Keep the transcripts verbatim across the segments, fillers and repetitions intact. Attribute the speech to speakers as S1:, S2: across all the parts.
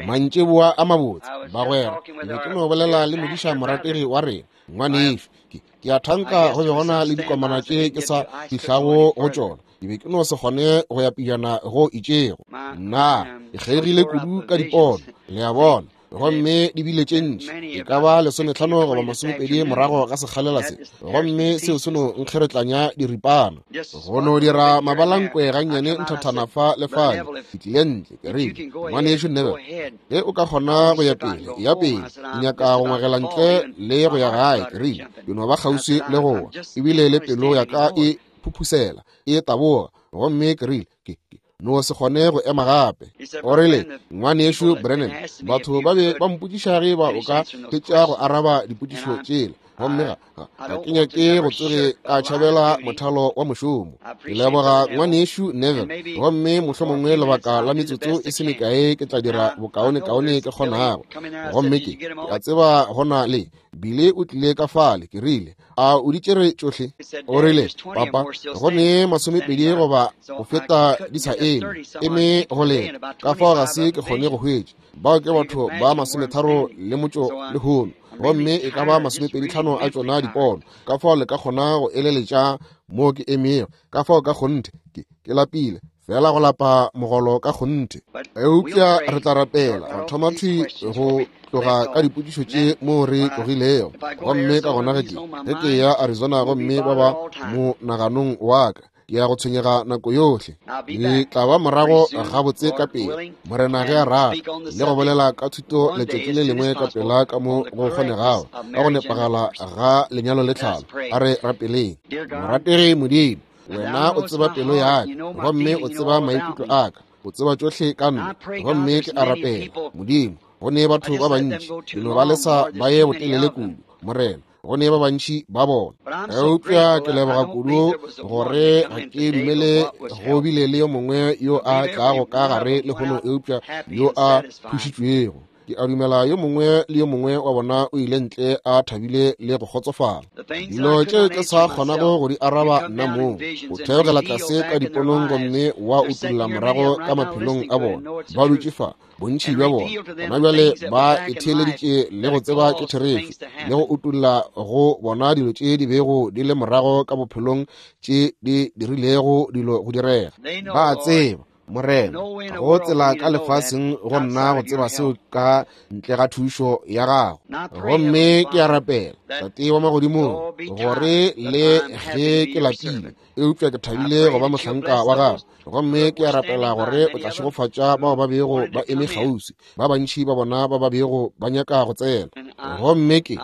S1: Mantšiboa a mabotse, bagwera. Ke be ke no bolela le modiša morategi wa rena, ngwanešu. Ke, ke a thanka go be gona le dikomana tše ke sa fihlago go tšona. Ke be ke no se kgone go ya pejana go itšego. Nna, ke kgeigile kudu ka dipono, le a bona. Gomme di bile tše ntši, e ka ba lesometlhano goba masomepedi morago ga sekgalela se, gomme seo se no nkgeretlanya diripana. Go no dira mabalankwe gannyane nthathana fa le fale. Ke tlile ntle, ke rile, ngwanešu Neville, ge o ka kgona go ya pele, ya pele. Ke nyaka go ngwagela ntle le go ya gae. Ke rile, ke no ba kgauswi le go wa, ebile le pelo ya ka e phuphusela, e taboga. Gomme ke rile, ke, ke no se kgone go ema gape. O rile, ngwanešu Branham, batho ba be ba mpotšiša ge ba o ka fetša go araba dipotšišo tšela, gomme ga, ga, ga ke nyake go tsoge ka tšhabela mothalo wa mošomo. Ke leboga ngwanešu Neville, gomme mohlomongwe lebaka la metsotso e se mekae ke tla dira bokaonekaone ke kgonago. Gomme ke, ke a tseba gona le Bile o tlile ka fale. Ke rile, a o di tšere tšohle? O rile, papa, go ne masomepedi goba go feta di sa eme, eme go lena. Ka fao ga se ke kgone go hwetša. Bao ke batho ba masometharo le motšo lehono, gomme e ka ba masomepedi tlhano a tšona dipono. Ka fao le ka kgona go eleletša mo ke emego. Ka fao ka kgonthe ke, ke lapile, fela go lapa mogolo ka kgonthe. Eupša re tla rapela, ra thoma thwi go tloga ka dipotšišo tše mo re tlogilego. Gomme ka gona ge ke, ge ke ya Arizona, gomme ba ba mo naganong wa ka, ke ya go tshwenyega nako yohle. Ke tla ba morago gabotse ka pele, Morena ge a rata, le go bolela ka thuto letšatši le lengwe ka pela ka mo go kgonegago, ka go nepagala ga lenyalo le tlhalo. A re rapeleng. Morategi Modimo, wena o tseba pelo ya ka, gomme o tseba maikutlo a ka, o tseba tšohle ka nna. Gomme ke a rapela, Modimo, go ne batho ba bantši, ke no ba lesa ba ye botelele kudu, Morena, go ne ba bantši ba bona. Eupša ke leboga kudu gore ga ke dumele go bile le yo mongwe yo a tlago ka gare lehono eupša yo a thušitšwego. Ke a dumela yo mongwe le yo mongwe wa bona o ile ntle a thabile le go kgotsofala. Dilo tše ke sa kgonago go di araba nna mong, o theogela tlase ka diponong gomme wa utolla morago ka maphelong a bona. Ba dutše fa, bontši bja bona gona bjale ba itheeleditše le go tseba ke therešo, le go utolla go bona dilo tše di bego di le morago ka bophelong tše di dirilego dilo go direga. Ba tseba, Morena, go tsela ka lefaseng go nna go tseba seo ka ntle ga thušo ya gago. Gomme ke a rapela, Tate wa magodimong, gore le ge ke lapile, eupša ke thabile go ba mohlanka wa gago. Gomme ke a rapela gore o tla šegofatša bao ba bego ba eme kgauswi, ba bantši ba bona ba ba bego ba nyaka go tsena. Gomme ke,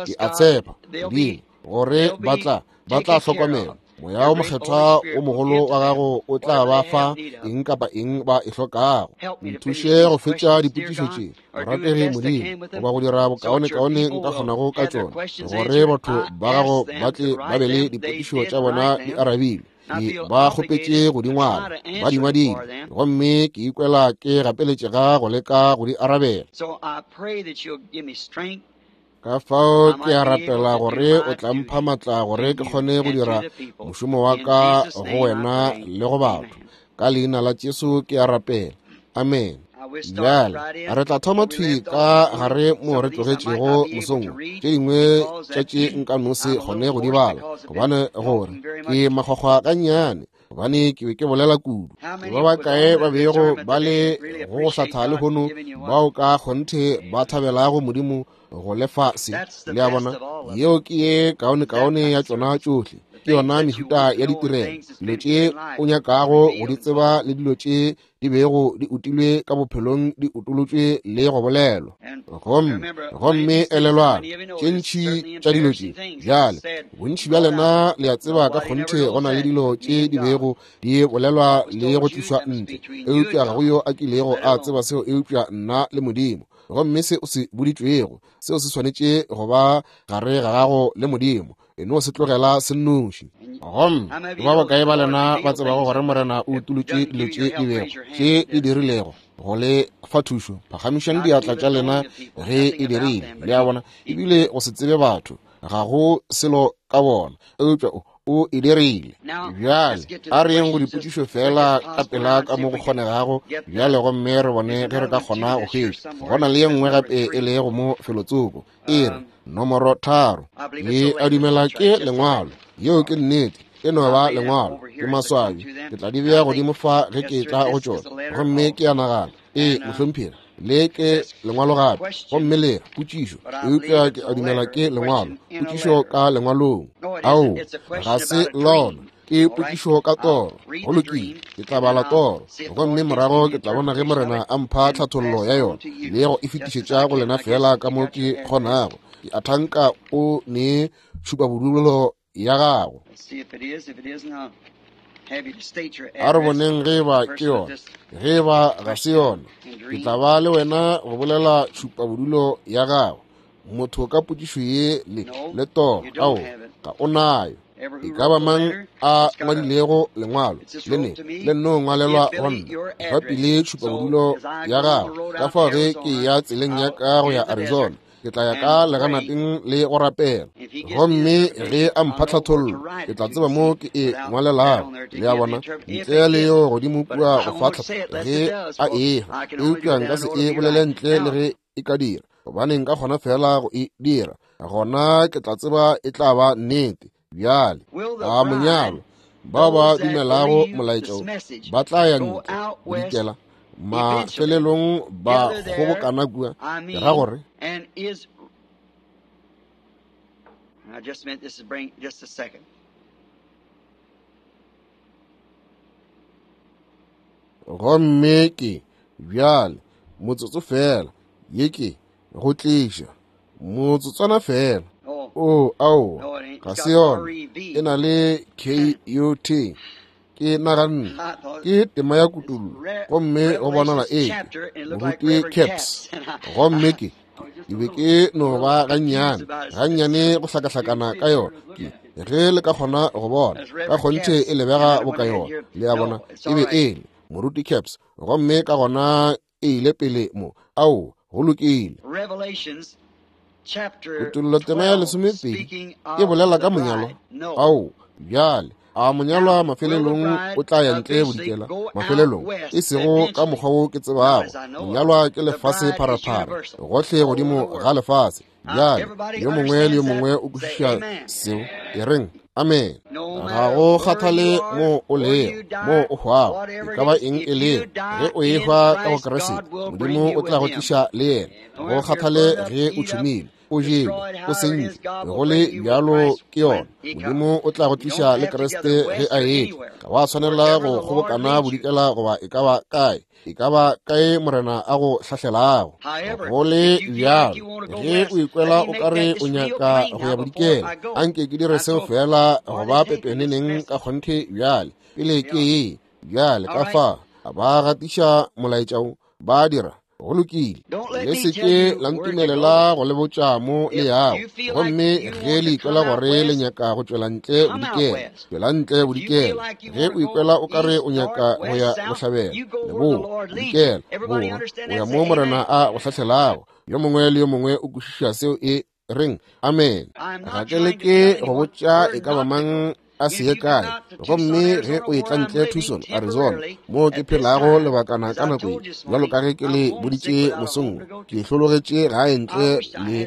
S1: ke a tshepa, Modimo, gore ba tla, ba tla hlokomela. Moya o mokgethwa o mogolo wa gago o tla ba fa eng kapa eng ba e hlokago. Nthuše go fetša dipotšišo tše, morategi Modimo, goba go dira bokaonekaone nka kgonago ka tšona, gore batho ba gago ba tle ba be le dipotšišo tša bona di arabilwe. Ke ba kgopetše go di ngwala, ba di ngwadile, gomme ke ikwela ke gapeletšega go leka go di arabela. Ka fao ke a rapela gore o tla mpha matla gore ke kgone go dira mošomo wa ka go wena le go batho. Ka leina la Jesu ke a rapela. Amen. Bjale re tla thoma thwi ka gare mo re tlogetšego mosong. Tše dingwe tša tše nka no se kgone go di bala, gobane gore ke makgwakgwa gannyane, gobane ke be ke bolela kudu. Ke ba bakae ba bego ba le go go hlatha lehono bao ka kgonthe ba thabelago Modimo go lefa se? Le a bona, yeo ke ye kaonekaone ya tšona tšohle. Ke yona mehuta ya ditirelo, dilo tše o nyakago go di tseba le dilo tše di bego di utilwe ka bophelong di utolotšwe le go bolelwa. Gomme, gomme elelwang, tše ntši tša dilo tše bjale, bontši bja lena le a tseba ka kgonthe go na le dilo tše di bego di bolelwa le go tlišwa ntle, eupša ga go yo a kilego a tseba seo eupša nna le Modimo. Gomme se o se boditšwego, seo se swanetše go ba gare ga gago le Modimo, e no se tlogela se nnoši. Gomme ba bakae ba lena ba tsebago gore Morena o utolotše dilo tše di bego tše di dirilego go le fa thušo? Phagamišang diatla tša lena ge e dirile. Le a bona, ebile go se tsebe batho, ga go selo ka bona, eupša o O e dirile. Bjale a re yeng go dipotšišo fela ka pela ka mo go kgonegago bjale, gomme re bone ge re ka kgona go hwetša. Go na le ye nngwe gape e lego mo felotsoko, e re nomoro tharo. Ke a dumela ke lengwalo. Yeo ke nnete, e no ba lengwalo. Ke maswabi, ke tla di bea godimo fa ge ke tla go tšona. Gomme ke a nagana, ee mohlomphegi, le ke lengwalo gape, gomme le re potšišo, eupša ke a dumela ke lengwalo, potšišo ka lengwalong. Ao, ga se lona, ke potšišo ka toro. Go lokile, ke tla bala toro, gomme morago ke tla bona ge Morena a mpha tlhathollo ya yona le go e fetišetša go lena fela ka mo ke kgonago. Ke a thanka o ne tšhupabodulo ya gago. A re boneng ge ba ke yona. Ge ba ga se yona, ke tla ba le wena go bolela tšhupabodulo ya gago. Motho ka potšišo ye le le toro, ao, ga o nayo. E ka ba mang a ngwadilego lengwalo le ne le nno ngwalelwa go nna, fa pele tšhupabodulo ya gago. Ka fao ge ke ya tseleng ya ka go ya Arizona, ke tla ya ka leganateng le go rapela, gomme ge a mpha tlhathollo, ke tla tseba mo ke e ngwalelago. Le a bona, ntle le yo godimo kua go fa ge a efa, eupša nka se e bolele ntle le ge e ka dira, gobane nka kgona fela go e dira, gona ke tla tseba e tla ba nnete. Bjale a monyalo bao ba dumelago molaetša ba tla ya ntle bodikela, mafelelong ba kgobokana kua. Ke ra gore gomme ke bjale motsotso fela, ye ke go tliša motsotswana fela. O, ao, ga se yona, e na le K U T. Ke naganne ke tema ya kutullo, gomme go bonala e moruti Caps. Gomme ke ke be ke no ba gannyane gannyane go hlakahlakana ka yona. Ke ge le ka kgona go bona ka kgonthe e lebega boka yona, le a bona, e be e le moruti Caps. Gomme ka gona e ile pele mo. Ao, go lokile. Kutullo tema ya lesomepedi e bolela ka monyalo. Ao, bjale a monyalwa mafelelong o tla ya ntle bodikela, mafelelong e sego ka mokgwa wo ke tsebago. Monyalwa ke lefase pharapara, gohle godimo ga lefase. Bjale yo mongwe le yo mongwe o kwešiša seo, e reng amen. Ga go kgathale mo o lego, mo o hwago, e ka ba eng e lego, ge o ehwa ka go Kriste, Modimo o tla go tliša le yena. Go kgathale ge o tšhomile, o jele, o sentše, go le bjalo ke yona, Modimo o tla go tliša le Kriste ge a etla. Ga wa tshwanela go kgobokana bodikela goba e ka ba kae, e ka ba kae Morena a go hlahlelago. Go le bjalo ge o ikwela o ka re o nyaka go ya bodikela, anke ke dire seo fela go ba pepeneneng ka kgonthe bjale pele ke ye. Bjale ka fa ba gatiša molaetša wo, ba dira. Go lokile, le se ke la ntumelela go le botša mo le yago. Gomme ge le ikwela gore le nyaka go tšwela ntle bodikela, tšwela ntle bodikela. Ge o ikwela o ka re o nyaka go ya bohlabela, leboa, bodikela, borwa, o ya mo Morena a go hlahlelago. Yo mongwe le yo mongwe o kwešiša seo e reng amen. Ga ke leke go botša e ka ba mang a se ye kae. Gomme ge o etla ntle Tucson, Arizona, mo ke phelago lebakana ka nako ye, bjalo ka ge ke le boditše mosong, ke hlologetše gae ntle le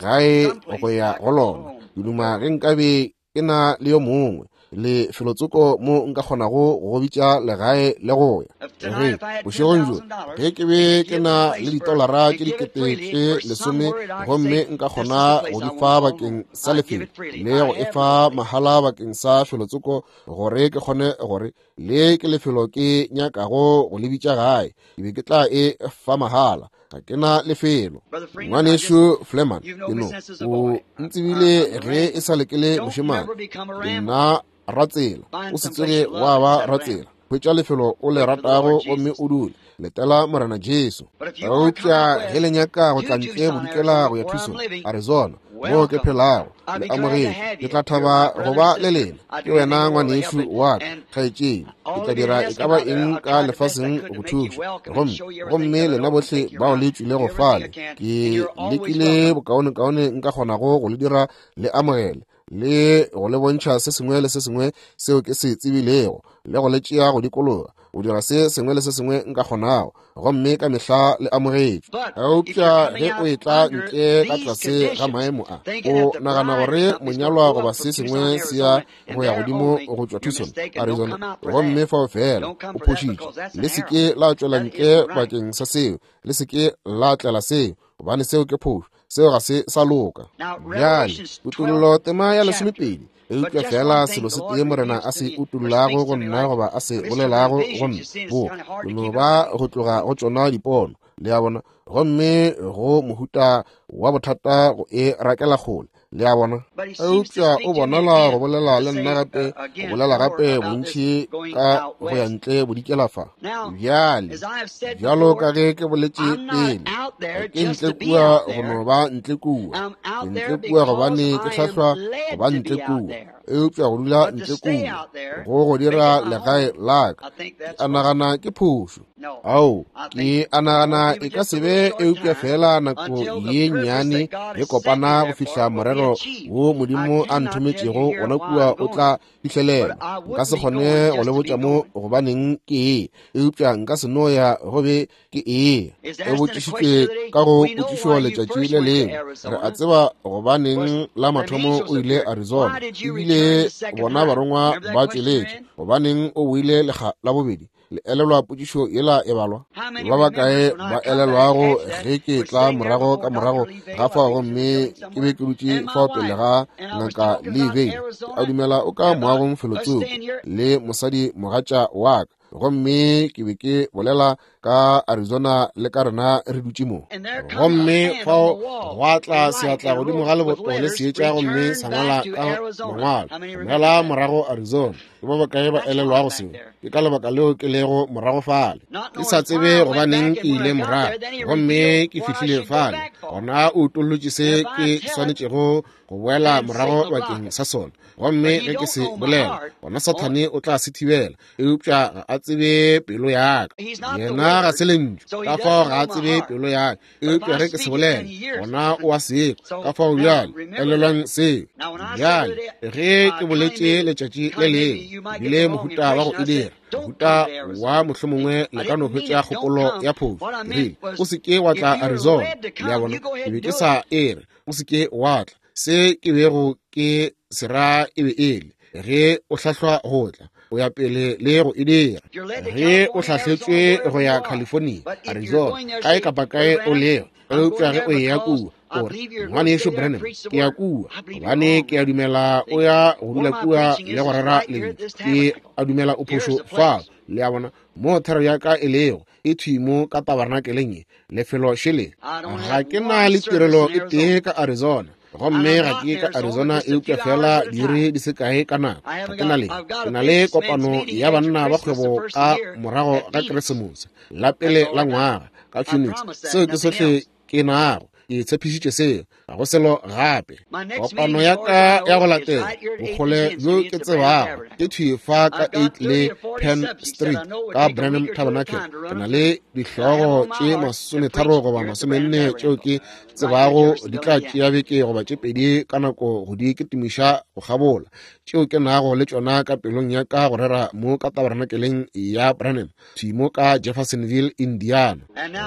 S1: gae go ya go lona. Ke duma ge nkabe ke na le yo mongwe le felotsoko mo nka kgonago go bitša legae le go ya. Ge bošegong bjo ge ke be ke na le ditolara tše dikete tše lesome, gomme nka kgona go di fa bakeng sa lefelo le go e fa mahala bakeng sa felotsoko, gore ke kgone gore le ke lefelo ke nyakago go le bitša gae, ke be ke tla e fa mahala. Ga ke na lefelo. Ngwanešu Fleman, ke no o ntsebile ge e sa le ke le mošemane. Ke nna ratsela, o se tsoge wa ba ratsela. Hwetša lefelo o le ratago gomme o dule, letela Morena Jesu. Eupša ge le nyaka go tla ntle bodikela go ya Tucson, Arizona, Moo ke phelago, le amogetšwe. Ke tla thaba go ba le lena. Ke wena ngwanešu wa ka, kgaetšedi. Ke tla dira e ka ba eng ka lefaseng go thuša. Gomme, gomme lena bohle bao le tšwilego fale, ke lekile bokaonekaone nka kgonago go le dira le amogele, le go le bontšha se sengwe le se sengwe seo ke se tsebilego, le go le tšea go dikologa, go dira se sengwe le se sengwe nka kgonago, gomme ka mehla le amogetšwe. Eupša ge o etla ntle ka tlase ga maemo a, o nagana gore monyalwa goba se sengwe se ya go ya godimo go tšwa Tucson, Arizona, gomme fao fela o phošitše. Le se ke la tšwela ntle bakeng sa seo, le se ke la tlela seo, gobane seo ke phošo, seo ga se sa loka. Bjale, Kutollo tema ya lesomepedi. Eupša fela selo se tee Morena a se utollago go nna goba a se bolelago go nna, bo ke no ba go tloga go tšona dipono, le a bona, gomme go mohuta wa bothata go e rakela kgole, le a bona. Eupša o bonala go bolela le nna gape, go bolela gape bontši ka go ya ntle bodikela fa. Bjale, bjalo ka ge ke boletše pele, ga ke ntle kua go no ba ntle kua. Ke ntle kua gobane ke hlahlwa go ba ntle kua. Eupša go dula ntle kua go go dira legae la ka, ke a nagana ke phošo. Ao, ke a nagana e ka se be eupša fela nako ye nnyane ye kopana go fihla morero wo Modimo a nthometšego gona kua o tla fihlelela. Nka se kgone go le botša mo gobaneng ke e, eupša nka se no ya go be ke e. E botšišitšwe ka go potšišo letšatši le lengwe. Re a tseba gobaneng la mathomo o ile Arizona, ebile bona barongwa ba tšweletše. Gobaneng o boile lekga la bobedi? Le elelwa potšišo yela e balwa? Ba bakae ba elelwago ge ke tla morago ka morago ga fao, gomme ke be ke dutše fao pele ga Ngaka Lee Vayle, a dumela o ka moagong felotsoko, le mosadi mogatša wa ka, gomme ke be ke bolela ka Arizona le ka rena re dutše mo. Gomme fao gwa tla seatla godimo ga leboto le seetša, gomme sa ngwala ka mangwalo, boela morago Arizona. Ke ba bakae ba elelwago seo? Ke ka lebaka leo ke lego morago fale. Ke sa tsebe gobaneng ke ile morago, gomme ke fihlile fale. Gona o utollotše se ke swanetšego go boela morago bakeng sa sona. Gomme ge ke se bolela, gona Sathane o tla se thibela, eupša ga a tsebe pelo ya ka. Yena ga se lentšu, ka fao ga a tsebe pelo ya ka. Eupša ge ke se bolela, gona o a se kwa. Ka fao bjale, elelwang seo. Bjale, ge ke boletše letšatši le lengwe, bile mohuta wa go e dira, mohuta wa mohlomongwe le ka no hwetša kgopolo ya phošo. Ke rile, o se ke wa tla Arizona. Le a bona, ke be ke sa e re, o se ke wa tla. Se ke bego ke se ra e be e le, ge o hlahlwa go tla, o ya pele le go e dira. Ge o hlahletšwe go ya California, Arizona, kae kapa kae o lego, eupša ge o eya kua, o re, Ngwanešu Branham, ke ya kua, gobane ke a dumela o ya go dula kua le go rera lentšu. Ke a dumela o phošo fao. Le a bona, mo thero ya ka e lego, e thwi mo ka tabernakeleng ye, lefelo šele. Ga ke na le tirelo e tee ka Arizona, gomme ga ke ka Arizona eupša fela diiri di se kae ka nako. Ga ke na le, ke na le kopano ya banna ba kgwebo ka morago ga Keresemose, la pele la ngwaga, ka Phoenix. Seo ke sohle ke nago. Ke tshepišitše seo, ga go selo gape. Kopano ya ka ya go latela, bokgole bjo ke tsebago, ke thwi fa ka eight le Penn Street ka Branham Tabernacle. Ke na le dihlogo tše masometharo goba masomenne tšeo ke tsebago di tla tšea beke goba tše pedi ka nako go di kitimiša go kgabola, tšeo ke nago le tšona ka pelong ya ka go rera mo ka tabernakeleng ya Branham, thwi mo ka Jeffersonville, Indiana.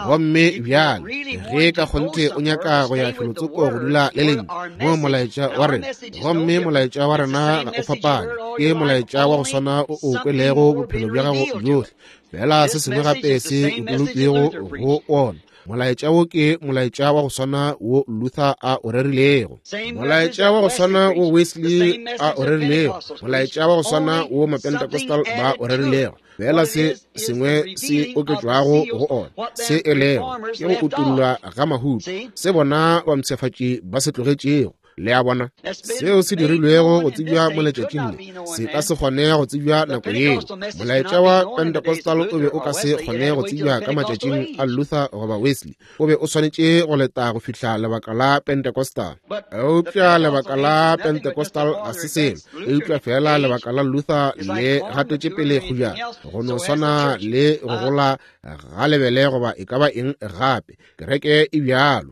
S1: Gomme bjale, ge ka kgonthe o nyaka go ya felotsoko go dula le lentšu, mo molaetša wa rena, gomme molaetša wa rena ga o fapane, ke molaetša wa go swana o o kwelego bophelo bja gago bjohle, fela se sengwe gape se utolotšwego go ona. Molaetša wo ke molaetša wa go swana wo Luther a o rerilego, molaetša wa go swana wo Wesley a o rerilego, molaetša wa go swana wo Mapentecostal ba o rerilego, fela se sengwe se oketšwago go ona, se e lego ke go utollwa ga mahuto, se bona bampshafatši ba se tlogetšego. Le a bona, seo se dirilwego go tsebja mo letšatšing le se ka se kgone go tsebja nako yeo. Molaetša wa Pentecostal o be o ka se kgone go tsebja ka matšatšing a Luther goba Wesley. O be o swanetše go leta go fihla lebaka la Pentecostal. Eupša lebaka la Pentecostal ga se selo, eupša fela lebaka la Luther le gatetše pele kgojana, go no swana le go gola ga lebele goba e ka ba eng gape. Kereke e bjalo.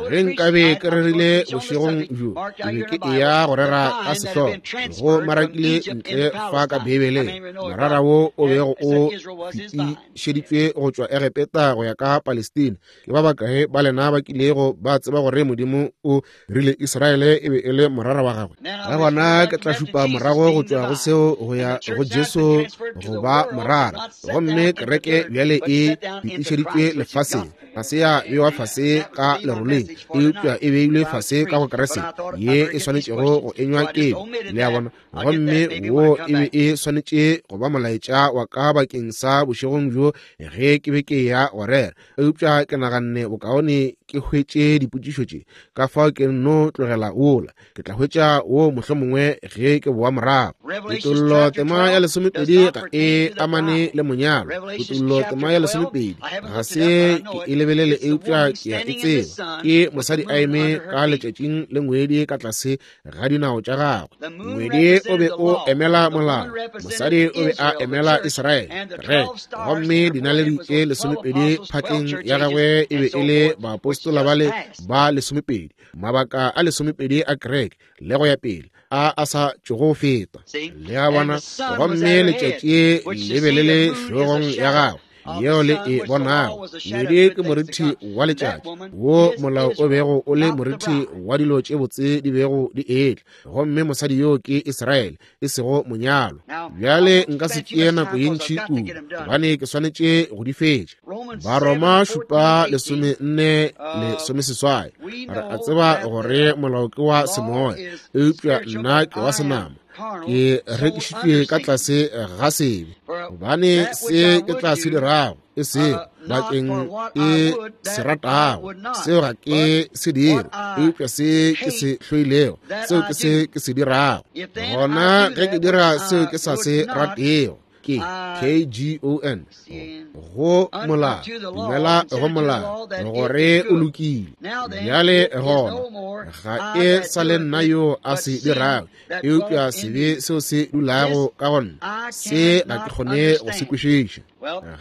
S1: Ge nkabe ke rerile bošegong bjo, ke be ke eya go rera ka sehlogo go marakile ntle fa ka Beibeleng, morara wo o bego o fetišeditšwe go tšwa Egepeta go ya ka Palestina. Ke ba bakae ba lena ba kilego ba tseba gore Modimo o rile Israele e be e le morara wa gagwe? Ka gona ke tla šupa morago go tšwa go seo go ya go Jesu go ba morara. Gomme kereke bjale e fetišeditšwe lefaseng, ga se ya bewa fase ka leroleng, eupša e beilwe fase ka go Kriste ye e swanetšego go enywa kelo. Le a bona? Gomme wo e be e swanetše go ba molaetša wa ka bakeng sa bošegong bjo ge ke be ke ya go rera, eupša ke naganne bokaone ke hwetše dipotšišo tše, ka fao ke nno tlogela wola. Ke tla hwetša wo mohlomongwe ge ke boa morago. Kutollo tema ya lesomepedi ga e amane le monyalo. Kutollo tema ya lesomepedi ga se ke e lebelele, eupša ke a e tseba. Ke mosadi a eme ka letšatšing le ngwedi ka tlase ga dinao tša gagwe. Ngwedi o be o emela molao, mosadi o be a emela Israele. Re gomme dinaledi tše lesomepedi phatleng ya gagwe e be e le baapostola bale ba lesomepedi, mabaka a lesomepedi a kereke le go ya pele, a a sa tšogo feta. Le a bona? Gomme letšatši le be le le hlogong ya gagwe yeo le e bonago. Ngwedi ke morithi wa letšatši, wo molao o bego o le morithi wa dilo tše botse di bego di etla. Gomme mosadi yo ke Israele, e sego monyalo. Bjale nka se tšee nako ye ntši kudu, gobane ke swanetše go di fetša. Baroma šupa lesome nne lesome seswai. Re a tseba gore molao ke wa semoya, eupša nna ke wa senama. Ke rekišitšwe ka tlase ga sebe, gobane se ke tla se dirago e sego bakeng e se ratago, seo ga ke se dire, eupša se ke se hloilego, seo ke se ke se dirago. Gona ge ke dira seo ke sa se ratego, ke K G O N, go molao, dumela go molao gore o lokile. Bjale gona ga e sa le nna yo a se dirago, eupša sebe seo se dulago ka go nna, se ga ke kgone go se kwešiša.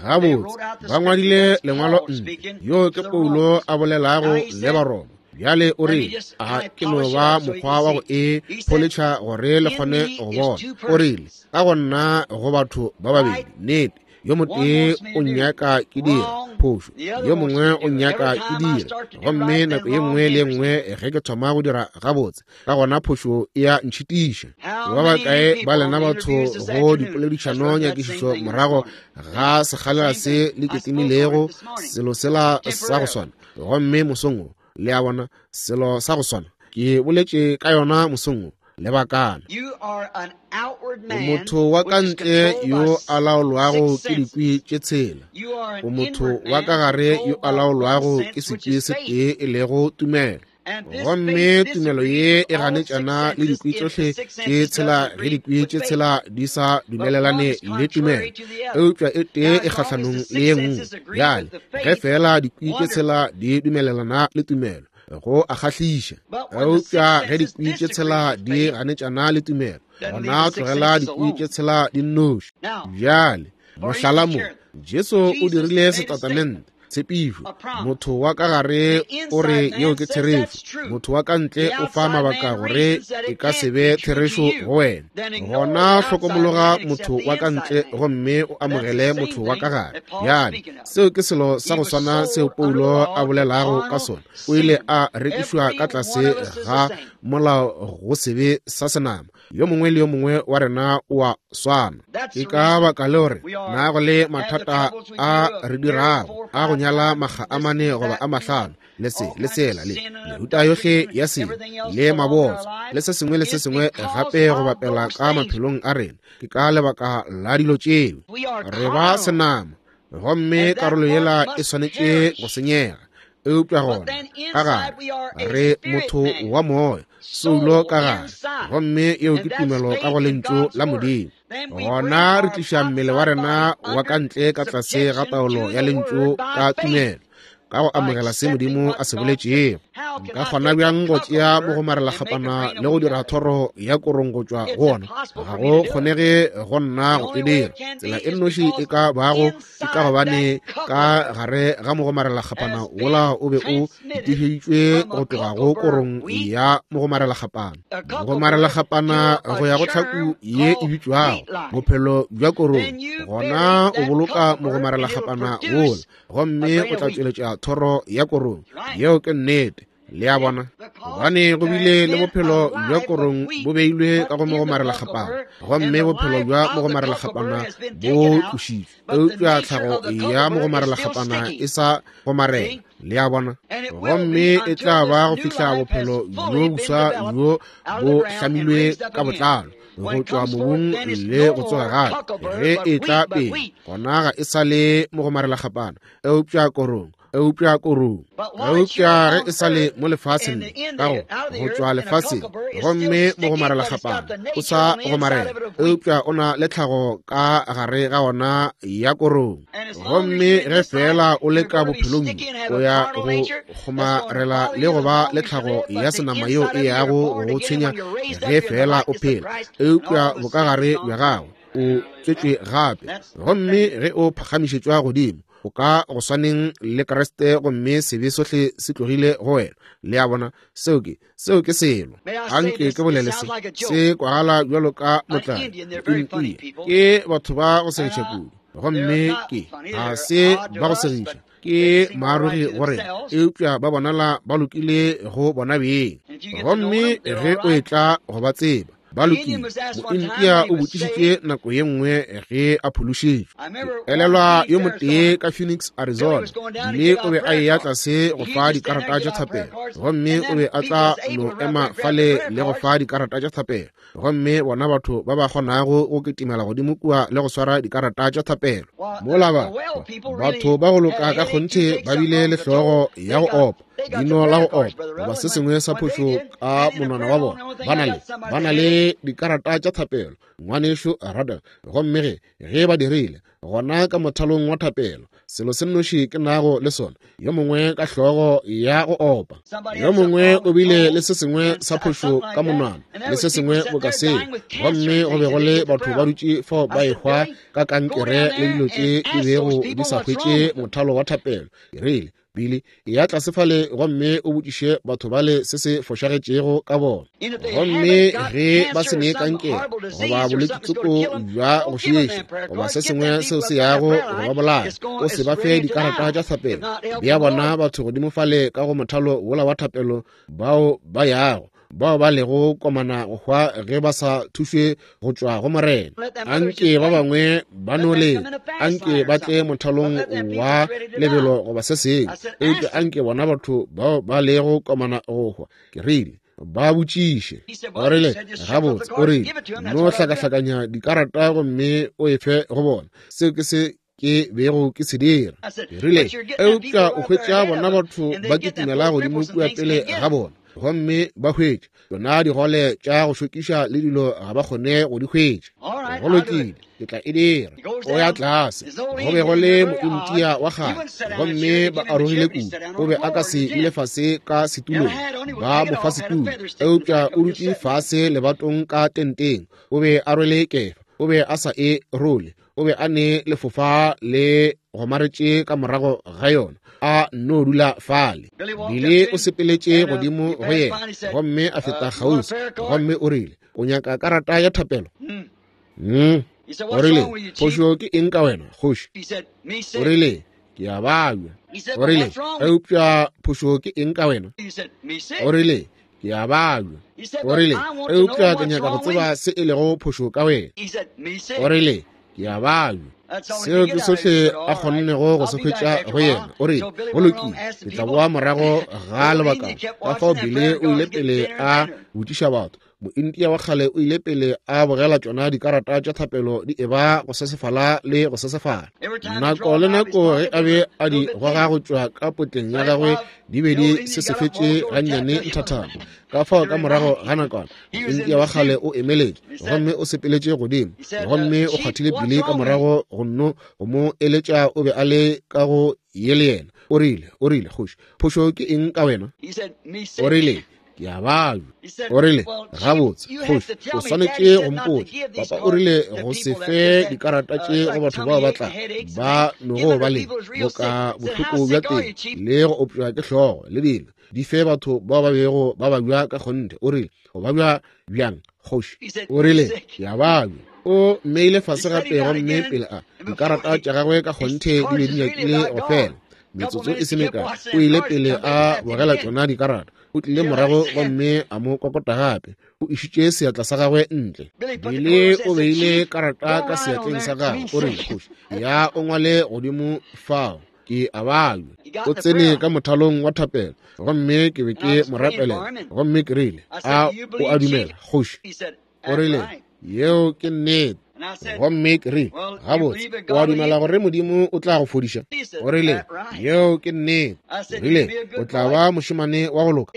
S1: Gabotse, ba ngwadile lengwalo nne, yo ke Paulo a bolelago le Baroma. Bjale o re, a ke no ba mokgwa wa go e pholetšha gore le kgone go bona. O rile, ka go nna go batho ba babedi, nnete, yo motee o nnyaka ke dira phošo, yo mongwe o nnyaka ke dira. Gomme nako ye nngwe le ye nngwe ge ke thoma go dira gabotse, ka gona phošo e a ntšhitiša. Ba bakae ba lena batho go dipoledišano nyakišišo morago ga sekgalela se le ketimilego selo sela sa go swana? Gomme mosong wo, le a bona, selo sa go swana ke boletše ka yona mosong wo lebakana. O motho wa ka ntle yo a laolwago ke dikwi tše tshela, o motho wa ka gare yo a laolwago ke sekwi se tee e lego tumelo. Gomme tumelo ye e ganetšana le dikwi tšohle tše tshela ge dikwi tše tshela di sa dumelelane le tumelo, eupša e tee e kgahlanong le ye nngwe. Bjale ge fela dikwi tše tshela di dumelelana le tumelo, go a kgahliša. Eupša ge dikwi tše tshela di ganetšana le tumelo, gona tlogela dikwi tše tshela di nnoši. Bjale mohlala mo, Jesu o dirile setatamente, tshepišo. Motho wa ka gare o re yeo ke therešo, motho wa ka ntle o fa mabaka gore e ka se be therešo go wena. Gona hlokomologa motho wa ka ntle gomme o amogele motho wa ka gare. Bjale seo ke selo sa go swana seo Paulo a bolelago ka sona. O ile a rekišwa ka tlase ga molao go sebe sa senama. Yo mongwe le yo mongwe wa rena o a swana. Ke ka baka le gore na go le mathata a re dirago a go nyala makga a mane goba a mahlano, le se le sela le mehuta yohle ya sebe le mabotso le se sengwe le se sengwe gape go bapela ka maphelong a rena. Ke ka lebaka la dilo tšeo re ba senama, gomme karolo yela e swanetše go senyega. Eupša gona ka gare re motho wa moya, soulo ka gare, gomme yeo ke tumelo ka go lentšu la Modimo. Gona re tliša mmele wa rena wa ka ntle ka tlase ga taolo ya lentšu ka tumelo, ka go amogela se Modimo a se boletšego. Nka kgona bjang go tšea mogomarelakgapana le go dira thoro ya korong go tšwa go ona? Ga go kgonege go nna go e dira. Tsela e nnoši e ka bago ke ka gobane ka gare ga mogomarelakgapana wola o be o itišeditšwe go tloga go korong ya mogomarelakgapana. Mogomarelakgapana go ya go tlhaku ye e bitšwago bophelo bja korong, gona o boloka mogomarelakgapana wola, gomme o tla tšweletša thoro ya korong. Yeo ke nnete. Le a bona? Gobane go bile le bophelo bja korong bo beilwe ka go mogomarelakgapana, gomme bophelo bja mogomarelakgapana bo tlošitšwe, eupša tlhago ya mogomarelakgapana e sa gomarela. Le a bona? Gomme e tla ba go fihla bophelo bjo boswa bjo bo hlamilwe ka botlalo go tšwa mobung le go tsoga gape. Ge e tla pele, gona ga e sa le mogomarelakgapana, eupša korong, eupša korong. Eupša ge e sa le mo lefaseng, ka go go tšwa lefaseng, gomme mogomarelakgapana o sa gomarela, eupša o na le tlhago ka gare ga ona ya korong. Gomme ge fela o le ka bophelong, o ya go kgomarela le go ba le tlhago ya senama yeo e yago go tshwenya ge fela o phela, eupša bokagare bja gago o tswetšwe gape. Gomme ge o phagamišetšwa godimo, o ka go swaneng le Kriste, gomme sebe sohle se tlogile go wena. Le a bona? Seo ke seo ke selo. Anke ke bolele se, se kwagala bjalo ka motlae. Ke batho ba go segiša kudu, gomme ke ga se ba go segiša, ke maarogi go rena, eupša ba bonala ba lokile go bona beng. Gomme ge o etla go ba tseba, ba lokile. Mointia o botšišitše nako ye nngwe ge a phološitšwe. Elelwa yo motee ka Phoenix, Arizona, mme o be a eya tlase go fa dikarata tša thapelo, gomme o be a tla no ema fale le go fa dikarata tša thapelo, gomme bona batho ba ba kgonago go kitimela godimo kua le go swara dikarata tša thapelo. Mola ba batho ba go loka ka kgonthe ba bile le hlogo ya go opa, dino la go opa, goba se sengwe sa phošo ka monwana wa bona. Ba na le ba na le dikarata tša thapelo, ngwanešu Rada. Gomme ge ge ba dirile, gona ka mothalong wa thapelo, selo se nnoši ke nago le sona, yo mongwe ka hlogo ya go opa, yo mongwe o bile le se sengwe sa phošo ka monwana, le se sengwe boka seo, gomme go be go le batho ba dutše fao ba ehwa ka kankere le dilo tše di bego di sa hwetše mothalo wa thapelo. Ke rile, Billy, ya tlase fale gomme o botšiše batho bale se se fošagetšego ka bona. Gomme ge ba se ne kankere goba bolwetši tsoko bja go šiiša goba se sengwe seo se yago go ba bolaya, o se ba fe dikarata tša thapelo. Bea bona batho godimo fale ka go mothalo wola wa thapelo, bao ba yago, bao ba lego komana go hwa ge ba sa thušwe go tšwa go Morena. Anke ba bangwe ba no leta, anke ba tle mothalong wa lebelo goba se sengwe, eupša anke bona batho bao ba lego komana go hwa, ke rile, ba botšiše. O rile, gabotse, o rile, no hlakahlakanya dikarata gomme o e fe go bona. Seo ke se ke bego ke se dira. Ke rile, eupša o hwetša bona batho ba kitimela godimo kua pele ga bona, gomme ba hwetša tsona digole tša go šokiša le dilo ga ba kgone go di hwetša. Go lokile, ke tla e dira. O ya tlase. Go be go le mointia wa kgale, gomme ba arogile kudu, o be a ka se ile fase ka setulong, ba mo fa setulo, eupša o dutše fase lebatong ka tenteng. O be a rwele kefa, o be a sa e role, o be a ne lefofa le gomaretše ka morago ga yona, a no dula fale. Bile o sepeletše godimo go yena, gomme a feta kgauswi, gomme o rile, o nyaka karata ya thapelo? Mm. O rile, phošo ke eng ka wena, kgoši? O rile, ke a babja. O rile, eupša phošo ke eng ka wena? O rile, ke a babja. O rile, eupša ke nyaka go tseba se e lego phošo ka wena. O rile, ke a babja. Seo ke sohle a kgonnego go se hwetša go yena. O rile, go lokile, ke tla boa morago ga lebakana. Ka fao Billy o ile pele a botšiša batho, Mointia wa kgale o ile pele a bogela tšona dikarata tša thapelo di eba go sesefala le go sesefala. Nako le nako ge a be a di goga go tšwa ka potleng ya gagwe di be di sesefetše gannyane nthathana. Ka fao ka morago ga nakwana Mointia wa kgale o emeletše gomme o sepeletše godimo gomme o kgwathile Billy ka morago go nno go mo eletša o be a le ka go ye le yena. O rile, o rile, kgoši, phošo ke eng ka wena? O rile, ke a babja. O rile, gabotse, kgoši, o swanetše go mpotša. Papa o rile go se fe dikarata tše go batho bao ba tla ba nogo ba le boka bohloko bja teng le go opšwa ke hlogo le dilo. Di fe batho bao ba bego ba babja ka kgonthe. O rile, o babja bjang, kgoši? O rile, ke a babja. O mmeile fase gape gomme pele a dikarata tša gagwe ka kgonthe di be di nyakile go fela. Metsotso e se mekae o ile pele a bogela tšona dikarata. O tlile morago gomme a mo kokota gape. O išitše seatla sa gagwe ntle. Billy o beile karata ka seatleng sa gagwe. O rile, kgoši, ya o ngwale godimo fao, ke a babja. O tsene ka mothalong wa thapelo gomme ke be ke mo rapelela gomme ke rile, a o a dumela, kgoši? O rile, yeo ke nnete. Gomme ke rile, gabotse, o a dumela gore Modimo o tla go fodiša? O rile, yeo ke nnete. O rile, o tla ba mošemane wa go loka?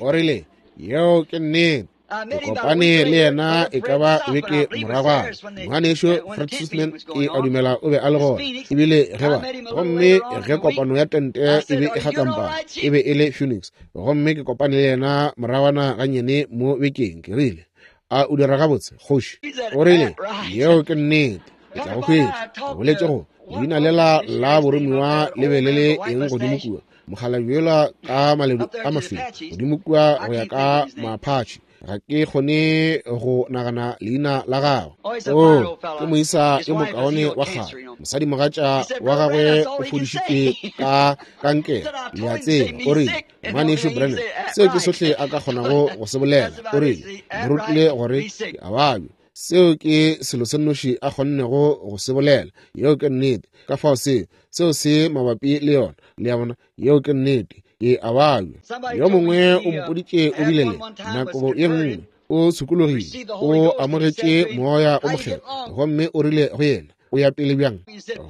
S1: O rile, yeo ke nnete. Ke kopane le yena e ka ba beke moragwana. Ngwanešu Fred Sothmann ke a dumela o be a le gona ebile ge ba gomme ge kopano ya tente e be e kgatlampana e be e le Phoenix gomme ke kopane le yena moragwana gannyane mo bekeng. Ke rile, a o dira gabotse, kgoši? O rile, yeo ke nnete. Ke tla go hwetša. Ke boletše go leina lela la boromiwa le be le le eng godimo kua, mokgalabje yola ka maledu a mašweu godimo kua go ya ka Maapatšhe. Ga ke kgone go nagana leina la gagwe. O ke moisa yo mokaone wa kgale. Mosadimogatša wa gagwe o fodišitšwe ka kankere, le a tseba. O rile, ngwanešu Branham, seo ke sohle a ka kgonago go se bolela. O rile, mo rutile gore ke a babja. Seo ke selo se nnoši a kgonnego go se bolela. Yeo ke nnete. Ka fao seo, seo se mabapi le yona. Le a bona, yeo ke nnete. Ke a babja. Yo mongwe o mpoditše o bile le nako ye nngwe o sokologile, o amogetše moya o mokgethwa gomme o rile go yena, o ya pele bjang?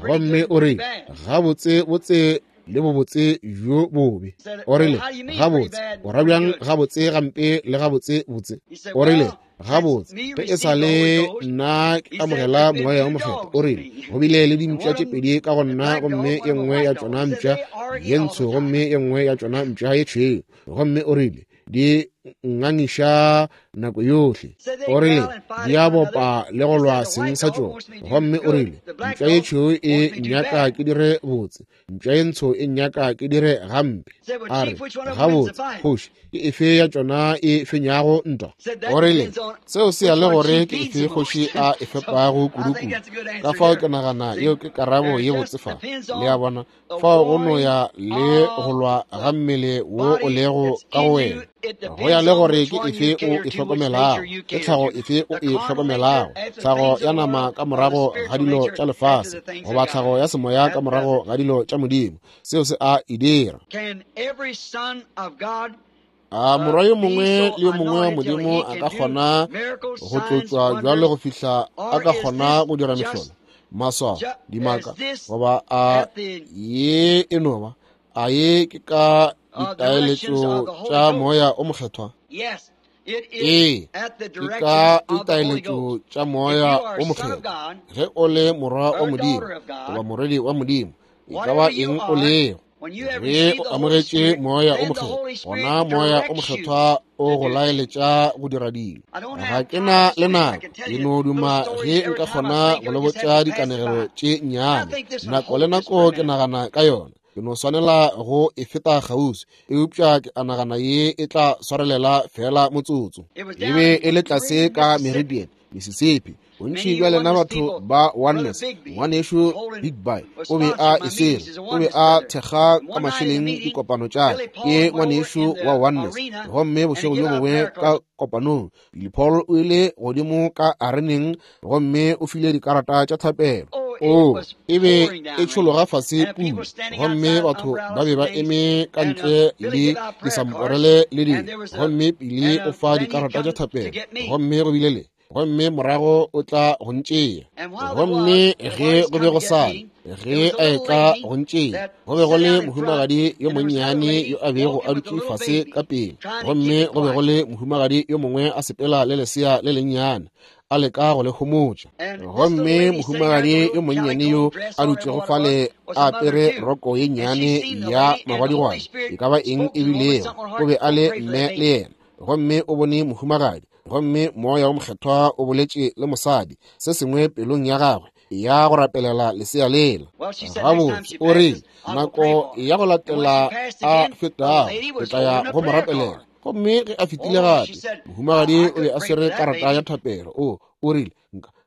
S1: Gomme o rile, gabotse botse le bobotse bjo bobe. O rile, gabotse o ra bjang gabotse gampe le gabotse botse? O rile, gabotse ge e sa le nna ke amogela moya o mokgethwa. O rile, go bile le dimpša tše pedi ka go nna gomme ye nngwe ya tšona mpša ye ntsho gomme ye nngwe ya tšona mpša ye tšhweu. Gomme o rile, di ngangiša nako yohle. O rile, di a bopa le go lwa seng sa tšona. Gomme o rile, mpša ye tšhweu e nyaka ke dire botse, mpša ye ntsho e nyaka ke dire gampe. A re, gabotse, kgoši, ke efe ya tšona e fenyago ntwa? O rile, seo se ya le gore ke efe kgoši a e fepago kudu-kudu. Ka fao ke nagana yeo ke karabo ye botse fa. Le a bona, fao go no ya le go lwa ga mmele wo o lego ka go wena. Go ya le gore ke efe o e hlokomelago, ke tlhago efe o e hlokomelago, tlhago ya nama ka morago ga dilo tša lefase goba tlhago ya semoya ka morago ga dilo tša Modimo. Seo se a e dira. A morwa yo mongwe le yo mongwe wa Modimo a ka kgona go tlotšwa bjalo go fihla a ka kgona go dira mehlolo, maswao, dimaka, goba a ye e no ba a ye ke ka ditaeletšo tša moya o mokgethwa? Ee, ke ka ditaeletšo tša moya o mokgethwa. Ge o le morwa wa Modimo goba morwedi wa Modimo, e ka ba eng o lego, ge o amogetše moya o mokgethwa, gona moya o mokgethwa o go laeletša go dira dilo. Ga ke na le nako, ke no duma ge nka kgona go le botša dikanegelo tše nnyane. Nako le nako ke nagana ka yona, ke no swanela go e feta kgauswi, eupša ke a nagana ye e tla swarelela fela motsotso. E be e le tlase ka Meridian, Mississippi. Bontši bja lena batho ba Oneness, ngwanešu Big Bay o be a e swere, o be a thekga ka mašeleng dikopano tša ke ngwanešu wa Oneness. Gomme bošego bjo bongwe ka kopanong, Billy Paul o ile godimo ka areneng gomme o file dikarata tša thapelo. O e be e tšhologa fase pula, gomme batho ba be ba eme ka ntle le disamporele le dilo, gomme Pili o fa dikarata tša thapelo, gomme go bile le, gomme morago o tla go ntšea. Gomme ge go be go sa ge a etla go ntšea, go be go le mohumagadi yo monnyane yo a bego a dutše fase ka pele, gomme go be go le mohumagadi yo mongwe a sepela le lesea le lennyane, a leka go le homotša. Gomme mohumagadi yo monnyane yo a dutšego fale a apere roko ye nnyane ya magwadigwadi, e ka ba eng e bilego, o be a le mme le yena. Gomme o bone mohumagadi, gomme moya wo mokgethwa o boletše le mosadi se sengwe pelong ya gagwe ya go rapelela lesea lela. Gabotse, o rile nako ya go latela a fetago ke tla ya go mo rapelela. Gomme ge a fetile gape, mohumagadi o be a swere karata ya thapelo. O o rile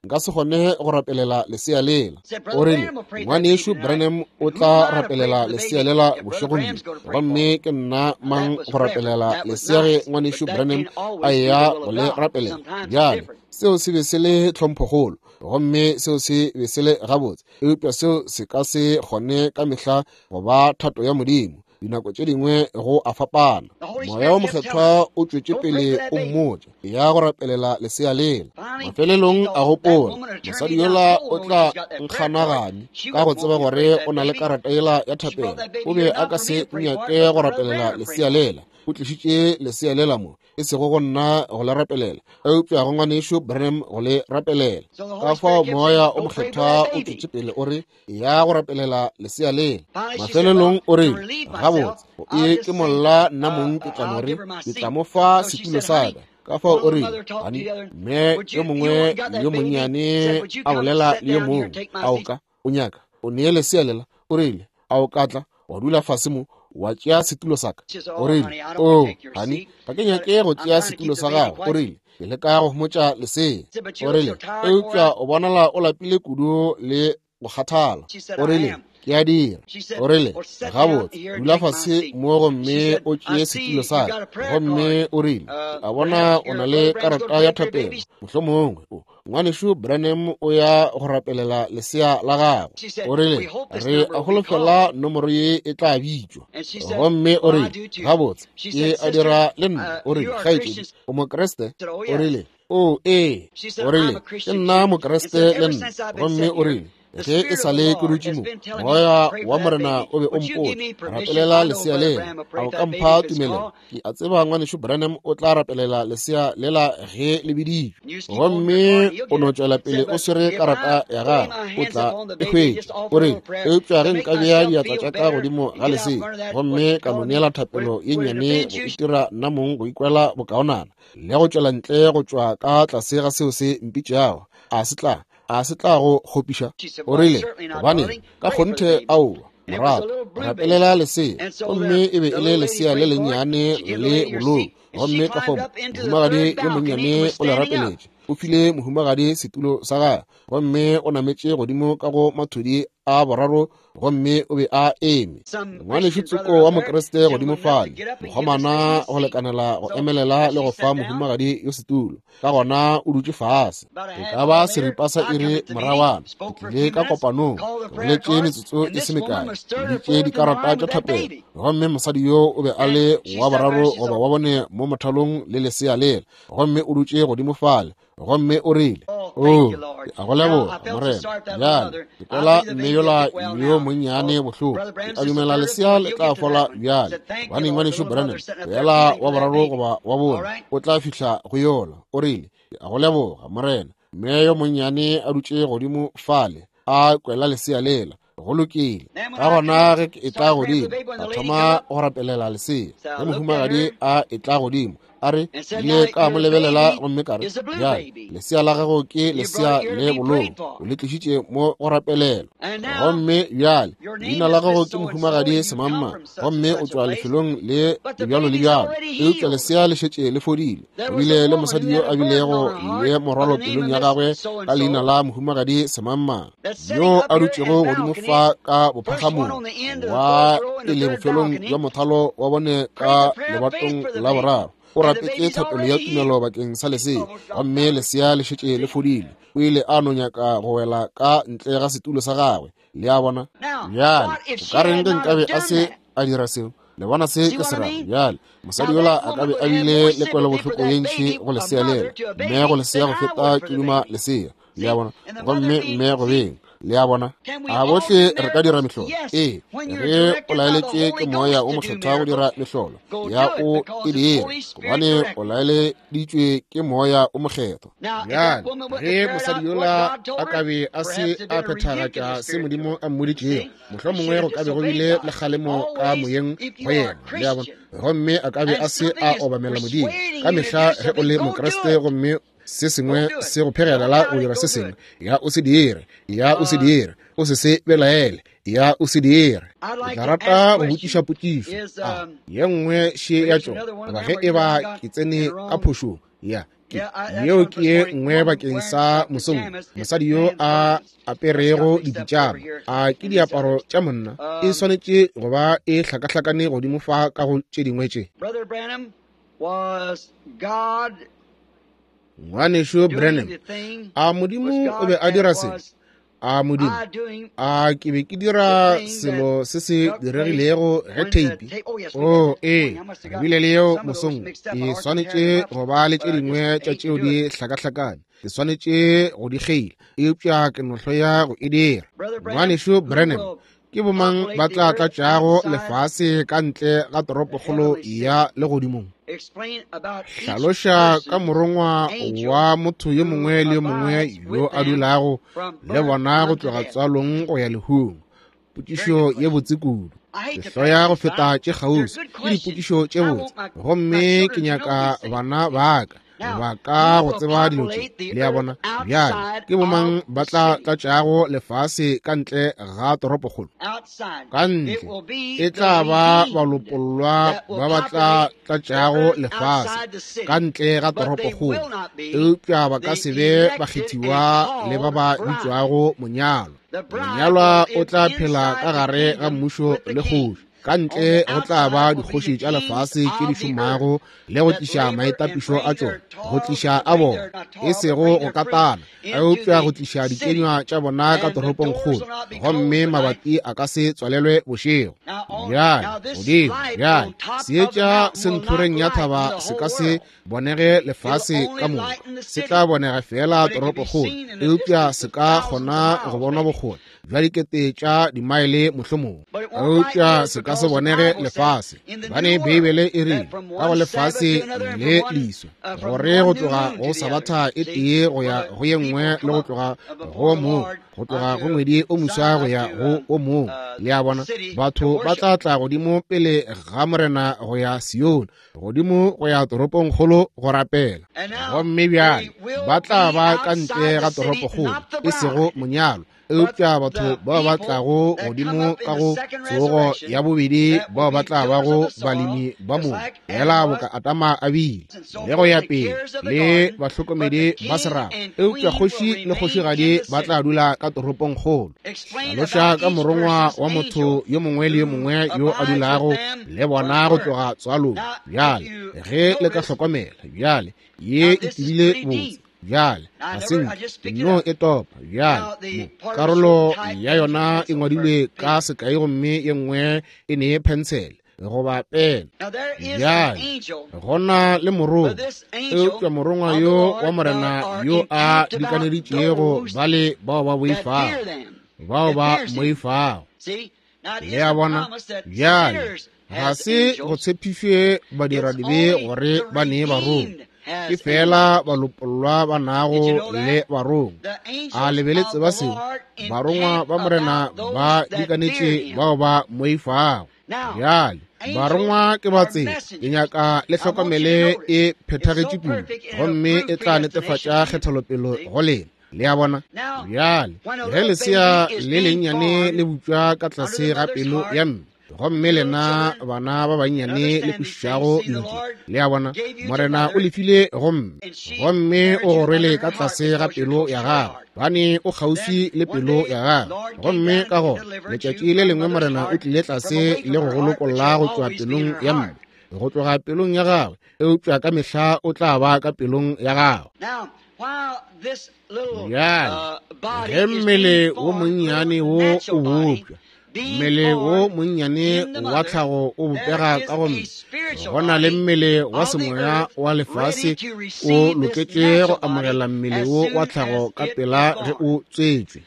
S1: nka se kgone go rapelela lesea lela. O rile ngwanešu Branham o tla rapelela lesea lela bošegong bjo, gomme ke nna mang go rapelela lesea ge ngwanešu Branham a eya go le rapelela? Bjale seo se be se le tlhomphokgolo, gomme seo se be se le gabotse, eupša seo se ka se kgone ka mehla go ba thato ya Modimo. Dinako tše dingwe go a fapana. Moya wo mokgethwa o tšwetše pele o mmotša ya go rapelela lesea lela. Mafelelong a gopola, mosadi yola o tla nkganagane ka go tseba gore o na le karata yela ya thapelo. O be a ka se nyake go rapelela lesea lela. O tlišitše lesea lela mo, e sego go nna go le rapelela, eupša go ngwanešu Branham go le rapelela. Ka fao moya o mokgethwa o tšwetše pele o re ya go rapelela lesea lela. Mafelelong o re gabotse, e ke molla nna mong ke tla no re ke tla mo fa setulo sa ka. Ka fao o rile, hani, mme yo mongwe yo monnyane a bolela le yo mongwe, a o ka o nyaka o nee lesea lela? O rile, a o ka tla wa dula fase mo wa tšea setulo sa ka? O rile, o hani, ga ke nyake go tšea setulo sa gago. O rile, ke leka go homotša lesea. O rile, eupša o bonala o lapile kudu le go kgathala. O rile, ke a dira. O rile, gabotse, dula fase mo gomme o tšee setulo sa ka. Gomme o rile, a bona o na le karata ya thapelo, mohlomongwe o ngwanešu Branham o ya go rapelela lesea la gagwe. O rile, re a holofela nomoro ye e tla bitšwa. Gomme o rile, gabotse, ke a dira le nna. O rile, kgaetšedi, o Mokriste? O rile, o ee. O rile, ke nna Mokriste le nna. Gomme o rile, ge e sa le ke dutše mo, moya wa Morena o be o mpotša, rapelela lesea lela. A o ka mpha tumelelo? Ke a tseba ngwanešu Branham o tla rapelela lesea lela ge le biditšwe. Gomme o no tšwela pele o swere karata ya gago, o tla e hwetša. O rile, eupša ge nka bea diatla tša ka godimo ga lesea gomme ka mo neela thapelo ye nnyane go itira nna mong go ikwela bokaonana le go tšwela ntle go tšwa ka tlase ga seo se mpitšago, a se tla a se tla go kgopiša? O rile, gobane ka kgonthe aowa, morato, rapelela lesea. Gomme e be e le lesea le lennyane le bolou. Gomme ka fao mohumagadi yo monnyane o le rapeletše. O file mohumagadi setulo sa gagwe, gomme o nametše godimo ka go mathudi a boraro, gomme o be a eme. Ngwanešu tsoko wa Mokriste godimo fale, mokgomana go lekanela go emelela le go fa mohumagadi yo setulo. Ka gona o dutše fase. E ka ba seripa sa iri morawana, ke tlile ka kopanong, ke boletše metsotso e se mekae, ke bitše dikarata tša thapelo. Gomme mosadi yo o be a le wa boraro goba wa bone mo mothalong le lesea lela, gomme o dutše godimo fale. Gomme o rile, o, ke a go leboga, Morena. Bjale ke kwela mme yola yo monnyane bohloko. Ke a dumela lesea le tla fola bjale, gobane ngwanešu Branham o yela wa boraro goba wa bone o tla fihla go yola. O rile, ke a go leboga, Morena. Mme yo monnyane a dutše godimo fale a kwela lesea lela. Go lokile. Ka gona ge ke etla godimo, ka thoma go rapelela lesea. Ge mohumagadi a etla godimo, a re, ile ka mo lebelela gomme ka re, bjale lesea la gago ke lesea le bolou, o le tlišitše mo go rapelela. Gomme bjale leina la gago ke mohumagadi semamma, gomme o tšwa lefelong le lebjalo le bjalo, eupša lesea le šetše le fodile. O bile le mosadi yo a bilego le morwalo pelong ya gagwe ka leina la mohumagadi semamma, yo a dutšego godimo fa ka bophagamong wa pele bofelong bja mothalo wa bone ka lebatong la boraro. O rapetše thapelo ya tumelo bakeng sa lesea, gomme lesea le šetše le fodile. O ile a no nyaka go wela ka ntle ga setulo sa gagwe. Le a bona? Bjale, o ka reng ge nkabe a se a dira seo? Le bona se ke se rago? Bjale, mosadi yola a ka be a bile le kwelobohloko ye ntši go lesea lela, mme go lesea go feta ke duma lesea. Le a bona? Gomme mme go beng. Le a bona? A bohle re ka dira mehlolo? Ee, ge o laeletšwe ke Moya o Mokgethwa go dira mehlolo, ya o e dire, gobane o laeleditšwe ke Moya o Mokgethwa. Bjale, ge mosadi yola a ka be a se a phethagatša se Modimo a mmoditšego, mohlomongwe go ka be go bile le kgalemo ka moyeng go yena. Le a bona? Gomme a ka be a se a obamela Modimo. Ka mehla ge o le Mokriste gomme se sengwe se go phegelela go dira se sengwe, ya o se dire, ya o se dire, o se se belaele, ya o se dire. Ke tla rata go botšiša potšišo a ye nngwe še ya tšona, goba ge e ba ke tsene ka phošong. Ya, ke yeo ke ye nngwe bakeng sa mosong. Mosadi yo a aperego dipitšama, a ke diaparo tša monna, e swanetše go ba e hlakahlakane godimo fa ka go tše dingwe tše. Ngwanešu Branham, a Modimo o be a dira se? A Modimo, a ke be ke dira selo se se diregilego ge theipi? Oh, ee, re bile le yeo mosong. Ke swanetše go ba le tše dingwe tša tšeo di hlakahlakane. Ke swanetše go di kgeila, eupša ke no hloya go e dira. Ngwanešu Branham, ke bomang ba tla tlatšago lefase ka ntle ga toropokgolo ya legodimong? Hlaloša ka morongwa wa motho yo mongwe le yo mongwe yo a dulago le bona go tloga tswalong go ya lehung. Potšišo ye botse kudu. Ke hloya go feta tše kgauswi. Ke dipotšišo tše botse, gomme ke nyaka bana ba ka ba ka go tseba dilo tše. Le a bona? Bjale, ke bomang ba tla tlatšago lefase ka ntle ga toropokgolo? Ka ntle e tla ba balopollwa ba ba tla tlatšago lefase ka ntle ga toropokgolo, eupša ba ka se be bakgethiwa le ba ba bitšwago monyalwa. Monyalwa o tla phela ka gare ga mmušo le kgoši. Ka ntle go tla ba dikgoši tša lefase tše di šomago le go tliša maitapišo a tšona, go tliša a bona, e sego go katana, eupša go tliša dikenywa tša bona ka toropongkgolo, gomme mabati a ka se tswalelwe bošego. Bjale, godimo, bjale, seetša se ntlhoreng ya thaba se ka se bonege lefase ka moka, se tla bonega fela toropokgolo, eupša se ka kgona go bonwa bokgole bja dikete tša dimaele mohlomong, eupša se ka se bonege lefase. Bane Beibele e rile ka go lefase le leswa, gore go tloga go sabatha e tee go ya go ye nngwe, le go tloga go mong, go tloga go ngwedi o moswa go ya go o mong. Le a bona? Batho ba tla tla godimo pele ga Morena go ya Sione, godimo go ya toropongkgolo go rapela. Gomme bjale ba tla ba ka ntle ga toropokgolo, e sego monyalwa, eupša batho bao ba tlago godimo ka go tsogo ya bobedi, bao ba tla bago balemi ba mobu, fela boka Adama a bile, le go ya pele, le bahlokomedi ba serapa. Eupša kgoši le kgošigadi ba tla dula ka toropongkgolo. Hlaloša ka morongwa wa motho yo mongwe le yo mongwe yo a dulago le bona go tloga tswalong. Bjale, ge le ka hlokomela, bjale, ye e tibile botse. Bjale, ga se nke no e topa. Bjale, mo karolo ya yona e ngwadilwe ka sekai gomme ye nngwe e ne phensele goba pene. Bjale, gona le morongwa, eupša morongwa yo wa Morena yo a dikaneditšego bale bao ba boifago, bao ba moifago. Le a bona? Bjale, ga se go tshepišwe badiradibe gore ba nee barongwa, ke fela balopollwa ba nago le barongwa. A lebeletse ba seo? Barongwa ba Morena ba dikanetše bao ba moifago. Bjale, barongwa ke ba tsela. Ke nyaka le hlokomele e phethagetše kudu, gomme e tla netefatša kgethelopele go lena. Le a bona? Bjale, ge lesea le lennyane le butšwa ka tlase ga pelo ya mme, gomme lena bana ba bannyane le kwešišago dilo tše, le a bona, Morena o lefile gomme, gomme o go rwele ka tlase ga pelo ya gago, bane o kgauswi le pelo ya gago. Gomme ka gona letšatši le lengwe Morena o tlile tlase le go go lokolla go tšwa pelong ya mme, go tloga pelong ya gagwe, eupša ka mehla o tla ba ka pelong ya gagwe. Bjale ge mmele wo monnyane wo o bopša, mmele wo monnyane wa tlhago o bopega ka go mme, go na le mmele wa semoya wa lefase o loketše go amogela mmele wo wa tlhago ka pela ge o tswetšwe.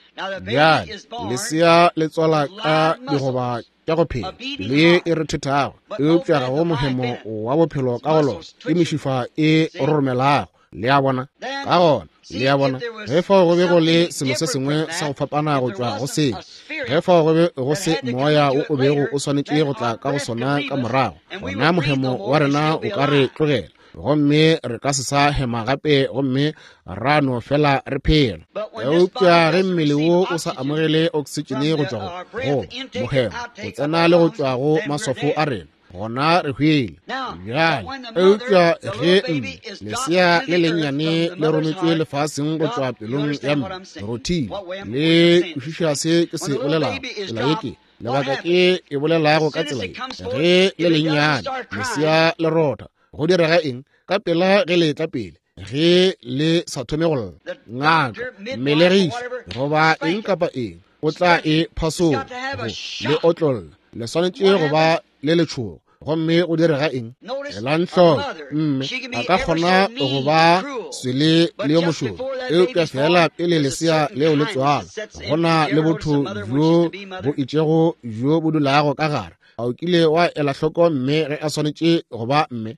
S1: Bjale lesea le tswala ka digoba tša go phela, pelo ye e rethethago, eupša ga go mohemo wa bophelo ka go lona, ke mešifa e roromelago. Le a bona? Ka gona, le a bona, ge fao go be go le selo se sengwe sa go fapana go tšwa go seo, ge fao go be go se moya wo o bego o swanetše go tla ka go sona ka morago, gona mohemo wa rena o ka re tlogela, gomme re ka se sa hema gape, gomme ra no fela re phela. Eupša ge mmele wo o sa amogele oksitšene go tšwa go goba mohemo go tsena le go tšwa go maswafo a rena, gona re hwele. Bjale eupša ge mme lesea le lennyane le rometšwe lefaseng go tšwa pelong ya mme, rothile, le kwešiša se ke se bolelago, tsela ye ke lebaka ke e bolelago ka tsela ye. Ge le lennyane lesea le rotha, go direga eng? Ka pela ge le tla pele, ge le sa thome go lla, ngaka, mmelegiši goba eng kapa eng o tla e phasola go le otlolla, le swanetše go ba le letšhogo. Gomme go direga eng? Elang hloko, mme a ka kgona go ba swele le yo mošoro, eupša fela pele lesea leo le tswala, go na le botho bjo bo itšego bjo bo dulago ka gare. A o kile wa ela hloko mme ge a swanetše go ba mme?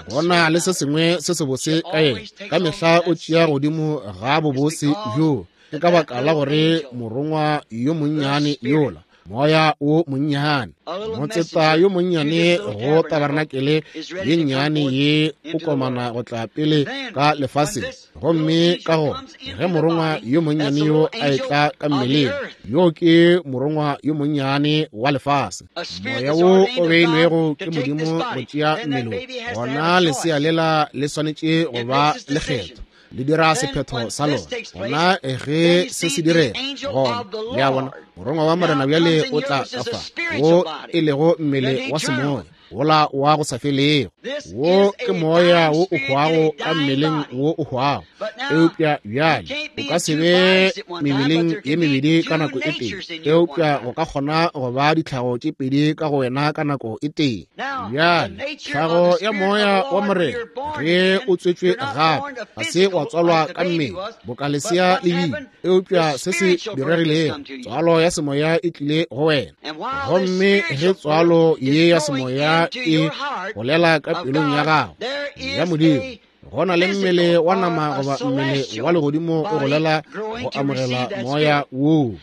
S1: Go na le se sengwe se sebose ka yena, ka mehla o tšea godimo ga bobose bjoo. Ke ka baka la gore morongwa yo monnyane yola, moya wo monnyane, motseta yo monnyane go tabarnakele ye nnyane ye o komana go tla pele ka lefaseng. Gomme ka gona ge morongwa yo monnyane yo a etla ka mmeleng, yo ke morongwa yo monnyane wa lefase, moya wo o beilwego ke Modimo go tšea mmele wo, gona lesea lela le swanetše go ba le kgetho, le dira sephetho sa lona. Gona ge se se direga, gona le a bona, morongwa wa Morena bjale o tla ka fa, wo e lego mmele wa semoya wola wa go sa felego. Wo ke moya wo o hwago ka mmeleng wo o hwago, eupša bjale o ka se be mebeleng ye mebedi ka nako e tee, eupša go ka kgona go ba ditlhago tše pedi ka go wena ka nako e tee. Bjale tlhago ya moya wa Morena ge o tswetšwe gape, ga se wa tswalwa ka mmele boka lesea le bile, eupša se se diregilego, tswalo ya semoya e tlile go wena. Gomme ge tswalo ye ya semoya e golela ka pelong ya gago ya Modimo, go na le mmele wa nama goba mmele wa legodimo o golela go amogela moya woo.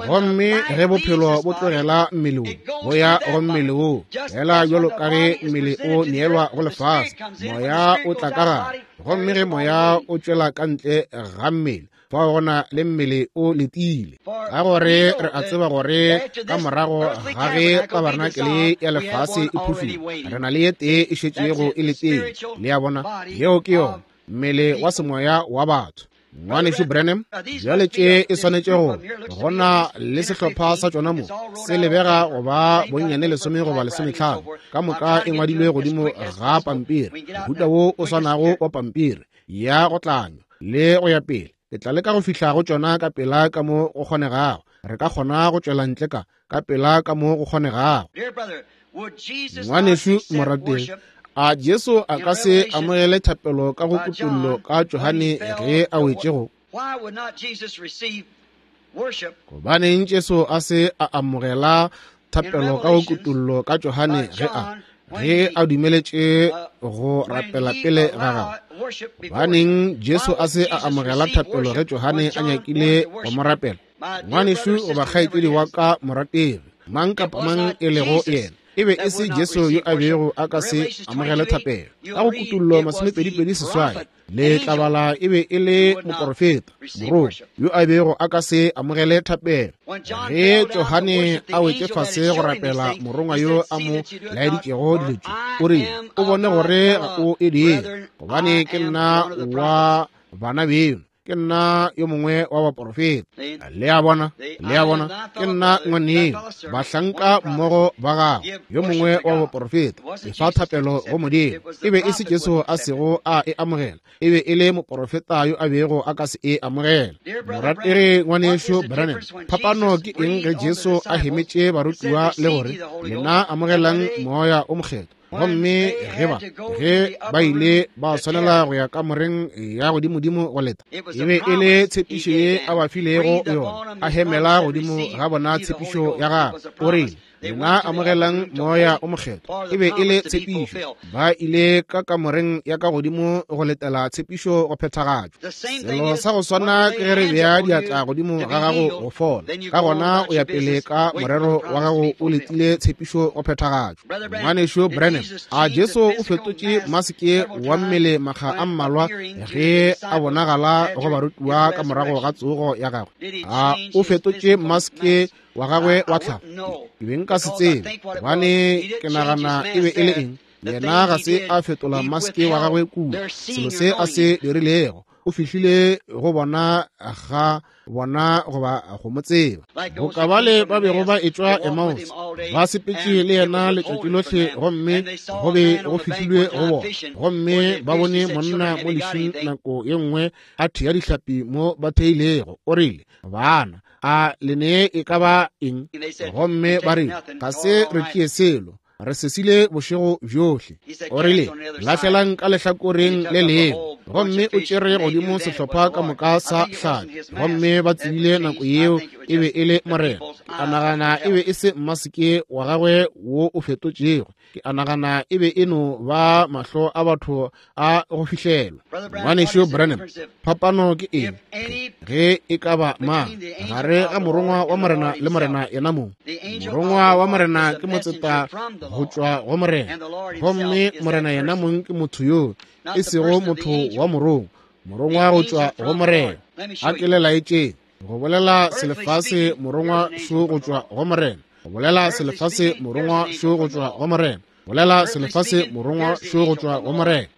S1: Gomme ge bophelo bo tlogela mmele wo, bo ya go mmele wo, fela bjalo ka ge mmele o neelwa go lefase, moya o tla ka gare. Gomme ge moya o tšwela ka ntle ga mmele, fao go na le mmele o letile. Ka gore re a tseba gore ka morago ga ge tabarnakele ya lefase e phufile, re na le ye tee e šetšego e letile. Le a bona, yeo ke yona, mmele wa semoya wa batho. Ngwanešu Branham, bjale tše e swanetše go go na le sehlopha sa tšona mo, se lebega go ba bonnyane lesome goba lesometlhano, ka moka e ngwadilwe godimo ga pampiri, mohuta wo o swanago wa pampiri ya go tlanywa le go ya pele. Ke tla leka go fihla go tšona ka pela ka mo go kgonegago. Re ka kgona go tšwela ntle ka ka pela ka mo go kgonegago. Ngwanešu morategi, a Jesu a ka se amogele thapelo ka go kutollo ka Johane ge a wetšego? Gobaneng Jesu a se a amogela thapelo ka go kutollo ka Johane ge a ge a dumeletše go rapela pele ga gagwe? Gobaneng Jesu a se a amogela thapelo ge Johane a nyakile go mo rapela? Ngwanešu goba kgaetšedi wa ka morategi, mang kapa mang e lego yena, e be e se Jesu yo a bego a ka se amogele thapelo. Ka go kutollo masomepedi-pedi seswai, le tlabala e be e le moporofeta morongwa yo a bego a ka se amogele thapelo. Ge Johane a wetše fase go rapela morongwa yo a mo laeditšego dilo tše, o rile, o bone gore ga o e dire, gobane ke nna wa bana beno Ke nna yo mongwe wa baporofeta. Le a bona, le a bona, ke nna ngwaneno, bahlanka mmogo ba gago, yo mongwe wa baporofeta. Efa thapelo go Modimo. E be e se Jesu a sego a e amogela, e be e le moporofeta yo a bego a ka se e amogela. Morategi ngwanešu Branham, phapano ke eng ge Jesu a hemetše barutiwa le gore lena amogelang moya o mokgethwa? Gomme ge ba ge ba ile ba swanela go ya kamoreng ya godimodimo go leta, e be e le tshepišo ye a ba filego yona. A hemela godimo ga bona tshepišo ya gagwe. O rile, lena amogelang moya o mokgethwa. E be e le tshepišo. Ba ile ka kamoreng ya ka godimo go letela tshepišo go phethagatšwa. Selo sa go swana ke ge re bea diatla godimo ga gago go fola, ka gona o ya pele ka morero wa gago o letile tshepišo go phethagatšwa. Ngwanešu Branham, a Jesu o fetotše maseke wa mmele makga a mmalwa ge a bonagala go barutiwa ka morago ga tsogo ya gagwe? A o fetotše maske wa gagwe wa tlhago? Ke be nka se tsebe, gobane ke nagana e be e le eng. Yena ga se a fetola maske wa gagwe kua. Selo se a se dirilego, o fihlile go bona ga bona goba go mo tseba. Boka bale ba bego ba etšwa Emmaus, ba sepetše le yena letšatši lohle, gomme go be go fihlilwe go bona. Gomme ba bone monna mo lešing nako ye nngwe a thea dihlapi mo ba theilego. O rile, bana, a le nee e ka ba eng? Gomme ba rile, ga se re tšee selo, re sesile bošego bjohle. O rile, lahlelang ka lehlakoreng le lengwe. Gomme o tšere godimo sehlopha ka moka sa hlapi. Gomme ba tsebile nako yeo e be e le Morena. Ke a nagana e be e se mmaseke wa gagwe wo o fetotšego. Ke a nagana e be e no ba mahlo a batho a go fihlelwa. Ngwanešu Branham, phapano ke eng ge e ka ba mang gare ga morongwa wa Morena le Morena yena mong? Morongwa wa Morena ke motseta go tšwa go Morena, gomme Morena yena mong ke motho yo e sego motho wa morongwa, morongwa go tšwa go Morena. A ke le laetšeng go bolela selefase morongwa šo go tšwa go Morena, go bolela selefase morongwa šo go tšwa go Morena, bolela selefase morongwa šo go tšwa go Morena.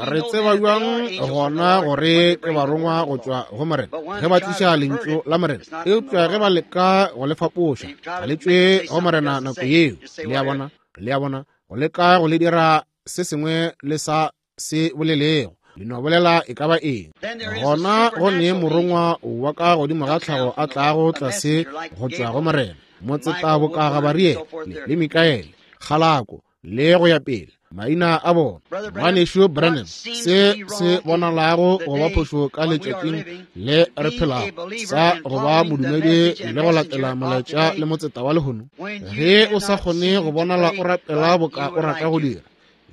S1: Re tseba bjang gona gore ke barongwa go tšwa go Morena ge ba tliša lentšu la Morena? Eupša ge ba leka go le fapoša, ga le tšwe go Morena nako yeo. Le a bona, le a bona, go leka go le dira se sengwe le sa se bolelego, le no bolela e ka ba eng. Gona go ne morongwa wa ka godimo ga tlhago a tlago tlase go tšwa go Morena, motseta boka Gabariele le Mikaele, Kgalako le go ya pele, maina a bona. Ngwanešu Branham, se se bonalago go ba phošo ka letšatšing le re phelago sa go ba modumedi le go latela molaetša le motseta wa lehono, ge o sa kgone go bonala o rapela boka o rata go dira,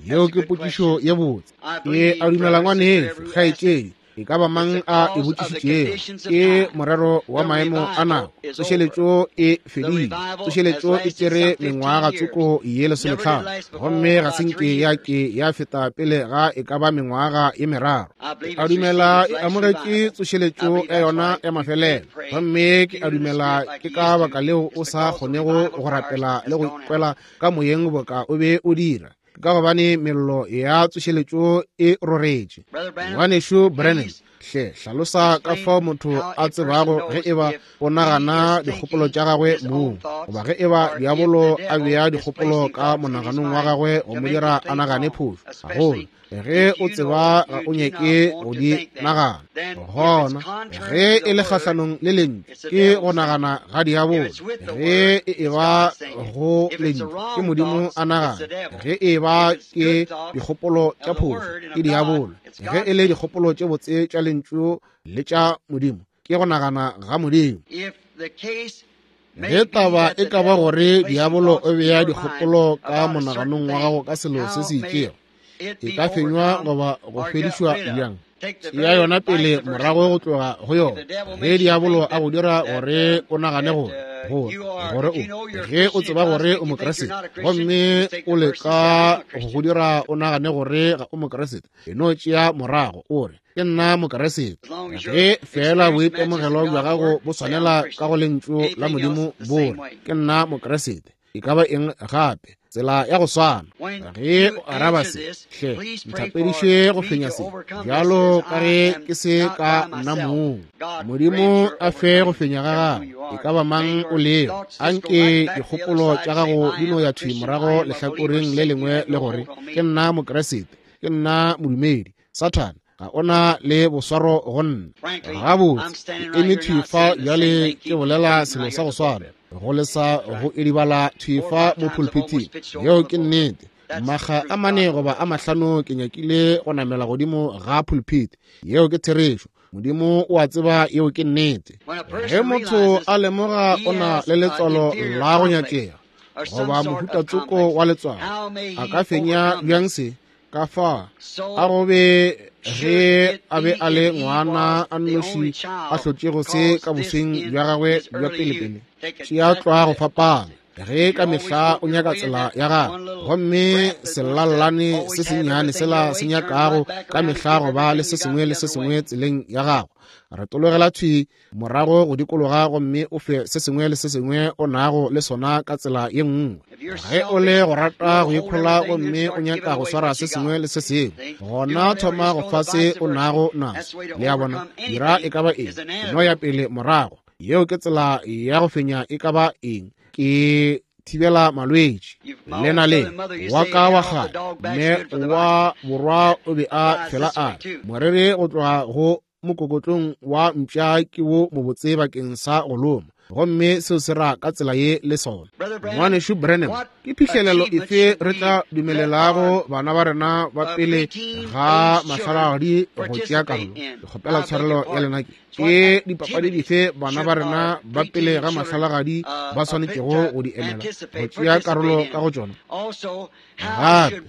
S1: yeo ke potšišo ye botse. Ke a dumela ngwanešu, kgaetšedi, e ka ba mang a e botšišitšego, ke morero wa maemo a nako. Tsošeletšo e fedile. Tsošeletšo e tšere mengwaga tsoko ye lesometlhano, gomme ga se nke ya ke ya feta pele ga e ka ba mengwaga ye meraro. Ke a dumela e amogetše tsošeletšo ya yona ya mafelelo, gomme ke a dumela ke ka baka leo o sa kgonego go rapela le go ikwela ka moyeng boka o be o dira, ka gobane mello ya tsošeletšo e roretše. Ngwanešu Branham, hle hlalosa ka fao motho a tsebago ge e ba o nagana dikgopolo tša gagwe mong, goba ge e ba diabolo a bea dikgopolo ka monaganong wa gagwe go mo dira a nagane phošo, gagolo ge o tseba ga o nyake go di nagana. Gona ge e le kgahlanong le lentšu, ke go nagana ga diabolo. Ge e eba go lentšu, ke Modimo a nagana. Ge e ba ke dikgopolo tša phošo, ke diabolo. Ge e le dikgopolo tše botse tša lentšu le tša Modimo, ke go nagana ga Modimo. Ge taba e ka ba gore diabolo o bea dikgopolo ka monaganong wa gago ka selo se se itšego, e ka fenywa goba go fedišwa bjang? Ya yona pele morago go tloga go yona. Ge diabolo a go dira gore o nagane gore gore gore o ge o tseba gore o Mokriste, gomme o leka go go dira o nagane gore ga o Mokriste, e no tšea morago o re, ke nna Mokriste. Ge fela boitemogelo bja gago bo swanela ka go lentšu la Modimo, bo re, ke nna Mokriste. e ka ba eng gape, tsela ya go swana. Ge o araba se, hle nthapediše go fenya se, bjalo ka ge ke se ka nna mong. Modimo a fe go fenya ga gago, e ka ba mang o lego. Anke dikgopolo tša gago di no ya thwi morago lehlakoreng le lengwe le gore, ke nna Mokriste, ke nna modumedi. Sathane, ga ona le boswaro go nna. Gabotse, ke eme thwi fa bjale ke bolela selo sa go swana, go lesa go edibala thwi fa mo pulpiting. Yeo ke nnete. Makga a mane goba a mahlano ke nyakile go namela godimo ga pulpit. Yeo ke therešo. Modimo o a tseba yeo ke nnete. Ge motho a lemoga o na le letswalo la go nyakega goba mohuta tsoko wa letswalo, a ka fenya bjang se? Ka fa a go be ge a be a le ngwana a nnoši a hlotšego se ka bosweng bja gagwe bja pelepele. Tšea tlwa go fapana. Ge ka mehla o nyaka tsela ya gago, gomme selallane se sennyane sela se nyakago ka mehla go ba le se sengwe le se sengwe tseleng ya gago, retologela thwi morago go dikologa gomme o fe se sengwe le se sengwe o nago le sona ka tsela ye nngwe. Ge o le go rata go ikhola gomme o nyaka go swara se sengwe le se sengwe, gona thoma go fa se o nago naso. Le a bona, dira e ka ba eng, no ya pele morago. Yeo ke tsela ya go fenya e ka ba eng, ke thibela malwetši. Lena le wa ka wa kgale, mme wa borwa o be a fela a re, morere go tloga go mokokotlong wa mpša ke wo mobotse bakeng sa go loma, gomme seo se ra ka tsela ye le sona. Ngwanešu Branham, ke phihlelelo efe re tla dumelelago bana ba rena ba pele ga mahlalagadi go tšea karolo? Ke kgopela tshwarelo ya lena. Ke ke dipapadi dife bana ba rena ba pele ga mahlalagadi ba swanetšego go di emela go tšea karolo ka go tšona? Gape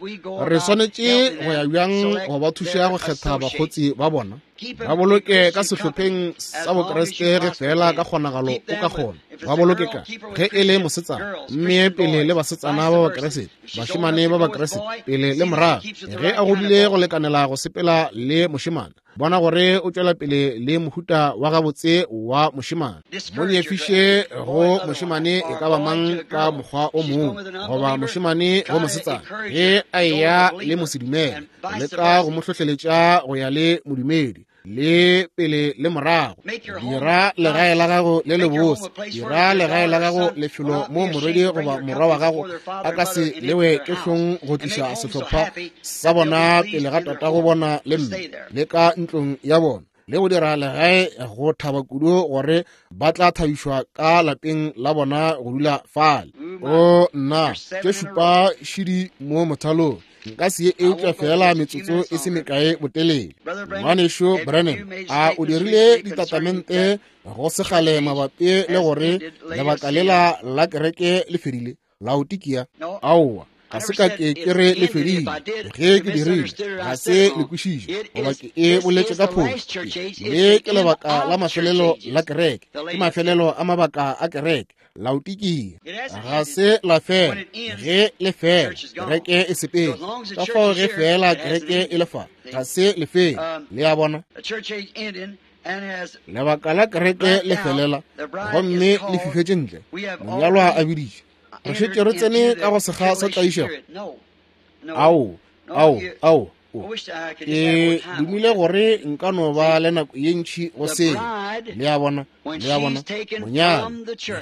S1: re swanetše go ya bjang go ba thuša go kgetha bakgotsi ba bona? Ba boloke ka sehlopheng sa Bokriste ge fela ka kgonagalo o ka kgona. Ba boloke ka ge e le mosetsana, mme pele le basetsana ba Bakriste, bašemane ba Bakriste pele le morago. Ge a godile go lekanela go sepela le mošemane, bona gore o tšwela pele le mohuta wa gabotse wa mošemane. Mo nyefiše go mošemane e ka ba mang ka mokgwa o mongwe, goba mošemane go mosetsana ge a eya le mosedumele, leka go mo hlohleletša go ya le modumedi, le pele le morago. Dira legae la gago le lebose, dira legae la gago lefelo mo morwedi goba morwa wa gago a ka se lewe ke hlong go tliša sehlopha sa bona pele ga tatago bona le mme, le ka ntlong ya bona, le go dira legae go thaba kudu gore ba tla thabišwa ka lapeng la bona go dula fale. O nna, tše šupa šidi mo mothalong, nka se ye eupša fela metsotso e se mekae botelele. Ngwanešu Branham, a o dirile ditatamente go segale mabapi le gore lebaka lela la kereke le fedile Laodikia? Aowa, ga se ka ke ke re le fedile. Ge ke dirile, ga se le kwešiše goba ke e boletše ka phošo. Le ke lebaka la mafelelo la kereke, ke mafelelo a mabaka a kereke Laodikia. Ga se la fela. Ge le fela, kereke e sepele. Ka fao ge fela kereke e le fa, ga se le fele. Le a bona, lebaka la kereke le felela gomme le fifetše ntle. Monyalwa a biditše, re šetše re tsene ka go sekga sa tlaišego. Ao, ao, ao. Ke dumile gore nka no ba le nako ye ntši go seo. Le a bona, le a bona, monyana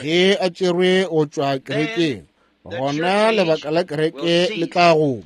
S1: ge a tšerwe go tšwa kerekeng, gona lebaka la kereke le tla goma.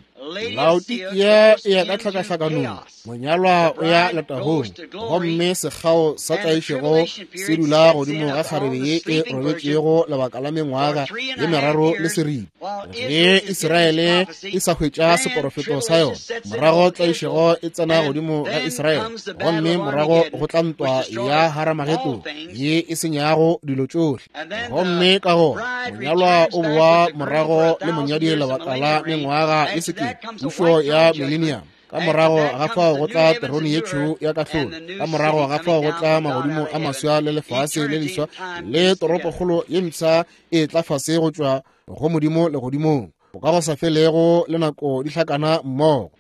S1: Laodikia e ya ka tlhakahlakanong, monyalwa o ya letagong, gomme sekgao sa tlaišego se dula godimo ga kgarebe ye e robetšego lebaka la mengwaga ye meraro le seripa. Ge Israele e sa hwetša seporofeto sa yona, morago tlaišego e tsena godimo ga Israele, gomme morago go tla ntwa ya Haramagedone ye e senyago dilo tšohle. Gomme ka gona monyalwa o boa morago le monyadi lebaka la mengwaga e sekete, pušo ya millennium. Ka morago ga fao go tla terone ye tšhweu ya kahlolo. Ka morago ga fao go tla magodimo a maswa le lefase le leswa le toropokgolo ye mpsha e tla fase go tšwa go Modimo legodimong. Bokagosafelego le nako di hlakana mmogo.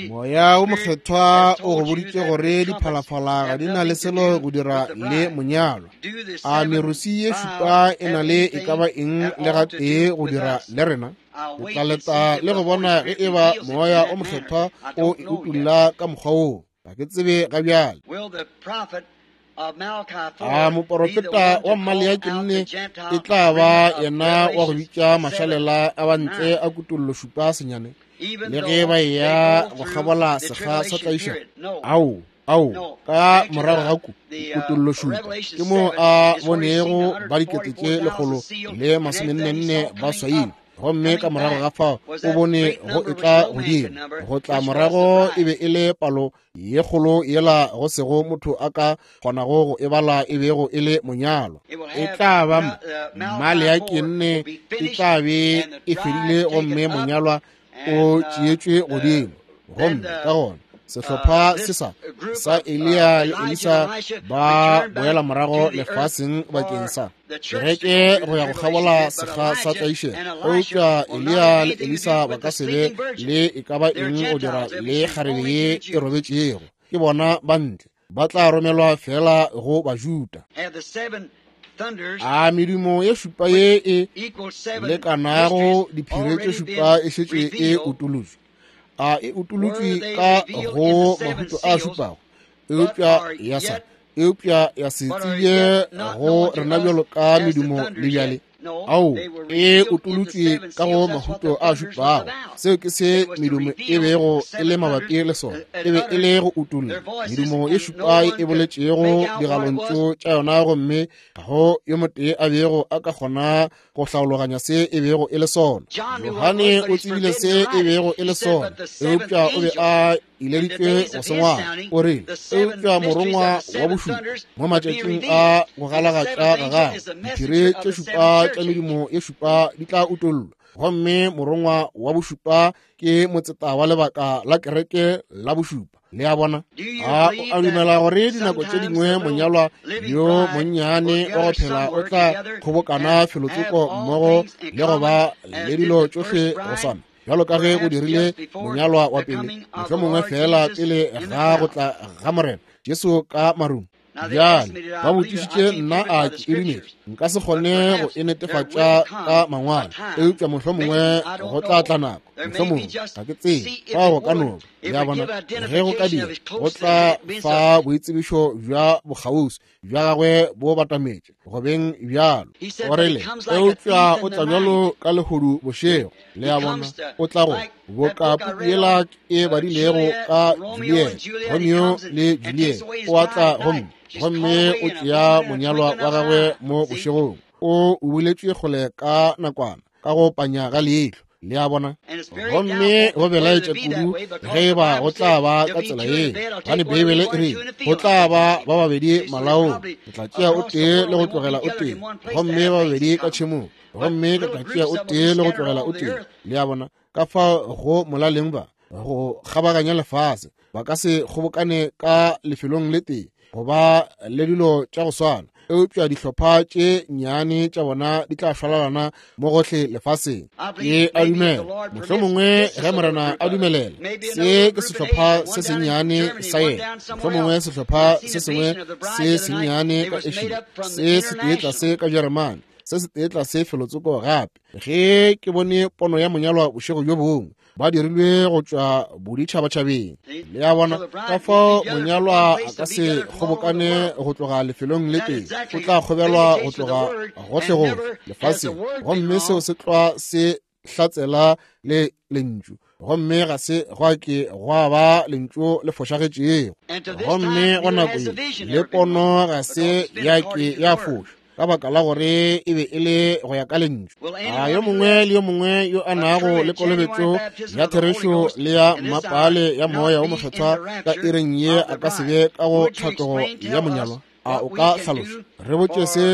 S1: Moya wo Mokgethwa o go boditše gore diphalafala ga di na le selo go dira le monyalwa. A merusi ye šupa e na le e ka ba eng le gatee go dira le rena? Ke tla leta le go bona ge e ba Moya o Mokgethwa o e utolla ka mokgwa woo. Ga ke tsebe ga bjale. A moporofeta wa Maleaki nne e tla ba yena wa go bitša mašalela a bantle a kutollo šupa senyane, le ge ba eya go kgabola sekga sa tlaišego? Ao, ao, ka morago ga ku kutollo šupa ke moo a bonego ba dikete tše lekgolo le masomennenne ba swailwe. Gomme ka morago ga fao o bone go etla godimo go tla morago e be e le palo ye kgolo yela go sego motho a ka kgonago go e bala e bego e le monyalwa. E tla ba Maleaki nne e tla be e fedile gomme monyalwa o tšeetšwe godimo. Gomme ka gona sehlopha se sa sa Eliya le Elisa ba boela morago lefaseng bakeng sa kereke go ya go kgabola sekga sa tlaišego. Eupša Eliya le Elisa ba ka se be le e ka ba eng go dira le kgarebe ye e robetšego. Ke bona ba ntle, ba tla romelwa fela go Bajuda. A medumo ye šupa ye e lekanago diphiri tše šupa e šetše e utolotšwe? A e utolotšwe ka go mahuto a šupago, eupša ya sa eupša ya se tsebje go rena bjalo ka medumo le bjale? Ao, e utolotšwe ka go mahuto a šupago. Seo ke se medumo e bego e le mabapi le sona. E be e le go utolla medumo ye šupa e boletšego digalontšu tša yona, gomme ga go yo motee a bego a ka kgona go hlaologanya se e bego e le sona. Johane o tsebile se e bego e le sona, eupša o be a ileditšwe go se ngwala. O rile, eupša morongwa wa bošupa mo matšatšing a go galagatša ga gagwe, diphiri tše šupa tša medumo ye šupa di tla utollwa. Gomme morongwa wa bošupa ke motseta wa lebaka la kereke la bošupa. Le a bona? A o a dumela gore dinako tše dingwe monyalwa yo monnyane wa go phela o tla kgobokana felotsoko mmogo le go ba le dilo tšohle go swana bjalo ka ge go dirile monyalwa wa pele, mohlomongwe fela pele ga go tla ga Morena Jesu ka marung? Bjale ba botšišitše nna a ke e dumetše. Nka se kgone go e netefatša ka mangwalo, eupša mohlomongwe go tla tla nako, mohlomongwe ga ke tsebe, fao go ka no ba. Le a bona? Ge go ka dira, go tla fa boitsebišo bja bokgauswi bja gagwe bo batametše go beng bjalo. O rile, eupša o tla bjalo ka lehodu bošego. Le a bona? O tla go boka puku yela e badilego ka Juliet, Romeo le Juliet. O a tla gomme gomme o tšea monyalwa wa gagwe mo bošegong. O buletšwe kgole ka nakwana ka go panya ga leihlo. Le a bona? Gomme go belaetša kudu ge e ba go tla ba ka tsela ye, gobane Beibele e rile go tla ba ba babedi malaong, ke tla tšea o tee le go tlogela o tee, gomme ba babedi ka tšhemong, gomme ke tla tšea o tee le go tlogela o tee. Le a bona? Ka fao go molaleng ba go kgabaganya lefase ba ka se kgobokane ka lefelong le tee go ba le dilo tša go swana, eupša dihlopha tše nnyane tša bona di tla šwalalana mo gohle lefaseng. Ke a dumela mohlomongwe ge Morena a dumelela, se ke sehlopha se sennyane sa yena, mohlomongwe sehlopha se sengwe se sennyane ka Asia, se se tee tlase ka Jeremane, se se tee tlase felotsoko gape. Ge ke bone pono ya monyalwa bošego bjo bongwe, ba dirilwe go tšwa boditšhabatšhabeng. Le a bona? Ka fao monyalwa a ka se kgobokane go tloga lefelong le tee, o tla kgobelwa go tloga gohlegohle lefaseng, gomme seo se tlwa se hlatsela le lentšu. Gomme ga se gwa ke gwa ba lentšu le fošagetšego. Gomme go nako ye le pono ga se ya ke ya foša, ka baka la gore e be e le go ya ka lentšu. A yo mongwe le yo mongwe yo a nago le kolobetšo ya therešo le ya mmapale ya Moya wo Mokgethwa ka iring ye a ka se be ka go tlhatlogo ya monyalwa? A o ka hlaloša? Re botše se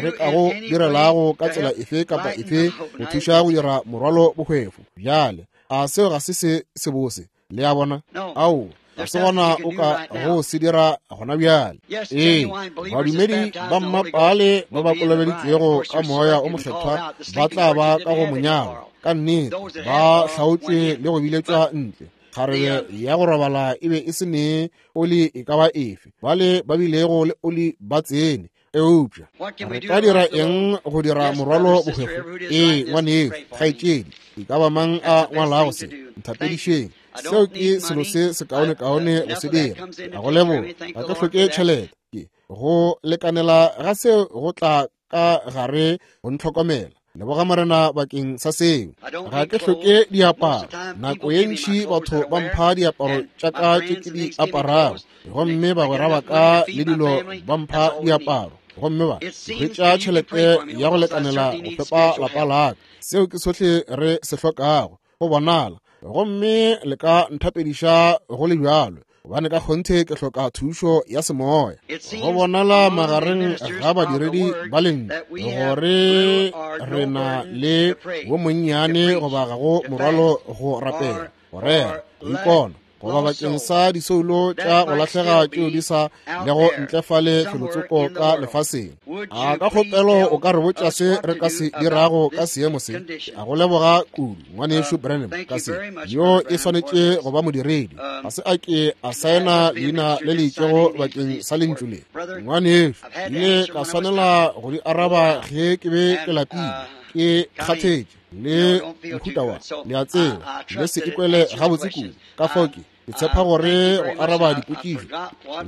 S1: re ka go direlago ka tsela efe kapa efe go thuša go dira morwalo bohwefo. Bjale, a seo ga se se sebose? Le a bona? Ao, ga se gona o ka go se dira gona bjale. Ee, badumedi ba mmapale ba ba kolobeditšwego ka Moya o Mokgethwa ba tla ba ka go monyalwa. Ka nnete ba hlaotšwe le go biletšwa ntle. Kgarebe ya go robala e be e se ne oli e ka ba efe. Bale ba bilego le oli ba tsene. Eupša re ka dira eng go dira morwalo bohwefo? Ee, ngwanešu, kgaetšedi, e ka ba mang a ngwalago se? Nthapedišeng. Seo ke selo se sekaonekaone go se dira. A go leboga. Ga ke hloke tšhelete. Ke go lekanela ga seo go tla ka gare go ntlhokomela. Leboga Morena bakeng sa seo. Ga ke hloke diaparo. Nako ye ntši batho ba mpha diaparo tša ka tše ke di aparago, gomme bagwera ba ka le dilo ba mpha diaparo, gomme ba hwetša tšhelete ya go lekanela go fepa lapa la ka. Seo ke sohle re se hlokago, go bonala. Gomme le ka nthapediša go le bjalo, gobane ka kgonthe ke hloka thušo ya semoya. Go bonala magareng ga badiredi ba lentšu gore re na le wo monnyane goba ga go morwalo go rapela, go rera, go ikona, goba bakeng sa disoulo tša go lahlega tšeo di sa lego ntle fale felotsoko ka lefaseng. A ka kgopelo o ka re botša se re ka se dirago ka seemo se? A go leboga kudu, ngwanešu Branham, ka se. Yo e swanetše go ba modiredi. Ga se a ke a saena leina le le itšego bakeng sa lentšu le. Ngwanešu, ile ka swanela go di araba ge ke be ke lapile, ke kgathetše le mohuta wa le a tseba, le se ikwele gabotse kudu. Ka fao ke ke tshepa gore go araba dipotšišo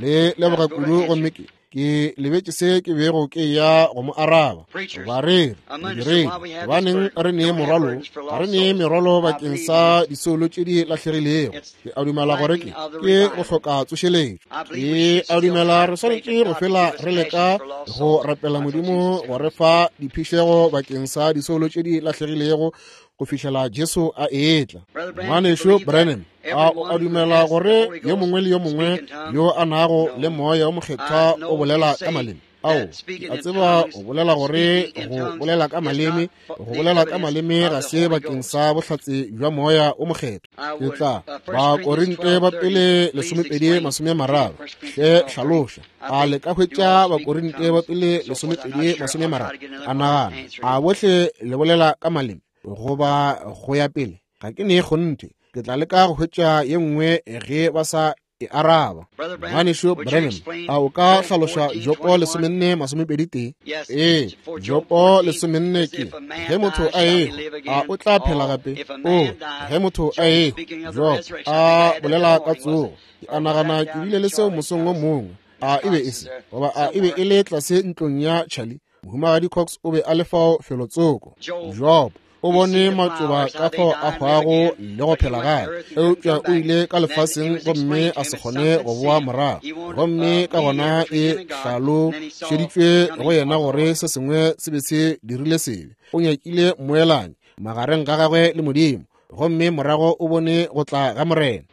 S1: le leboga kudu, gomme ke ke lebetše se ke bego ke ya go mo araba. Bareri, modiredi, gobaneng re nee morwalo? Ga re nee merwalo bakeng sa disoulo tše di lahlegilego. Ke a dumela gore ke ke go hloka tsošeletšo. Ke a dumela re swanetše go fela re leka go rapela Modimo go re fa diphišego bakeng sa disoulo tše di lahlegilego go fihlela Jesu a etla. Ngwanešu Branham, a o a dumela gore yo mongwe le yo mongwe yo a nago le moya o mokgethwa o bolela ka maleme? Ao, a tseba o bolela gore go bolela ka maleme, go bolela ka maleme ga se bakeng sa bohlatse bja moya o mokgethwa. Ke tla Bakorinte ba pele lesomepedi masome a mararo. Hle hlaloša. A le ka hwetša Bakorinte ba pele lesomepedi masome a mararo? A nagana a bohle le bolela ka maleme goba go ya pele? Ga ke ne kgonthe. Ke tla leka go hwetša ye nngwe ge ba sa e araba. Ngwanešu Branham, a o ka hlaloša Jopo lesomenne masomepedi tee? Ee, Jopo lesomenne ke ge motho a ehwa, a o tla phela gape? O, ge motho a ehwa, Jopo a bolela ka tsogo. Ke a nagana ke bile le seo mosong o mongwe. A e be e se, goba a e be e le tlase ntlong ya Charlie? Mohumagadi Cox o be a le fao felotsoko. Job o bone matšoba ka fao a hwago le go phela gape, eupša o ile ka lefaseng gomme a se kgone go boa morago. Gomme ka gona e hlalošeditšwe go yena gore se sengwe se be se dirile sebe. O nyakile mmoelanyi magareng ga gagwe le Modimo, gomme morago o bone go tla ga Morena.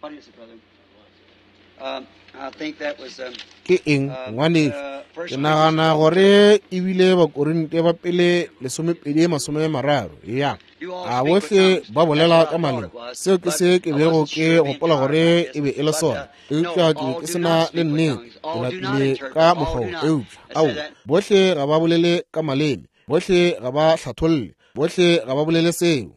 S1: Ke eng, ngwanešu? Ke nagana gore e bile Bakorinte ba pele lesomepedi masome mararo. Ya, a bohle ba bolela ka maleme? Seo ke se ke bego ke gopola gore e be e le sona, eupša ke be ke se na le nnete. Ke lapile ka mokgwa wo. Eupša ao, bohle ga ba bolele ka maleme, bohle ga ba hlatholle, bohle ga ba bolele seo.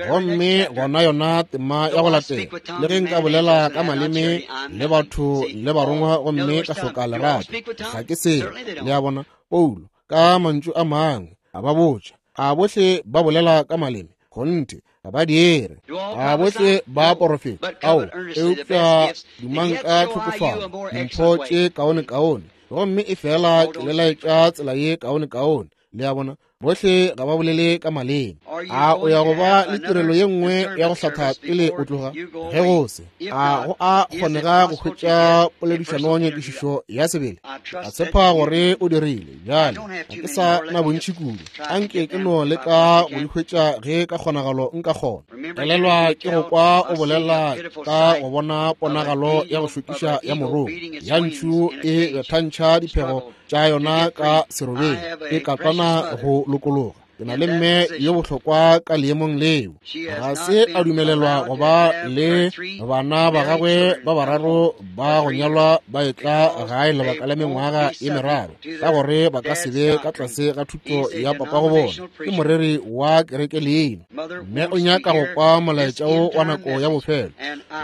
S1: Gomme gona yona tema ya go latela, le ge nka bolela ka maleme le batho le barongwa gomme ka hloka lerato, ga ke selo. Le a bona, Paulo ka mantšu a mangwe a ba botša, a bohle ba bolela ka maleme? Kgonthe ga ba dire. A bohle ba porofeta? Ao, eupša dumang ka tlhokofalo dimpho tše kaonekaone, gomme e fela ke le laetša tsela ye kaonekaone. Le a bona, bohle ga ba bolele ka maleme. A o ya go ba le tirelo ye nngwe ya go hlatha pele o tloga? Ge go se, a go a kgonega go hwetša poledišano nyakišišo ya sebele? A tshepa gore o dirile. Bjale ga ke sa na bontši kudu, anke ke no leka go di hwetša ge ka kgonagalo nka kgona. Elelwa ke go kwa o bolela ka go bona ponagalo ya go šokiša ya morongwa ya ntšhu e bethantšha diphego tša yona ka serobeng, e katlana go lokologa. Ke na le mme yo bohlokwa ka leemong leo. Ga se a dumelelwa go ba le bana ba gagwe ba bararo ba go nyalwa ba etla gae lebaka la mengwaga ye meraro, ka gore ba ka se be ka tlase ga thuto ya papago bona. Ke moreri wa kereke leina. Mme o nyaka go kwa molaetša wo wa nako ya bofelo,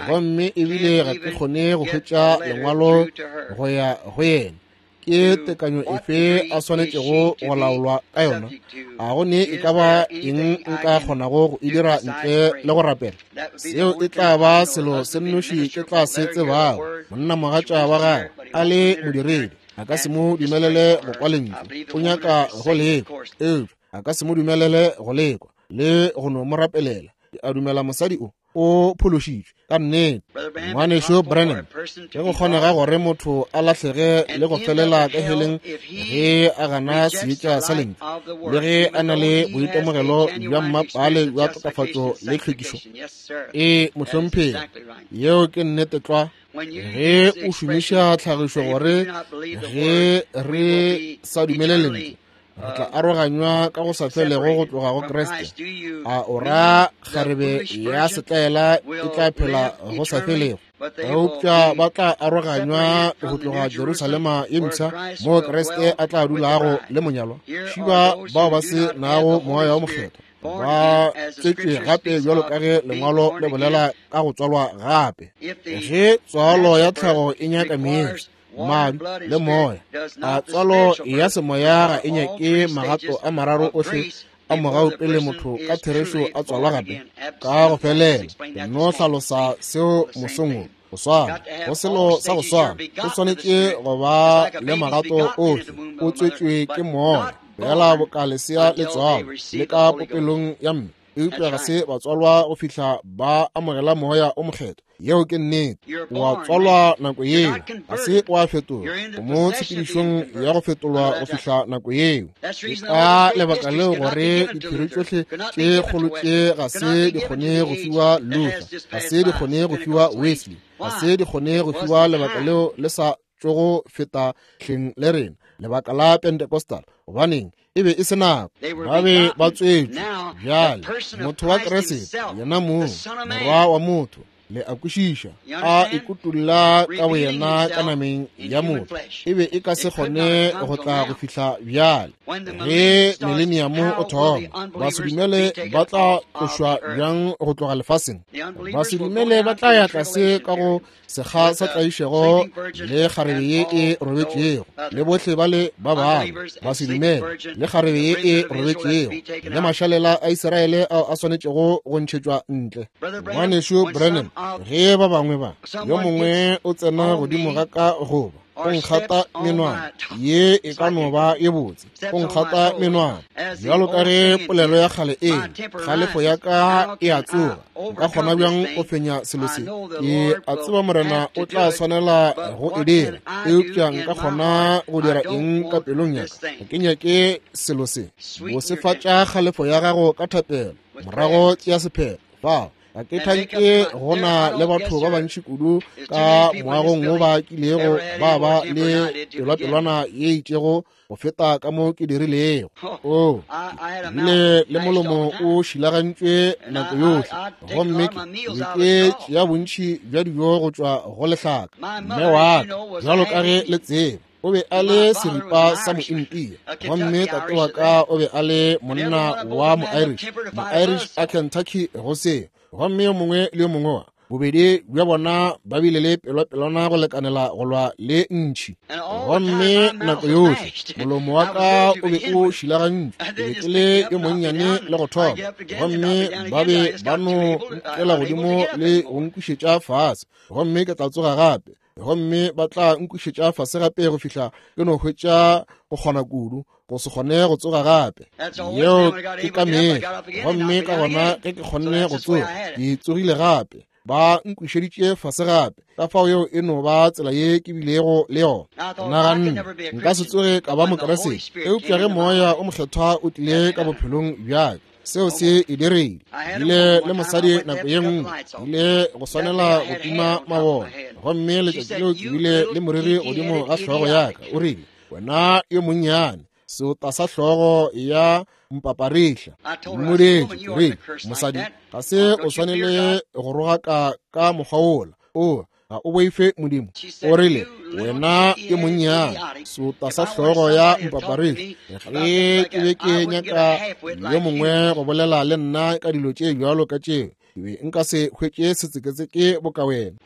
S1: gomme ebile ga ke kgone go hwetša lengwalo go ya go yena. Ke tekanyo efe a swanetšego go laolwa ka yona? A go ne e ka ba eng nka kgonago go e dira ntle le go rapela? Seo e tla ba selo se nnoši ke tla se tsebago. Monnamogatša wa gagwe a le modiredi, a ka se mo dumelele go kwa lentšu. O nyaka go lekwa, eupša a ka se mo dumelele go lekwa le go no mo rapelela. Ke a dumela mosadi o o phološitšwe ka nnete. Ngwanešu Branham, ge go kgonega gore motho a lahlege le go felela ka heleng ge a gana seetša sa lentšu, le ge a na le boitemogelo bja mmapale bja tokafatšo le tlhwekišo. Ee, mohlomphegi, yeo ke nnete tlwa. Ge o šomiša tlhagišo gore ge re sa dumele lentšu, re tla aroganywa ka go sa felego go tloga go Kriste. A o ra kgarebe ya setlaela e tla phela go sa felego? Eupša ba tla aroganywa go tloga Jerusalema ye mpsha, moo Kriste a tla dulago le monyalwa. Šiba bao ba se nago moya wo mokgethwa ba tswetšwe gape bjalo ka ge lengwalo le bolela ka go tswalwa gape. Ge tswalo ya tlhago e nyaka meetse, madi le moya, a tswalo ya semoya ga e nyake magato a mararo ohle a mogau pele motho ka therešo a tswalwa gape ka go felela. Ke no hlalosa seo mosong wo. Go swana, go selo sa go swana, o swanetše go ba le magato ohle. O tswetšwe ke moya, fela boka lesea le tswalwa le ka popelong ya mme, eupša ga se ba tswalwa go fihla ba amogela moya o mokgethwa. Yeo ke nnete. Wa tswalwa nako yeo, ga se wa fetolwa. O mo tshepedišong ya go fetolwa go fihla nako yeo. Ke ka lebaka leo gore diphiri tšohle tše kgolo tše ga se di kgone go fiwa Luther, ga se di kgone go fiwa Wesley, ga se di kgone go fiwa lebaka leo le sa tšogo feta hleng le rena, lebaka la Pentecostal. Gobaneng e be e se nako, ba be ba tswetšwe bjale. Motho wa Kriste yena mong, morwa wa motho, le a kwešiša, a ikutulla ka boyena ka nameng ya motho, e be e ka se kgone go tla go fihla bjale. Ge mileniamo o thoma, basedumele ba tla tlošwa bjang go tloga lefaseng? Basedumele ba tla ya tlase ka go sekga sa tlaišego le kgarebe ye e robetšego, le bohle ba le ba bangwe basedumele le kgarebe ye e robetšego, le mašalela a Israele ao a swanetšego go ntšhetšwa ntle. Ngwanešu Branham, ge ba bangwe ba yo mongwe o tsena godimo ga ka goba o nkgata menwana, ye e ka no ba ye botse, o nkgata menwana bjalo ka ge polelo ya kgale e kgalefo ya ka e a tsoga. Nka kgona bjang go fenya selo se? Ke a tseba Morena o tla swanela go e dira, eupša nka kgona go dira eng ka pelong ya ka? Ga ke nyake selo se. Bosefatša kgalefo ya gago ka thapelo, morago tšea sephetho. Fao ga ke thanke go na le batho ba bantši kudu ka moagong wo ba kilego ba ba le pelwapelwana ye itšego go feta ka mo ke dirilego. O bile le molomo o šilagantšwe nako yohle, gomme ke ke tšea bontši bja dijo go tšwa go lehlaka. Mme wa ka, bjalo ka ge le tseba, o be a le seripa sa mointia, gomme tate wa ka o be a le monna wa mo-Irish, mo-Irish a Kentucky go seo. Gomme yo mongwe le yo mongwe wa bobedi bja bona ba bile le pelwapelwana go lekanela go lwa le ntšhi. Gomme nako yohle molomo wa ka o be o šilagantšwe, ke be ke le yo monnyane le go thoma, gomme ba be ba no nkela godimo le go nkušetša fase, gomme ke tla tsoga gape, gomme ba tla nkušetša fase gape go fihla ke no hwetša go kgona kudu go se kgone go tsoga gape. Yeo ke ka mehla. Gomme ka gona ge ke kgonne go tsoga, ke tsogile gape, ba nkušeditše fase gape. Ka fao yeo e no ba tsela ye ke bilego le yona. Naganne nka se tsoge ka ba Mokriste, eupša ge moya o mokgethwa o tlile ka bophelong bja ka, seo se e dirile. Bile le mosadi nako ye nngwe, ile go swanela go tima mabone, gomme letšatši leo ke bile le moriri godimo ga hlogo ya ka. O rile, wena yo monnyane, Seota sa hlogo ya mpaparihla. Mmodetše, ke rile, mosadi, ga se o swanele go rogaka ka mokgwa wola. O ga o boife Modimo. O rile, wena ke monnyane. Seota sa hlogo ya mpaparihla. Ge ke be ke nyaka yo mongwe go bolela le nna ka dilo tše bjalo ka tšeo, ke be nka se hwetše setseketseke boka wena.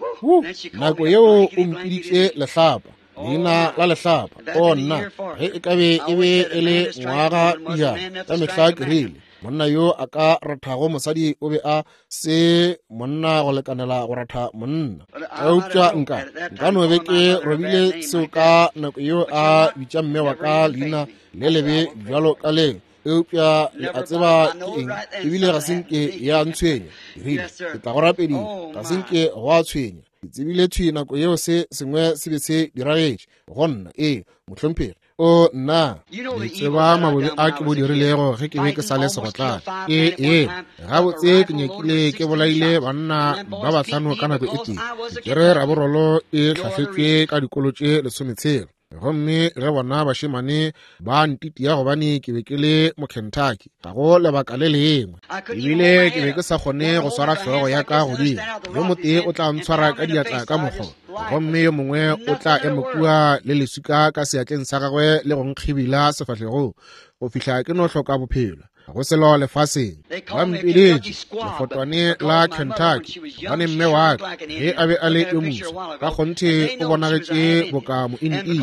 S1: Nako yeo o mpiditše lehlapa, leina la lehlapa. O nna, ge e ka be e be e le ngwaga pejana, ka mehla ke rile, monna yo a ka rathago mosadi o be a se monna go lekanela go ratha monna. Eupša nka nka no be ke robile seo ka nako yeo a bitša mme wa ka leina le lebe bjalo ka leo. Eupša le a tseba ke eng, ebile ga se nke ya ntshwenya. Ke rile, ke tla go rapediša, ga se nke go a tshwenya. Ke tsebile thwi nako yeo se sengwe se be se diragetše go nna. Ee, mohlomphegi. O nna, le tseba mabobe a ke bo dirilego ge ke be ke sa le segotlane. Ee, ee, gabotse ke nyakile ke bolaile banna ba bahlano ka nako e tee. Ke tšere raborolo e hlahletšwe ka dikolo tše lesometshela. Gomme ge bona bašemane ba ntitia gobane ke be ke le Mokentucky, ga go lebaka le lengwe. Ebile ke be ke sa kgone go swara hlogo ya ka godimo. Yo motee o tla ntshwara ka diatla ka mokgwa, gomme yo mongwe o tla ema kua le leswika ka seatleng sa gagwe le go nkgibila sefahlegong go fihla ke no hloka bophelo. Go selo lefaseng. Ba mpiletše lefotwane la Kentucky gobane mme wa ka ge a be a le yo moso ka kgonthe o bonagetše boka mointii.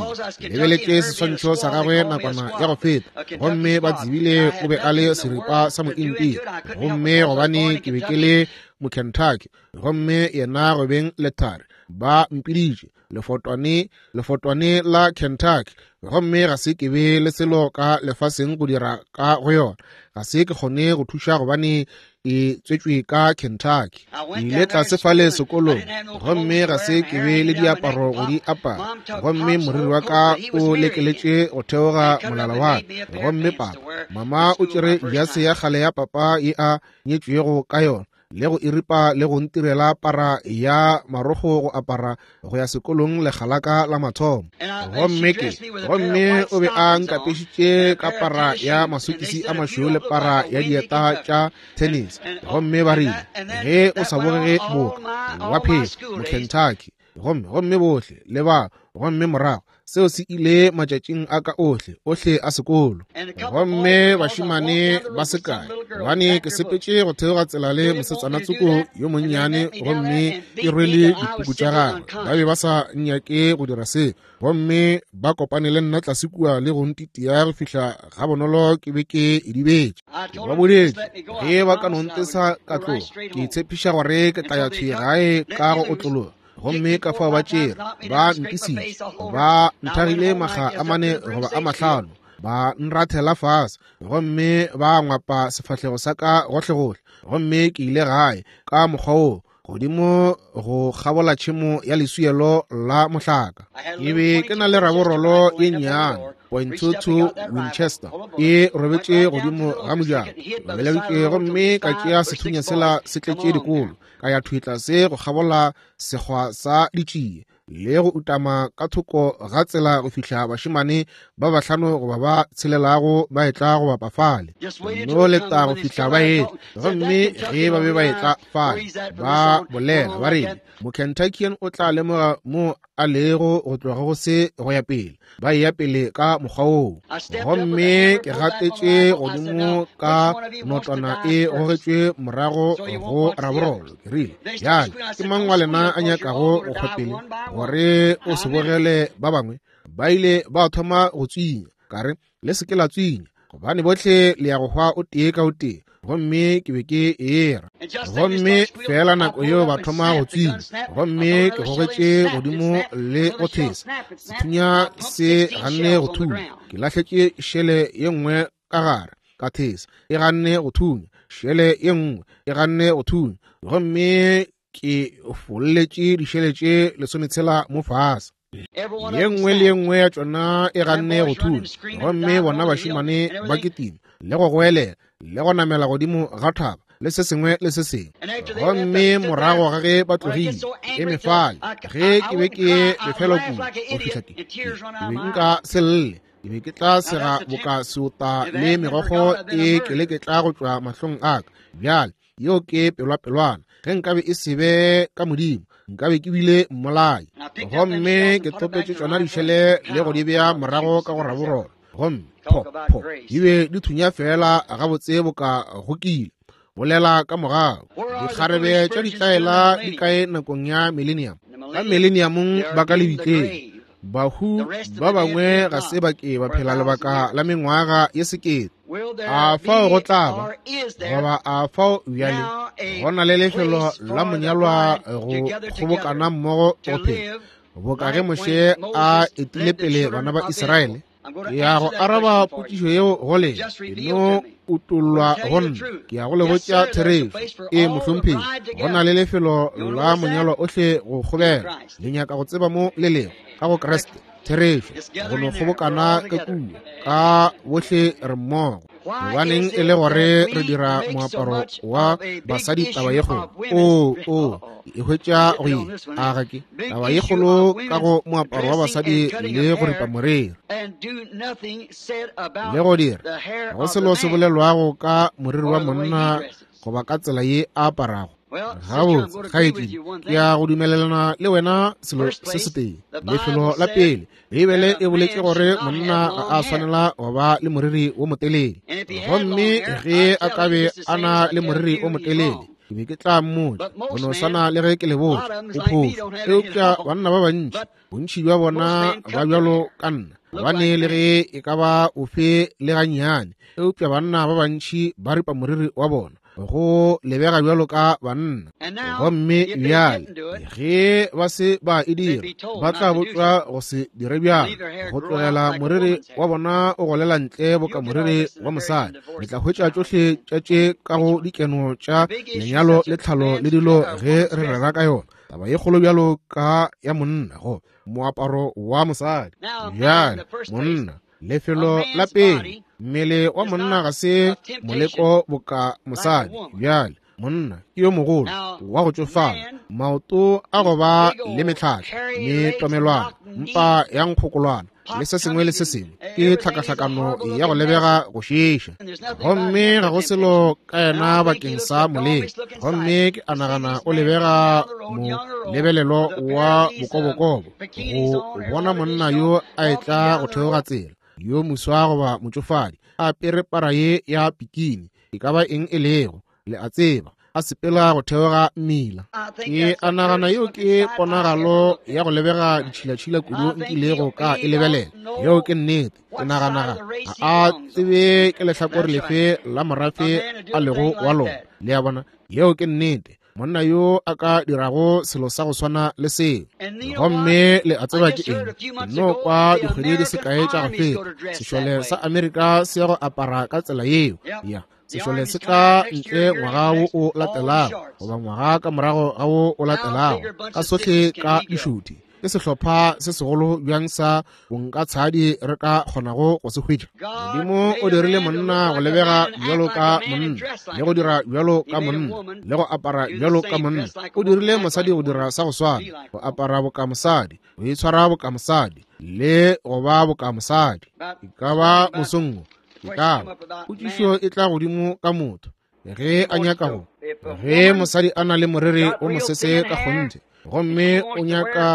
S1: Lebeletše seswantšho sa gagwe nakwana ya go feta, gomme ba tsebile o be a le seripa sa mointii. Gomme gobane ke be ke le Mokentucky, gomme yena go beng lethari, ba mpiditše lefotwane, lefotwane la Kentucky. Gomme ga se ke be le selo ka lefaseng go dira ka go yona. Ga se ke kgone go thuša gobane ke tswetšwe ka Kentucky. Ke ile tlase fale sekolong, gomme ga se ke be le diaparo go di apara. Gomme moriri wa ka o lekeletše go theoga molala wa ka. Gomme papa, mama o tšere jase ya kgale ya papa ye a nyetšwego ka yona, le go iripa le go ntirela para ya marogo go apara go ya sekolong lekgalaka la mathomo. Gomme ke gomme o be a nkapešitše ka para ya masokisi a mašweu le para ya dieta tša tennis. Gomme ba rile, ge o sa bogege boka wa phela Mokentucky. Gomme gomme bohle le ba, gomme morago seo se ile matšatšing a ka ohle ohle a sekolo. Gomme bašemane ba sekae, gobane ke sepetše go theoga tsela le mosetsana tsoko yo monnyane, gomme ke rwele dipuku tša gagwe. Ba be ba sa nnyake go dira se, gomme ba kopane le nna tlase kua le go ntitia go fihla ga bonolo ke be ke idibetše. Ke ba bodetše, ge ba ka no ntesa ka tloga, ke tshepiša gore ke tla ya thwi gae ka go otlologa. Gomme ka fao ba tšere, ba ntisitše, ba nthagile makga a mane goba a mahlano, ba nrathela fase, gomme ba ngwapa sefahlego sa ka gohlegohle. Gomme ke ile gae ka mokgwa woo, godimo go kgabola tšhemo ya leswielo la mohlaka. Ke be ke na le raborolo ye nnyane, point two two Winchester, e robetše godimo ga mojako. Ke gomme ka tšea sethunya sela se tletše dikolo, ka ya thwi tlase go kgabola sekgwa sa ditšie le go utama ka thoko ga tsela go fihla bašemane ba bahlano goba ba tshelelago ba etla go bapa fale. No leta go fihla ba etla. Gomme ge ba be ba etla fale, ba bolela ba rile, Mokentuckian o tla lemoga mo a lego go tloga go se go ya pele. Ba ya pele ka mokgwa woo. Gomme ke gatetše godimo ka notwana e gogetšwe morago go raborolo. Ke rile, bjale ke mang wa lena a nyakago go hwa pele gore o se bogele ba bangwe? Ba ile ba thoma go tswinya. Ka re, le se ke la tswinya, gobane bohle le ya go hwa o tee ka o tee. Gomme ke be ke era. Gomme fela nako yeo ba thoma go tswinya, gomme ke gogetše godimo le go thesa. Sethunya se ganne go thunya. Ke lahletše šele ye nngwe ka gare, ka thesa, e ganne go thunya. Šele ye nngwe e ganne go thunya. Gomme ke folletše dišele tše lesometshela mo fase. Ye nngwe le ye nngwe ya tšona e ganne go thunya. Gomme bona bašemane ba kitima le go goelela le go namela godimo ga thaba le se sengwe le se sengwe. Gomme morago ga ge ba tlogile, ke eme fale, ge ke be ke befelwa kudu go fihla ke, ke be nka se lle. Ke be ke tla sega boka seota le megokgo e keleketla go tšwa mahlong a ka. Bjale yeo ke pelwapelwana. Ge nkabe e se be ka Modimo, nkabe ke bile mmolai. Gomme ke topetše tšona dišele le go di bea morago ka go raborolo. Gomme pho pho di be di thunya fela gabotse boka go kile. Bolela ka morago. Dikgarebe tša ditlaela di kae nakong ya millennium? Ka millenniumong ba ka lebitleng. Bahu ba bangwe ga se ba ke ba phela lebaka la mengwaga ye sekete. A fao go tla ba, goba a fao bjale go na le lefelo la monyalwa go kgobokana mmogo go phela, boka ge Moshe a etile pele bana ba Israele? Ke ya go araba potšišo yeo go lena, e no utollwa go nna. Ke ya go le botša therešo. Ee, mohlomphegi, go na le lefelo la monyalwa ohle go kgobela. Le nyaka go tseba mo le lego ka go Kriste. Therešo, go no kgobokana ka kua, ka bohle re mmogo. Gobaneng e le gore re dira moaparo wa basadi taba ye kgolo? O, o, e hwetša go ye, a ga ke taba ye kgolo ka go moaparo wa basadi le go ripa moriri le go dira go selo se bolelwago ka moriri wa monna goba ka tsela ye a aparago. Gabotse, kgaetšedi, ke ya go dumelelana le wena selo se setee. Lefelo la pele, Beibele e boletše gore monna ga a swanela go ba le moriri wo motelele. Gomme ge a ka be a na le moriri o motelele, ke be ke tla mmotša, go no swana le ge ke le botša, o phošo. Eupša banna ba bantši, bontši bja bona ba bjalo ka nna, gobane le ge e ka ba ofe le gannyane, eupša banna ba bantši ba ripa moriri wa bona go lebega bjalo ka banna. Gomme bjale ge ba se ba e dira, ba tla botšwa go se dire bjalo, go tlogela moriri wa bona o golela ntle boka moriri wa mosadi. Le tla hwetša tšohle tša tše ka go dikeno tša lenyalo le tlhalo le dilo ge re rera ka yona. Taba ye kgolo bjalo ka ya monna go moaparo wa mosadi. Bjale monna, lefelo la pele, mmele wa monna ga se moleko boka mosadi. Bjale monna ke yo mogolo wa go tšofala, maoto a go ba le metlhatla, metomelwana, mpa ya nkgokolwana le se sengwe le se sengwe, ke tlhakahlakano ya go lebega go šiiša. Gomme ga go selo ka yena bakeng sa moleko. Gomme ke a nagana o lebega molebelelo wa bokobokobo go bona monna yo a etla go theoga tsela, yo moswa goba motšofadi, a apere para ye ya pikini, e ka ba eng e lego, le a tseba, a sepela go theoga mmila. Ke a nagana yeo ke ponagalo ya go lebega ditšhilatšhila kudu nkilego ka e lebelela. Yeo ke nnete. Ke nagana ga a tsebe ke lehlakore lefe la morafe a lego wa lona. Le a bona, yeo ke nnete. Monna yo a ka dirago selo sa go swana le seo. Gomme le a tseba ke eng? No kwa dikgwedi di se kae tša go feta, sešole sa Amerika se ya go apara ka tsela yeo. Ya, sešole se tla ntle ngwaga wo o latelago, goba ngwaga ka morago ga wo o latelago, ka sohle ka dišuthi. Ke sehlopha se segolo bjang sa bonkatshadi re ka kgonago go se hwetša. Modimo o dirile monna go lebega bjalo ka monna, le go dira bjalo ka monna, le go apara bjalo ka monna. O dirile mosadi go dira sa go swana, go apara boka mosadi, go itshwara boka mosadi, le go ba boka mosadi. E ka ba mosong, e ka ba potšišo e tla godimo ka motho ge a nyaka go. Ge mosadi a na le moriri o mosese ka kgonthe, gomme o nyaka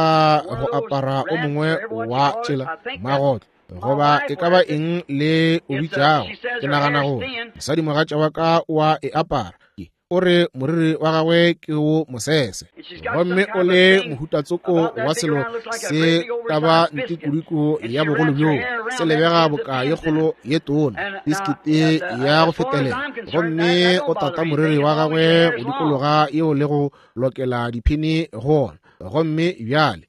S1: go apara o mongwe wa tšela magotlo, goba e ka ba eng le o bitšago, ke nagana gore mosadi mogatša wa ka wa e apara. O re moriri wa gagwe ke wo mosese, gomme o le mohutatsoko wa selo se ka ba ntikudiku ya bogolo bjoo, se lebega boka ye kgolo ye tona, biskiti ya go fetelela. Gomme o tata moriri wa gagwe go dikologa yeo le go lokela diphini go ona. Gomme bjale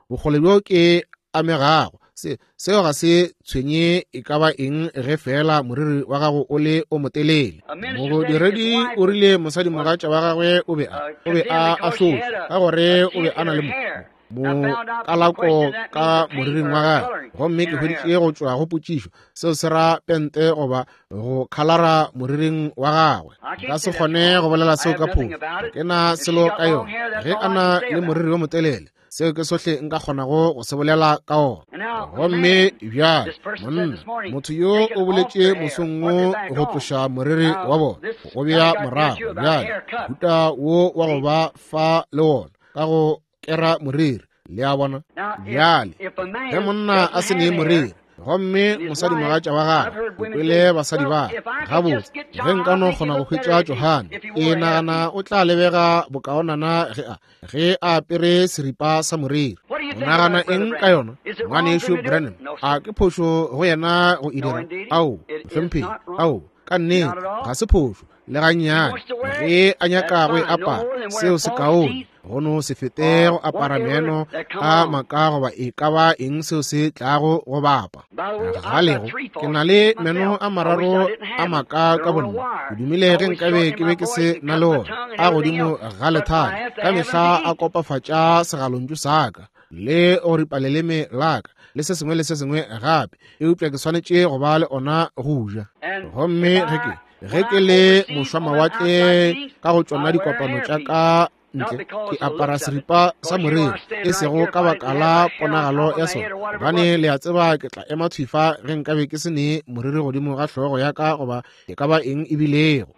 S1: bokgole bjo ke amegago, se seo ga se tshwenye e ka ba eng ge fela moriri wa gago o le o motelele. Modiredi o rile mosadi mogatša wa gagwe o be a o be a ahlotšwe ka gore o be a na le mokalako ka moriring wa gagwe. Gomme ke hweditše go tšwa go potšišo, seo se ra pente goba go khalara moriring wa gagwe. Nka se kgone go bolela seo ka phofu, ke na selo ka yona. Ge a na le moriri o motelele, Seo ke sohle nka kgonago go se bolela ka ona. Gomme bjale monna, motho yo o boletše mosong wo go tloša moriri wa bona, go bea morago. Bjale mohuta wo wa go ba fa le wona ka go kera moriri, le a bona. Bjale ge monna a se ne moriri, gomme mosadimogatša wa gagwe, o kwele basadi ba gabotse, ge nka no kgona go hwetša Johane, ke nagana o tla lebega bokaonana ge a ge a apere seripa sa moriri. O nagana eng ka yona, ngwanešu Branham? A ke phošo go yena go e dira? Ao, mohlomphegi, ao, ka nnete ga se phošo le gannyane. Ge a nyaka go e apara, seo se kaone go no se fete go apara meno a maka goba e ka ba eng seo se tlago go bapa. Galego, ke na le meno a mararo a maka ka bonna. Ke dumile ge nkabe ke be ke se na le ona a godimo ga lethale, ka mehla a kopafatša segalontšu sa ka le go ripa leleme la ka le se sengwe le se sengwe gape, eupša ke swanetše go ba le ona go ja. Gomme ge ke ge ke le mošwamawatle ka go tšona dikopano tša ka ntle, ke apara seripa sa moriri, e sego ka baka la ponagalo ya sona, gobane le a tseba ke tla ema thwifa ge nkabe ke se ne moriri godimo ga hlogo ya ka goba e ka ba eng e bilego.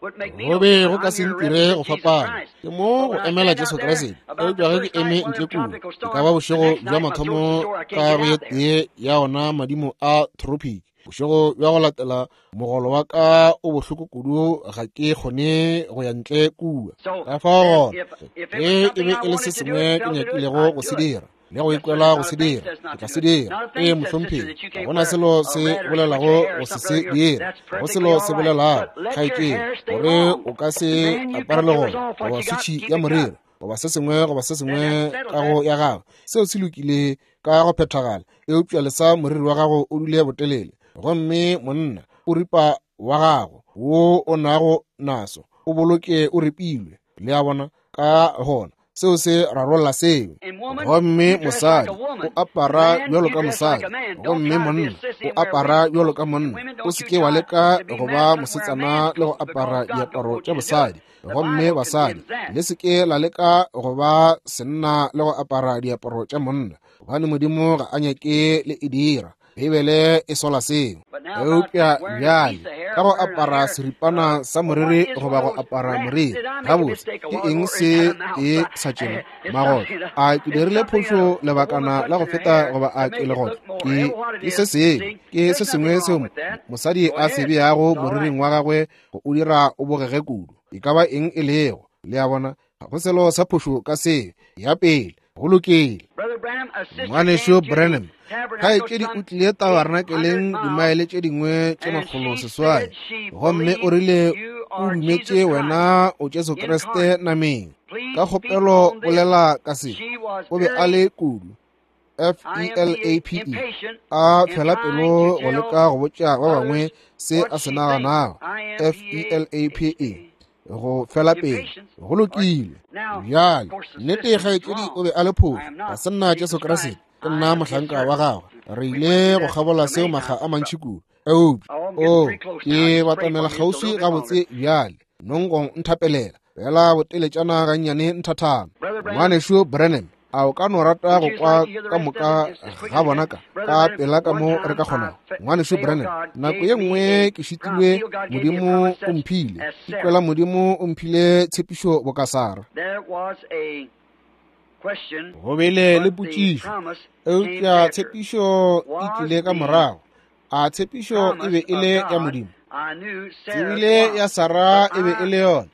S1: Go be go ka se ntire go fapana, ke mo go emela Jesu Kriste. Eupša ge ke eme ntle kua, e ka ba bošego bja mathomo ka go ye tee ya ona madimo a tropic, bošego bja go latela mogolo wa ka o bohloko kudu ga ke kgone go ya ntle kua. Ka fao gona ge e be e le se sengwe ke nyakilego go se dira le go ikwela go se dira, ke tla se dira. Ee, mohlomphegi, ga gona selo se bolelago go se se dira, go selo se bolelago kgaetšedi gore o ka se apare le gona goba switšhi ya moriri goba se sengwe goba se sengwe ka go ya gago. Seo se lokile ka go phethagala, eupša lesa moriri wa gago o dule botelele. Gomme monna o ripa wa gago wo o nago naso o boloke o ripilwe, le a bona. Ka gona seo se rarolla seo. Gomme mosadi o apara bjalo ka mosadi, gomme monna o apara bjalo ka monna. O se ke wa leka go ba mosetsana le go apara diaparo tša bosadi. Gomme basadi, le se ke la leka go ba senna le go apara diaparo tša monna, gobane Modimo ga a nyake le e dira. Beibele e sola seo. Eupša bjale ka go apara seripana sa moriri goba go apara moriri, gabotse ke eng se e sa tšena magotlo? A ke dirile phošo lebakana la go feta goba a ke legotlo? Ke ke se sengwe, ke se sengwe seo mosadi a se beago moriring wa gagwe go o dira o bogege kudu. E ka ba eng e lego, le a bona, ga go selo sa phošo ka seo. Ya pele, go lokile. Ngwanešu Branham, kgaetšedi o tlile tabernakeleng dimaele tše dingwe tše makgolo seswai, gomme o rile o dumetše wena o Jesu Kriste nameng. Ka kgopelo bolela ka se. O be a le kudu F E L A P E, a fela pelo go leka go botša ba bangwe se a se naganago. F E L A P E, go fela pelo. Go lokile. Bjale nnete kgaetšedi o be a le phošo, ga se nna Jesu Kriste, ke nna mohlanka wa gagwe. Re ile go kgabola seo makga a mantši kudu. Eupša o ke batamela kgauswi gabotse bjale, nongong nthapelela fela boteletšana gannyane nthathana. Ngwanešu Branham, a o ka no rata go kwa ka moka ga bona ka ka pela ka mo re ka kgonago? Ngwanešu Branham, nako ye nngwe ke šitilwe, Modimo o mphile, ke kwela Modimo o mphile tshepišo boka Sara. Go bile le potšišo, eupša tshepišo e tlile ka morago. A tshepišo e be e le ya Modimo? Tsebile ya Sara e be e le yona,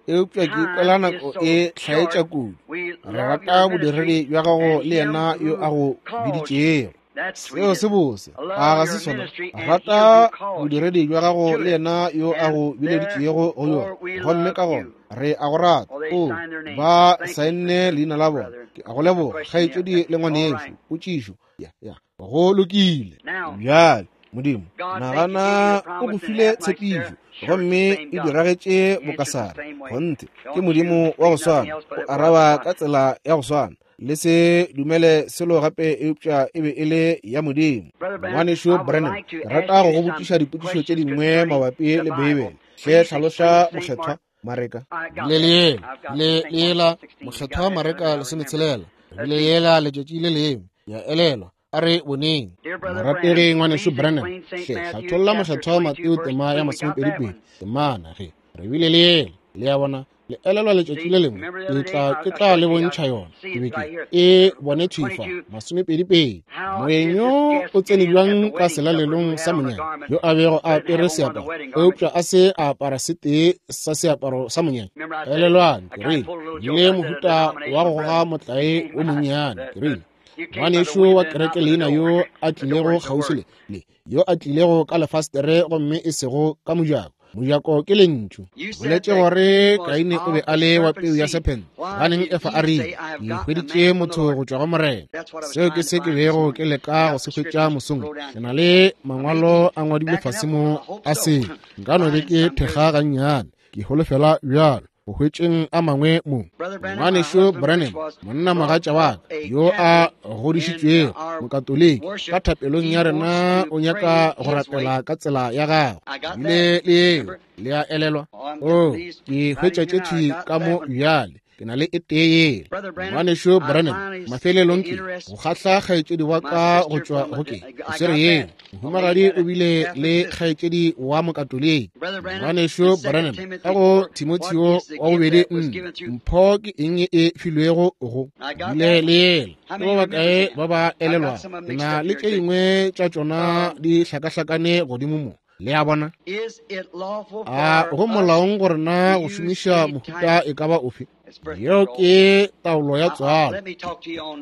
S1: eupša ke ikwela nako e hlaetša kudu. Re rata bodiredi bja gago le yena yo a go biditšego. Seo se bose, a ga se sona? Rata bodiredi bja gago le yena yo a go bileditšego go yona, gomme ka gona re a go rata. O ba saenne leina la bona. Ke a go leboga, kgaetšedi le ngwanešu. Potšišo ya ya go lokile. Bjale Modimo, nagana o go file tshepišo, gomme e diragetše bokasara. Kgonthe ke Modimo wa go swana, o araba ka tsela ya go swana. Le se dumele selo gape eupša e be e le ya Modimo. Ngwanešu Branham, ke rata go go botšiša dipotšišo tše dingwe mabapi le Beibele. Hle hlaloša mokgethwa Mareka le lela le lela mokgethwa Mareka lesometshelela. Re bile yela letšatši le lengwe. Ya elelwa. A re boneng. Morategi ngwanešu Branham, hle hlatholla mokgethwa Mateo tema ya masomepedipedi temana ge re bile le yela. Le a bona, le elelwa letšatši le lengwe ke tla ke tla le bontšha yona. Ke be ke e bone thwi fa masomepedipedi. Moeng yo o tsene bjang ka selalelong sa monyanya yo a bego a apere seaparo, eupša a se a apara setee sa seaparo sa monyanya. Elelwang, ke rile le mohuta wa go goga motlae o monnyane. Ke rile ngwanešu wa kereke leina yo a tlilego kgauswi le le yo a tlilego ka lefastere gomme e sego ka mojako. Mojako ke lentšu. Boletše gore Kaine o be a le wa peu ya serpent. Ganeng Efa a rile, ke hweditše motho go tšwa go Morena. Seo ke se ke bego ke leka go se hwetša mosong. Ke na le mangwalo a ngwadilwe fase mo a se. Nka no be ke thekga gannyane. Ke holofela bjalo go hwetšeng a mangwe mo. Ngwanešu Branham, monna mogatša wa ka yo a godišitšwego mokatoliki, ka thapelong ya rena o nyaka go rapela ka tsela ya gagwe. Bile le yeo, le a elelwa. O, ke hwetša tše thwi ka mo bjale. Ke na le e tee yela. Ngwanešu Branham, mafelelong ke go kgahla kgaetšedi wa ka go tšwa go ke swere yeo. Mohumagadi o bile le kgaetšedi wa mokatoliki. Ngwanešu Branham, ka go Timotheo wa bobedi nne, mpho ke eng e filwego go bile le yela. Ke ba bakae ba ba elelwago? Ke na le tše dingwe tša tšona di hlakahlakane godimo mo. Le a bona? A go molaong gore na go šomiša mohuta e ka ba ofe? Yeo ke taolo ya tswalo.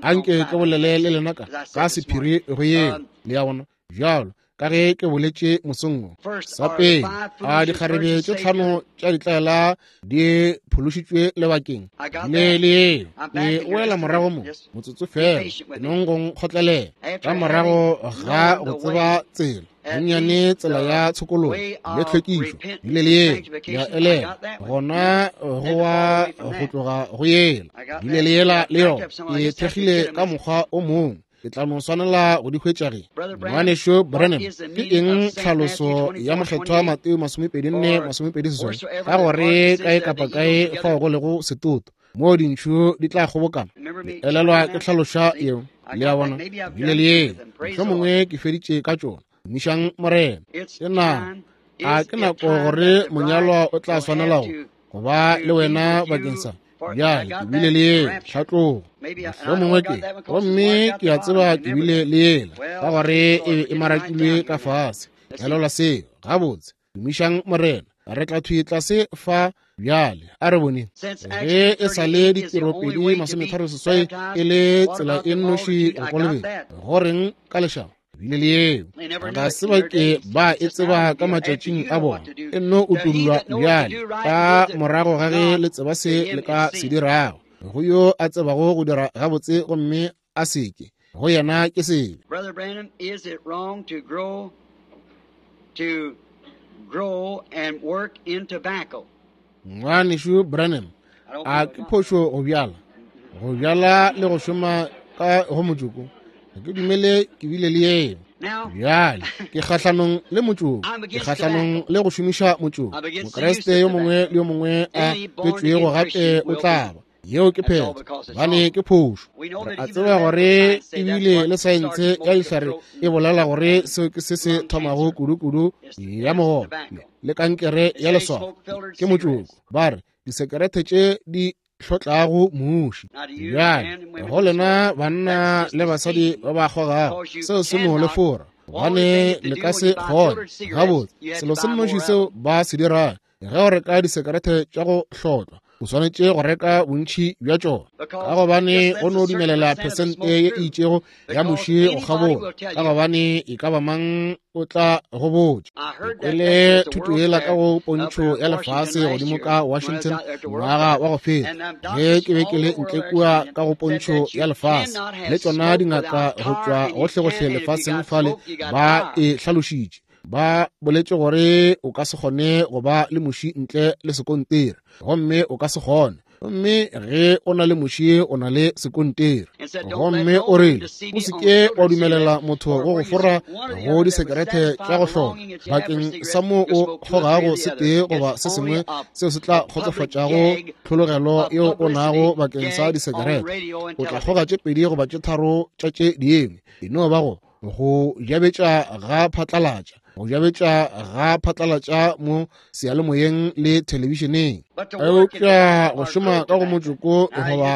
S1: Anke ke bolele le lena ka ka sephiri go yeo. Le a bona? Bjalo ka ge ke boletše mosong wo. Sa pele, a dikgarebe tše tlhano tša ditlaela di phološitšwe lebakeng le le yeo. Ke boela morago mo motsotso fela, nong go nkgotlelela. Ka morago ga go tseba tsela gannyane, tsela ya tshokologo le tlhwekišo, bile le yela ya elela gona go wa go tloga go yela, bile le yela le yona ke thekgile ka mokgwa o mongwe. Ke tla no swanela go di hwetša ge. Ngwanešu Branham, ke eng tlhaloso ya mokgethwa Mateo masomepedi nne masomepedi seswai ka gore kae kapa kae fao go lego setoto moo dintšhu di tla kgobokana? Le elelwa ke hlaloša yeo. Le a bona? Bile le yeo. Mohlomongwe ke feditše ka tšona. Tumišang Morena. Ke nako. A ke nako gore monyalwa o tla swanela go ba le wena bakeng sa bjale. Ke bile le yela tlhatlogo. Mohlomongwe ke gomme ke a tseba ke bile le yela ka gore e be e marakilwe ka fase. Elelwa seo gabotse. Tumišang Morena. Re tla thwi tlase fa bjale. A re boneng ge e sa le ditiropedi masometharo seswai e le tsela e nnoši go kolobetša. Goreng ka lešaba? Bile le yeo. Ga se ba ke ba e tseba ka matšatšing a bona. E nno utollwa bjale ka morago ga ge le tseba se le ka se dirago. Go yo a tsebago go dira gabotse gomme a seke, go yena ke sebe.
S2: Brother Branham, is it wrong to grow to grow and work in tobacco?
S1: Ngwanešu Branham, a ke phošo go bjala, go bjala le go šoma ka go motšoko? Ga ke dumele ke bile le yeo. Bjale ke kgahlanong le motšoko, ke kgahlanong le go šomiša motšoko. Mokreste yo mongwe le yo mongwe a tswetšwego gape o tla ba. Yeo ke phetho, gobane ke phošo. Re a tseba gore ebile le saense ya dihlare e bolela gore seo ke se se thomago kudu-kudu ya mogopo le kankere ya leswafo ke motšoko. Ba re disekerete tše di hlotlago muši. Bjale go lena banna le basadi ba ba kgogago, seo se no le fora, gobane le ka se kgone. Gabotse, selo se nnoši seo ba se dirago ge o reka disekerete tša go hlotlwa, o swanetše go reka bontši bja tšona, ka gobane go no dumelela phesente ye e itšego ya muši go kgabola, ka gobane e ka ba mang o tla go botša. Ke kwele thuto yela ka go pontšho ya lefase godimo ka Washington ngwaga wa go feta, ge ke be ke le ntle kua ka go pontšho ya lefase, le tšona dingaka go tšwa gohlegohle lefaseng fale ba e hlalošitše. Ba boletše gore o ka se kgone go ba le muši ntle le sekontiri, gomme o ka se kgone Gomme ge o na le muši o na le sekontiri. Gomme o rile, o se ke wa dumelela motho go go fora go disekerete tša go hloka bakeng sa mo o kgogago se tee goba se sengwe seo se tla kgotsofatšago tlhologelo yeo o nago bakeng sa disekerete. O tla kgoga tše pedi goba tše tharo tša tše dingwe. E no ba go go jabetša ga phatlalatša, go jabetša ga phatlalatša mo seyalemoyeng le thelebišeneng. Eupša go šoma ka go motšoko goba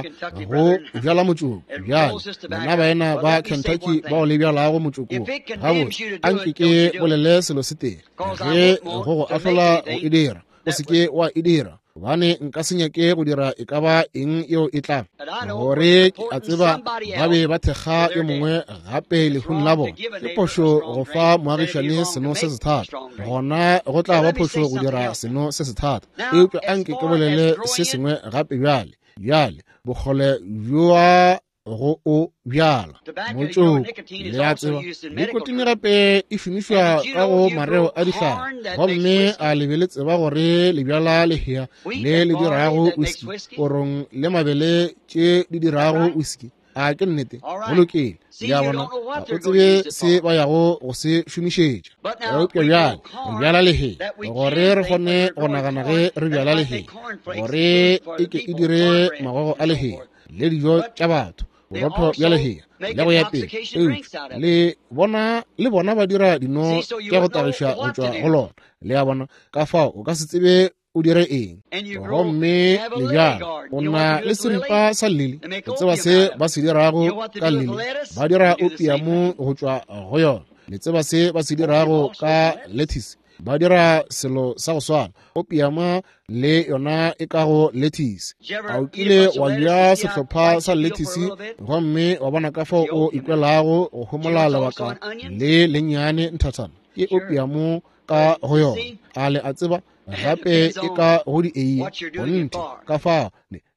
S1: go bjala motšoko. Bjale lena baena ba Kentucky bao le bjalago motšoko, gabotse anke ke bolele selo se tee. Ge go go ahlola go e dira, o se ke wa e dira, gobane nka se nyake go dira e ka ba eng yeo e tla gore ke a tseba ba be ba thekga yo mongwe gape lehung la bona. Ke phošo go fa moagišane seno se sethata, gona go tla ba phošo go dira seno se sethata. Eupša anke ke bolele se sengwe gape bjale. Bjale bokgole bjoa go o bjala motšoko, le a tseba nikotine gape e šomišwa ka go mareo a dihlare. Gomme a le be le tseba gore le bjala lehea le le dirago whisky, korong le mabele tše di dirago whisky. A ke nnete? Go lokile. Le a bona, ga o tsebe se ba yago go se šomišetša. Eupša bjale re bjala lehea gore re kgone go nagana ge re bjala lehea gore e ke e dire magogo a lehea le dijo tša batho, borotho bja lehea le go ya pele. Eupša le bona le bona ba dira dino tša go tagiša go tšwa go lona. Le a bona, ka fao o ka se tsebe o dire eng. Gomme le bjala o na le seripa sa lili, o tseba se ba se dirago ka lili, ba dira opiamo go tšwa go yona. Le tseba se ba se dirago ka lettuce, ba dira selo sa go swana, opiama le yona e ka go lettuce. A o kile wa ja sehlopha sa lettuce gomme wa bona ka fao o ikwelago go homola lebaka le lennyane nthathana? Ke opiamo ka go yona. A le a tseba gape e ka go di eiye gonthe. Ka fao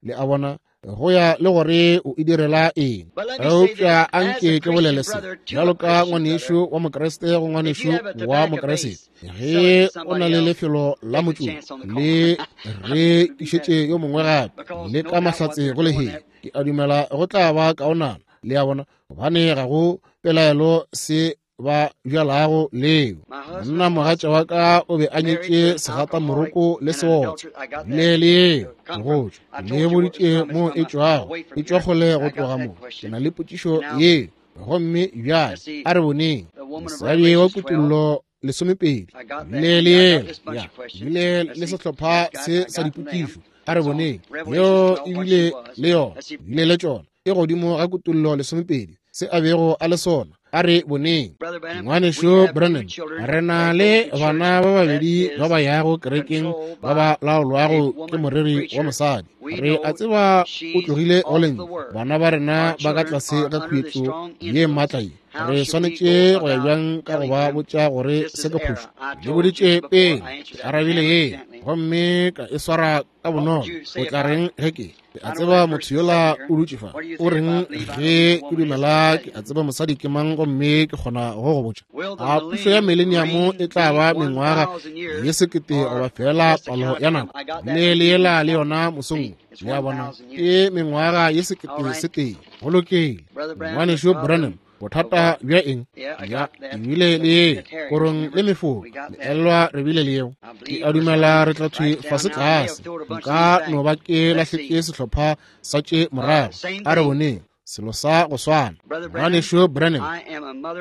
S1: le a bona, go ya le gore o e direla eng. Eupša anke ke bolele se bjalo ka ngwanešu wa Mokriste go ngwanešu wa Mokriste. Ge o na le lefelo la motšoko le re išetše yo mongwe gape le ka mahlatse go lehea, ke a dumela go tla ba kaonana. Le a bona, gobane ga go pelaelo se ba bjalago leo. Monna mogatša wa ka o be a nyetše segatamoroko le seotsa le le yeo go tšwa le boditše mo e tšwago, e tšwa kgole go tloga mo. Ke na le potšišo yeo. Gomme bjale a re boneng. Mosadi wa Kutullo lesomepedi le le yeo ya bile le sehlopha se sa dipotšišo. A re boneng yeo ebile le yona ebile le tšona e godimo ga Kutullo lesomepedi se a bego a le sona. A re boneng. Ngwanešu Branham, re na le bana ba babedi ba ba yago kerekeng ba ba laolwago ke moreri wa mosadi. Re a tseba o tlogile go lentšu. Bana ba rena ba ka tlase ga khuetšo ye maatla ye. Re swanetše go ya bjang ka go ba botša gore se ke phošo? Le boditše pele, ke arabile ye gomme ka e swara ka bonolo. O tla reng ge ke ke a tseba motho yola o dutše fa? O reng ge ke dumela ke a tseba mosadi ke mang gomme ke kgona go go botša? A pušo ya mileniamo e tla ba mengwaga ye sekete goba fela palo ya nako? Le le yela le yona mosong. Le a bona, ke mengwaga ye sekete se tee. Go lokile. Ngwanešu Branham, bothata bja eng? Ya ebile le ye korong le mefoka le elwa re bile le yeo. Ke a dumela re tla thwe fase tlase. Nka no ba ke lahletše sehlopha sa tše morago. A re boneng selo sa go swana. Ngwanešu Branham,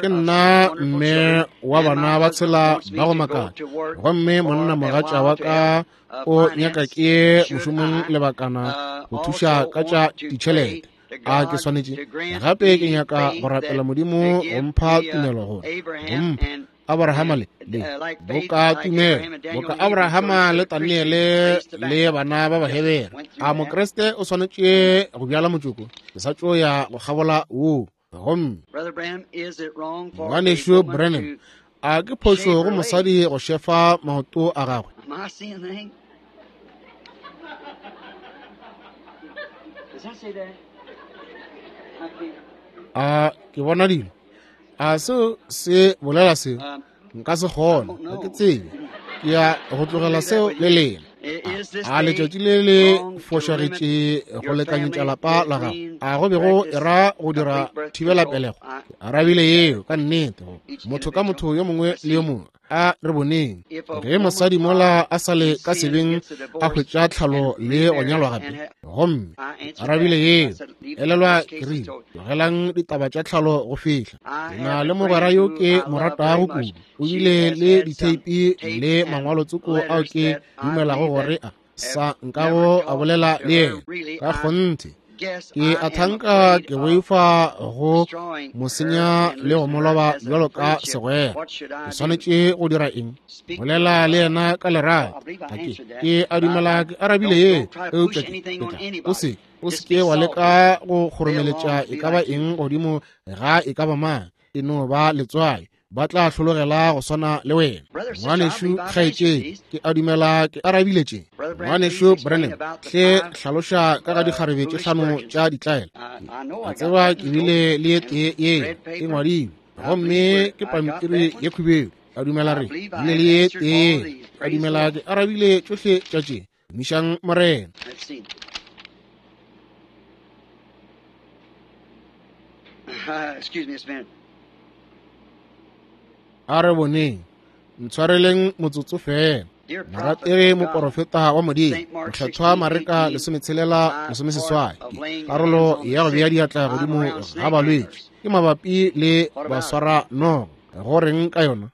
S1: ke nna mme wa bana ba tshela ba go makatša, gomme monna mogatša wa ka o nyaka ke mošomong lebakana go thuša ka tša ditšhelete. A ke swanetše gape ke nyaka go rapela Modimo go mpha tumelo gore go mpha Abrahama le le boka tumelo boka Abrahama le Daniele le bana ba Bahebere. A Mokriste o swanetše go bjala motšoko? Ke sa tšo ya go kgabola woo. Gomme ngwanešu Branham, a ke phošo go mosadi go šefa maoto a gagwe? A ke bona dilo? A seo se bolela seo? Nka se kgone, ga ke tsebe. Ke ya go tlogela seo le lena. A letšatši le le fošagetše go lekanyetša lapa la gago? A go be go era go dira thibelapelego? Ke arabile yeo ka nnete. Motho ka motho yo mongwe le yo mongwe. A re boneng ge mosadi mola a sa le ka sebeng a hwetša tlhalo le go nyalwa gape. Gomme arabile yeo. Elelwa ke rile, tlogelang ditaba tša tlhalo go fihla. Ke na le mogwera yo ke mo ratago kudu. O bile le ditheipi le mangwalotsoko ao ke dumelago gore a sa nkago a bolela le yena. Ka kgonthe ke a thanka ke boifa go mo senya le go mo loba bjalo ka segwera. Ke swanetše go dira eng? Bolela le yena ka lerato. Ga ke ke a dumela ke arabile ye, eupša ke tla o se o se ke wa leka go kgoromeletša e ka ba eng godimo ga e ka ba mang. E no ba letswai, ba tla hlologela go swana le wena. Ngwanešu kgaetšedi, ke a dumela ke arabile tše. Ngwanešu Branham, hle hlaloša ka ga dikgarebe tše hlano tša ditlaela. A tseba ke bile le ye tee ye e ngwadilwe, gomme ke pampiri ye khubedu. A dumela re bile le ye tee. A dumela ke arabile tšohle tša tše. Tumišang Morena.
S2: Excuse me, a minute.
S1: A re boneng, ntshwareleng motsotso fela. Morategi moporofeta wa Modimo, Mokgethwa Mareka lesometshelela lesomeseswai, karolo ya go bea diatla godimo ga balwetši ke mabapi le baswara noga. Go reng ka yona?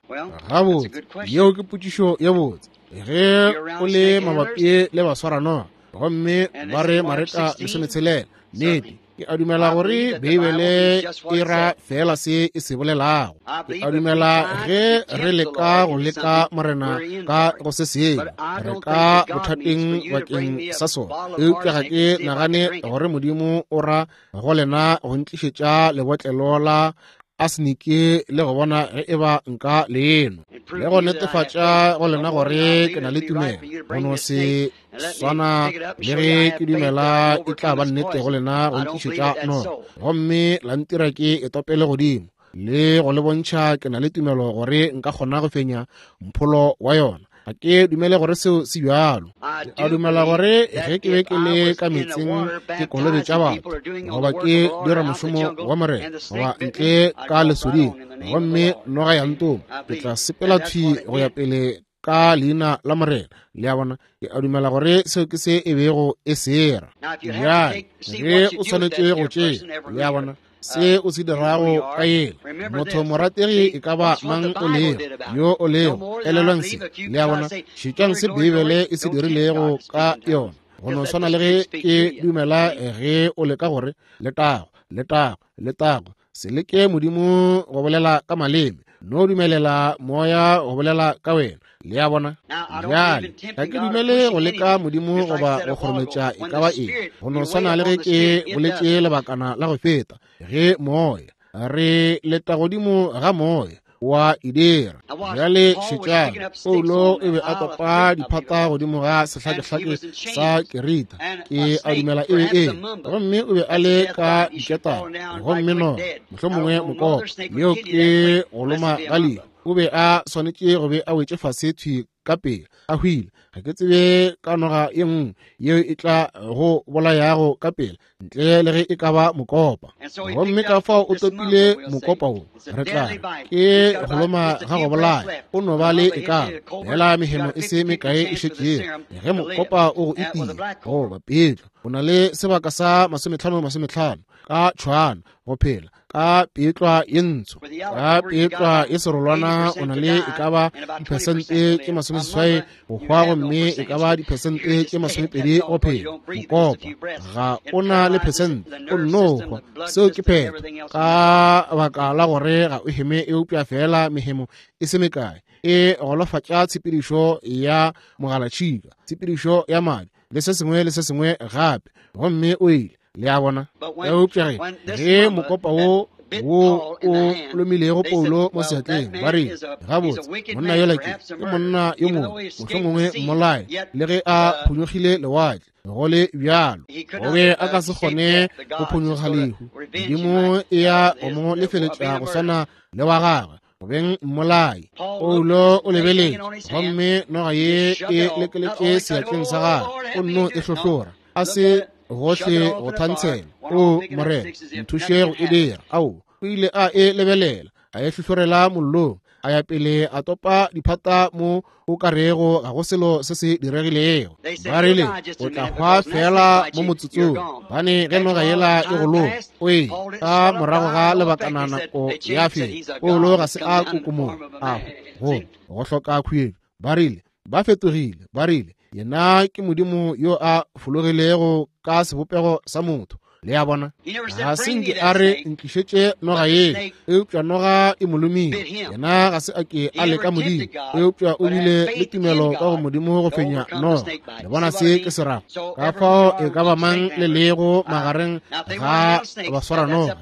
S1: Gabotse, yeo ke potšišo ye botse. Ge o le mabapi le baswara noga, gomme ba re Mareka lesometshelela, nnete ke a dumela gore Beibele e ra fela se e se bolelago. Ke a dumela ge re leka go leka Morena ka go se sengwe, re ka bothateng bakeng sa sona. Eupša ga ke nagane gore Modimo o ra go lena go ntlišetša lebotlelo la asenike le go bona ge e ba nka leno le go netefatša go lena gore ke na le tumelo. Go no se swana le ge ke dumela e tla ba nnete go lena go ntlišetša noga, gomme la ntira ke e topele godimo le go le bontšha ke na le tumelo gore nka kgona go fenya mpholo wa yona. Ga ke dumele gore seo se bjalo. Ke a dumela gore ge ke be ke le ka metseng ke kolobetša batho, goba ke dira mošomo wa Morena, goba ntle ka lesoding, gomme noga ya ntoma, ke tla sepela thwi go ya pele ka leina la Morena. Le a bona, ke a dumela gore seo ke se e bego e sera. Bjale ge o swanetše go tšea, le a bona, se o se dirago ka yela motho morategi e ka ba mang o lego yo o lego, elelwang se. Le a bona, šetšang se Beibele e se dirilego ka yona. Go no swana le ge ke dumela ge o leka gore letago, letago, letago, se leke Modimo go bolela ka maleme, no dumelela moya go bolela ka wena. Le a bona? Bjale ga ke dumele go leka Modimo goba go kgorometša e ka ba eng. Go no swana le ge ke boletše lebakana la go feta, ge moya re leta godimo ga moya wa e dira. Bjale šetšang, Paulo e be a topa diphata godimo ga sehlakehlake sa Kerita, ke a dumela e be e, gomme o be a le ka diketane, gomme noga, mohlomongwe mokopa, yeo ke go loma ga lehu. O be a swanetše go be a wetše fase thwi ka pele, a hwile. Ga ke tsebe ka noga ye nngwe yeo e tla go bolayago ka pele ntle le ge e ka ba mokopa. Gomme ka fao o topile mokopa wo, re tla ke go loma ga go bolaya. O no ba le e ka fela mehemo e se mekae e šetšego. Ge mokopa o go itile goba petlo, o na le sebaka sa masometlhano masometlhano ka tšhwana go phela. Ka petlwa ye ntsho, ka petlwa ye serolwana, o na le e ka ba diphesente tše masomeseswai go hwa, gomme e ka ba diphesente tše masomepedi go phela. Mokopa ga o na le phesente, o nno hwa. Seo ke phetho, ka baka la gore ga o heme eupša fela mehemo e se mekae e golofatša tshepedišo ya mogalatšhika, tshepedišo ya madi le se sengwe le se sengwe gape, gomme o ile. Le a bona? Eupša ge ge mokopa wo wo o lomilego Paulo mo seatleng, ba rile, gabotse, monna yola ke ke monna yo mongwe, mohlomongwe mmolai, le ge a phonyokgile lewatle. Go le bjalo, o be a ka se kgone go phonyokga lehu. Modimo e ya go mo lefeletša go swana le wa gagwe, go beng mmolai. Paulo o lebeletše, gomme noga ye e lekeletše seatleng sa gagwe, o nno e hlohlora, a se gohle go thantshela. O Morena, nthuše go e dira. Ao, o ile a e lebelela, a e hlohlorela mollong, a ya pele a topa diphata mo o ka rego ga go selo se se diregilego. Ba rile o tla hwa fela mo motsotsong, bane ge noga yela e go loma, o e ka morago ga lebakana nako ya feta. Paulo ga se a kokomoga, a go go hloka khuetšo. Ba rile ba fetogile, ba rile yena ke modimo yo a fologilego ka sebopego sa motho. Le a bona, ga se nke a re ntlišetše noga ye, eupša noga e mo lomile. Yena ga se a ke a leka modimo, eupša o bile le tumelo ka go modimo go fenya noga. Le bona se ke se rago? Ka fao e ka ba mang le lego magareng ga baswara noga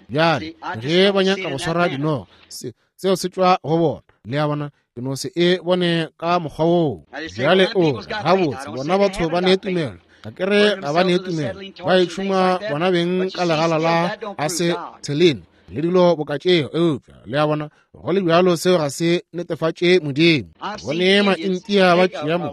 S1: bjale, ge ba nyaka go swara dinoga, seo se tšwa go bona. Le a bona, ke no se e bone ka mokgwa woo. Bjale o gabotse, bona batho ba ne tumelo. Ga ke re ga ba ne tumelo, ba e tšhuma bona beng ka legala la asetheline le dilo boka tšeo, eupša le a bona, go le bjalo seo ga se netefatše modimo. Bone maintia ba tšea mo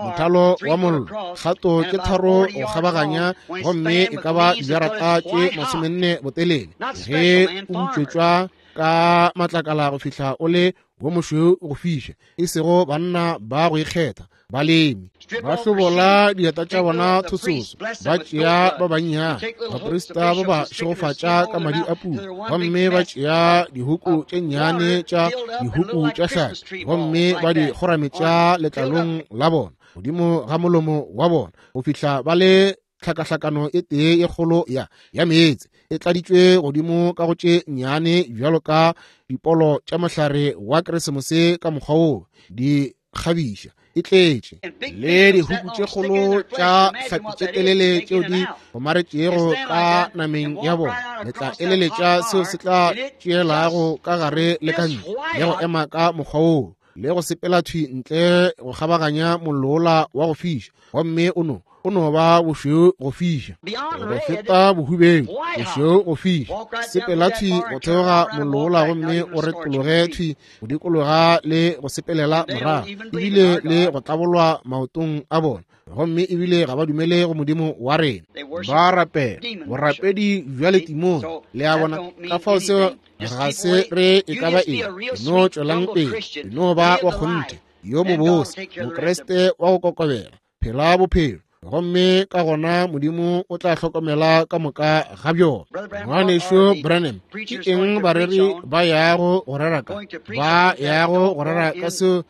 S1: mothalo wa mollo, kgato tše tharo go kgabaganya, gomme e ka ba dijarata tše masomenne botelele, ge o butšwetšwa ka matlakala go fihla o le wo mošweu go fiša, e sego banna ba go ikgetha, balemi ba hlobola dieta tša bona thososo, ba tšea ba bannyane, baprista ba ba šegofatša ka madi a pula, gomme ba tšea dihuku tše nnyane tša dihuku tša hlapi, gomme ba di kgorametša letlalong la bona godimo ga molomo wa bona, go fihla ba le tlhakahlakano e tee e kgolo ya ya meetse e tladitšwe godimo ka go tše nnyane bjalo ka dipolo tša mohlare wa Keresemose ka mokgwa woo di kgabiša, e tletše le dihuku tše kgolo tša hlapi tše telele tšeo di gomaretšego ka nameng ya bona. Le tla eleletša seo se tla tšeelago ka gare le ka ntle, le go ema ka mokgwa woo, le go sepela thwi ntle go kgabaganya mollo wa go fiša, gomme o no o no ba bošweu go fiša, go feta bohubeng, bošweu go fiša. Sepela thwi go theoga mollo gomme o retologe thwi go dikologa le go sepelela morago, ebile le go tlabolwa maotong a bona, gomme ebile ga ba dumele go modimo wa rena. Ba rapela borapedi bja letimone. Le a bona, ka fao seo ga se re e ka ba eng. No tšwelang pele, no ba wa kgonthe, yo mobose, mokreste wa go kokobela, phela bophelo, gomme ka gona modimo o tla hlokomela ka moka ga bjona. Ngwanešu Branham, ke eng bareri ba yago go rera ka? Ba yago go rera ka seo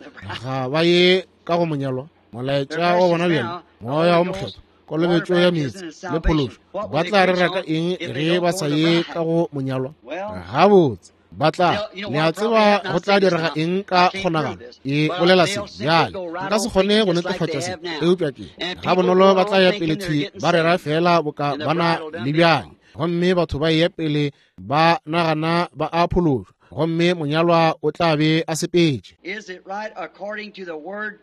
S1: ga ba ye ka go monyalwa. Molaetša wa bona bjale, moya wa mokgethwa, kolobetšo ya meetse le phološo, ba tla rera ka eng ge ba sa ye ka go monyalwa? Gabotse, ba tla, le a tseba go tla direga eng ka kgonagalo. E bolela se bjale, nka se kgone go netefatša se, eupša ke ga bonolo ba tla ya pele thwi ba rera fela boka bana le bjale, gomme batho ba ye pele ba nagana ba a phološwa, gomme monyalwa o tla be a sepetše.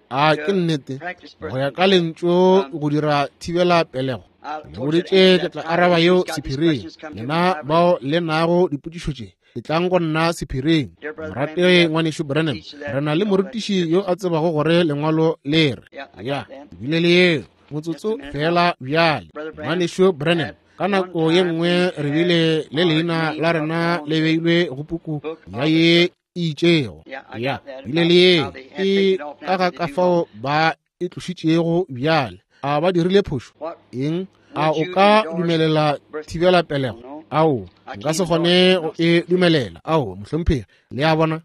S1: A ke nnete go ya ka lentšu go dira thibela pelego? Le boditše ke tla araba yeo sephiring. Lena bao le nago dipotšišo tše, e tlang go nna sephiring. Morategi ngwanešu Branham, re na le morutiši yo a tsebago gore lengwalo le re ya ebile le yeo motsotso fela bjale. Ngwanešu Branham, ka nako ye nngwe re bile le leina la rena le beilwe go puku ya ye e itšego, ya bile le yeo ke ka ga ka fao ba e tlošitšego bjale. A ba dirile phošo eng? A o ka dumelela thibela pelego? Ao, nka se kgone go e dumelela. Ao, mohlomphegi, le a bona,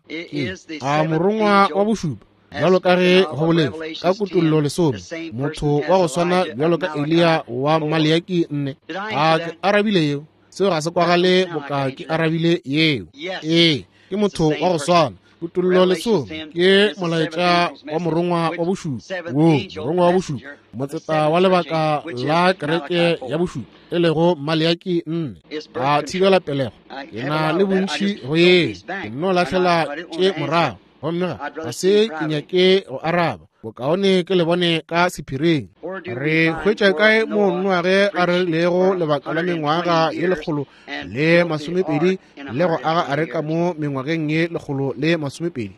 S1: a morongwa wa bošupa, bjalo ka ge go boletšwe ka Kutollo lesome, motho wa go swana bjalo ka Eliya wa Maleaki nne. A ke arabile yeo? Seo ga se kwagale boka ke arabile yeo. Ee, ke motho wa go swana. Kutollo lesome ke molaetša wa morongwa wa bošupa, wo morongwa wa bošupa, motseta wa lebaka la kereke ya bošupa, e lego Maleaki nne. A thibela pelego, ke na le bontši go yeo, ke nno lahlela tše morago, gomme ga ga se ke nyake go araba. Bokaone ke le bone ka sephiring. Re hwetša kae mo Noage a rerilego lebaka la mengwaga ye lekgolo le masomepedi le go aga areka mo mengwageng ye lekgolo le masomepedi?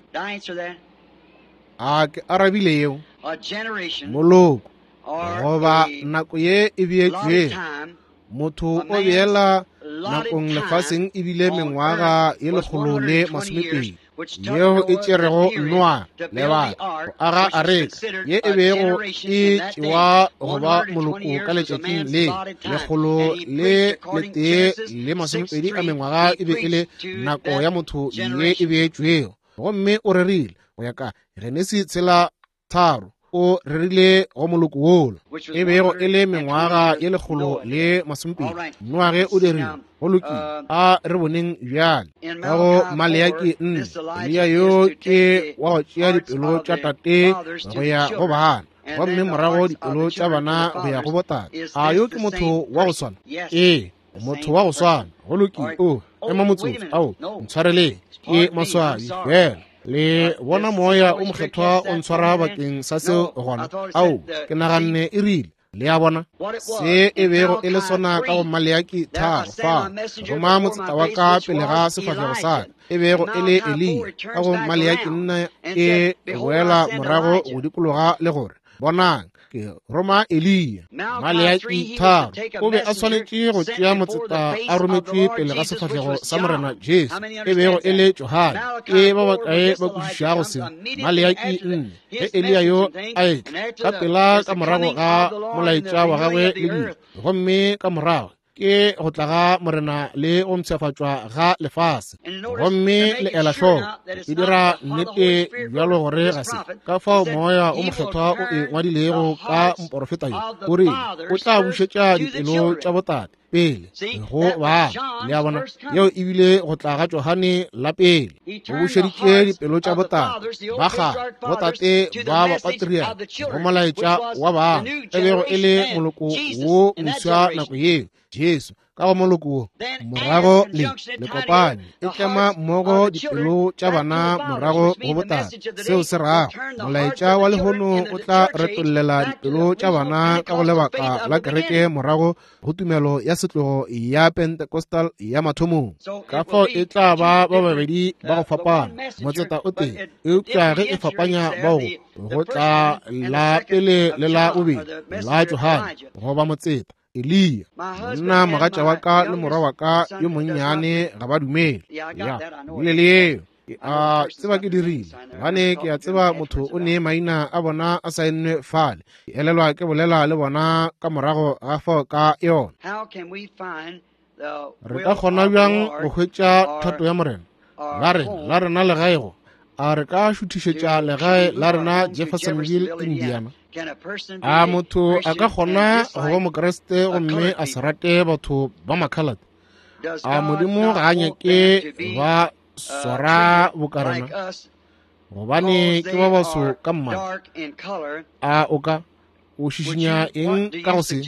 S1: A ke arabile yeo? Moloko goba nako ye e beetšwego. Motho o beela nakong lefaseng ebile mengwaga ye lekgolo le masomepedi yeo e tšerego Noa lebaka go aga areka ye e bego e tšewa go ba moloko ka letšatšing le lekgolo le letee le masomepedi a mengwaga e be e le nako ya motho ye e beetšwego. Gomme o rerile go ya ka Genesi tshela tharo, o rerile go moloko wola e bego e le mengwaga ye lekgolo le masomepedi. Noage o dirile. Go lokile, a re boneng bjale ka go Maleaki nne. Eliya yo ke wa go tšea dipelo tša tate go ya go bana, gomme morago dipelo tša bana go ya go botate. A yo ke motho wa go swana? Ee, motho wa go swana. Go lokile. O ema motsotso. Ao, ntshwareleng, ke maswabi fela. Le bona moya o mokgethwa o ntshwara bakeng sa seo gona. Ao, ke naganne e rile. Le a bona se e bego e le sona ka go Maleaki tharo fa, roma motseta wa ka pele ga sefahlego sa ka, e bego e le Eliya. Ka go Maleaki nne e boela morago go dikologa le gore, bonang, ke roma Eliya. Maleaki tharo o be a swanetše go tšea motseta a rometšwe pele ga sefahlego sa Morena Jesu, e bego e le Johane. Ke ba bakae ba kwešišago seo? Maleaki nne, ge Eliya yo a etla ka pela ka morago ga molaetša wa gagwe le dilo, gomme ka morago ke go tla ga Morena le go mpshafatšwa ga lefase. Gomme le ela hloko e dira nnete bjalo gore ga se ka fao moya o mokgethwa o e ngwadilego ka moporofeta yo, o rile o tla bušetša dipelo tša botate pele go bana. Le a bona, yeo ebile go tla ga Johane la pele, o bušeditše dipelo tša botate ba kgale, botate ba bapatriarka, go molaetša wa bana, e bego e le moloko wo moswa nako yeo, Jesu ka go moloko wo. Morago le le kopane e tlema mmogo dipelo tša bana morago go botate. Seo se rago molaetša wa lehono o tla retollela dipelo tša bana ka go lebaka la kereke morago go tumelo ya setlogo ya Pentecostal ya mathomong. Ka fao e tla ba ba babedi ba go fapana, motseta o tee, eupša ge e fapanya bao go tla la pele le la bobedi la Johane goba motseta Eliya. Nna mogatša wa ka le morwa wa ka yo monnyane ga ba dumele. Ya, bile le yeo. Ke a tseba ke dirile, gobane ke a tseba motho o ne maina a bona a saennwe fale. Ke elelwa ke bolela le bona ka morago ga fao ka yona. Re ka kgona bjang go hwetša thato ya Morena? La rena, la rena legae go. A re ka šuthišetša legae la rena Jeffersonville, Indiana? A motho a ka kgona go ba Mokriste gomme a se rate batho ba makhalate? A Modimo ga a nyake ba swara bokarena, gobane ke ba baso ka mmala? A o ka o šišinya eng ka go se?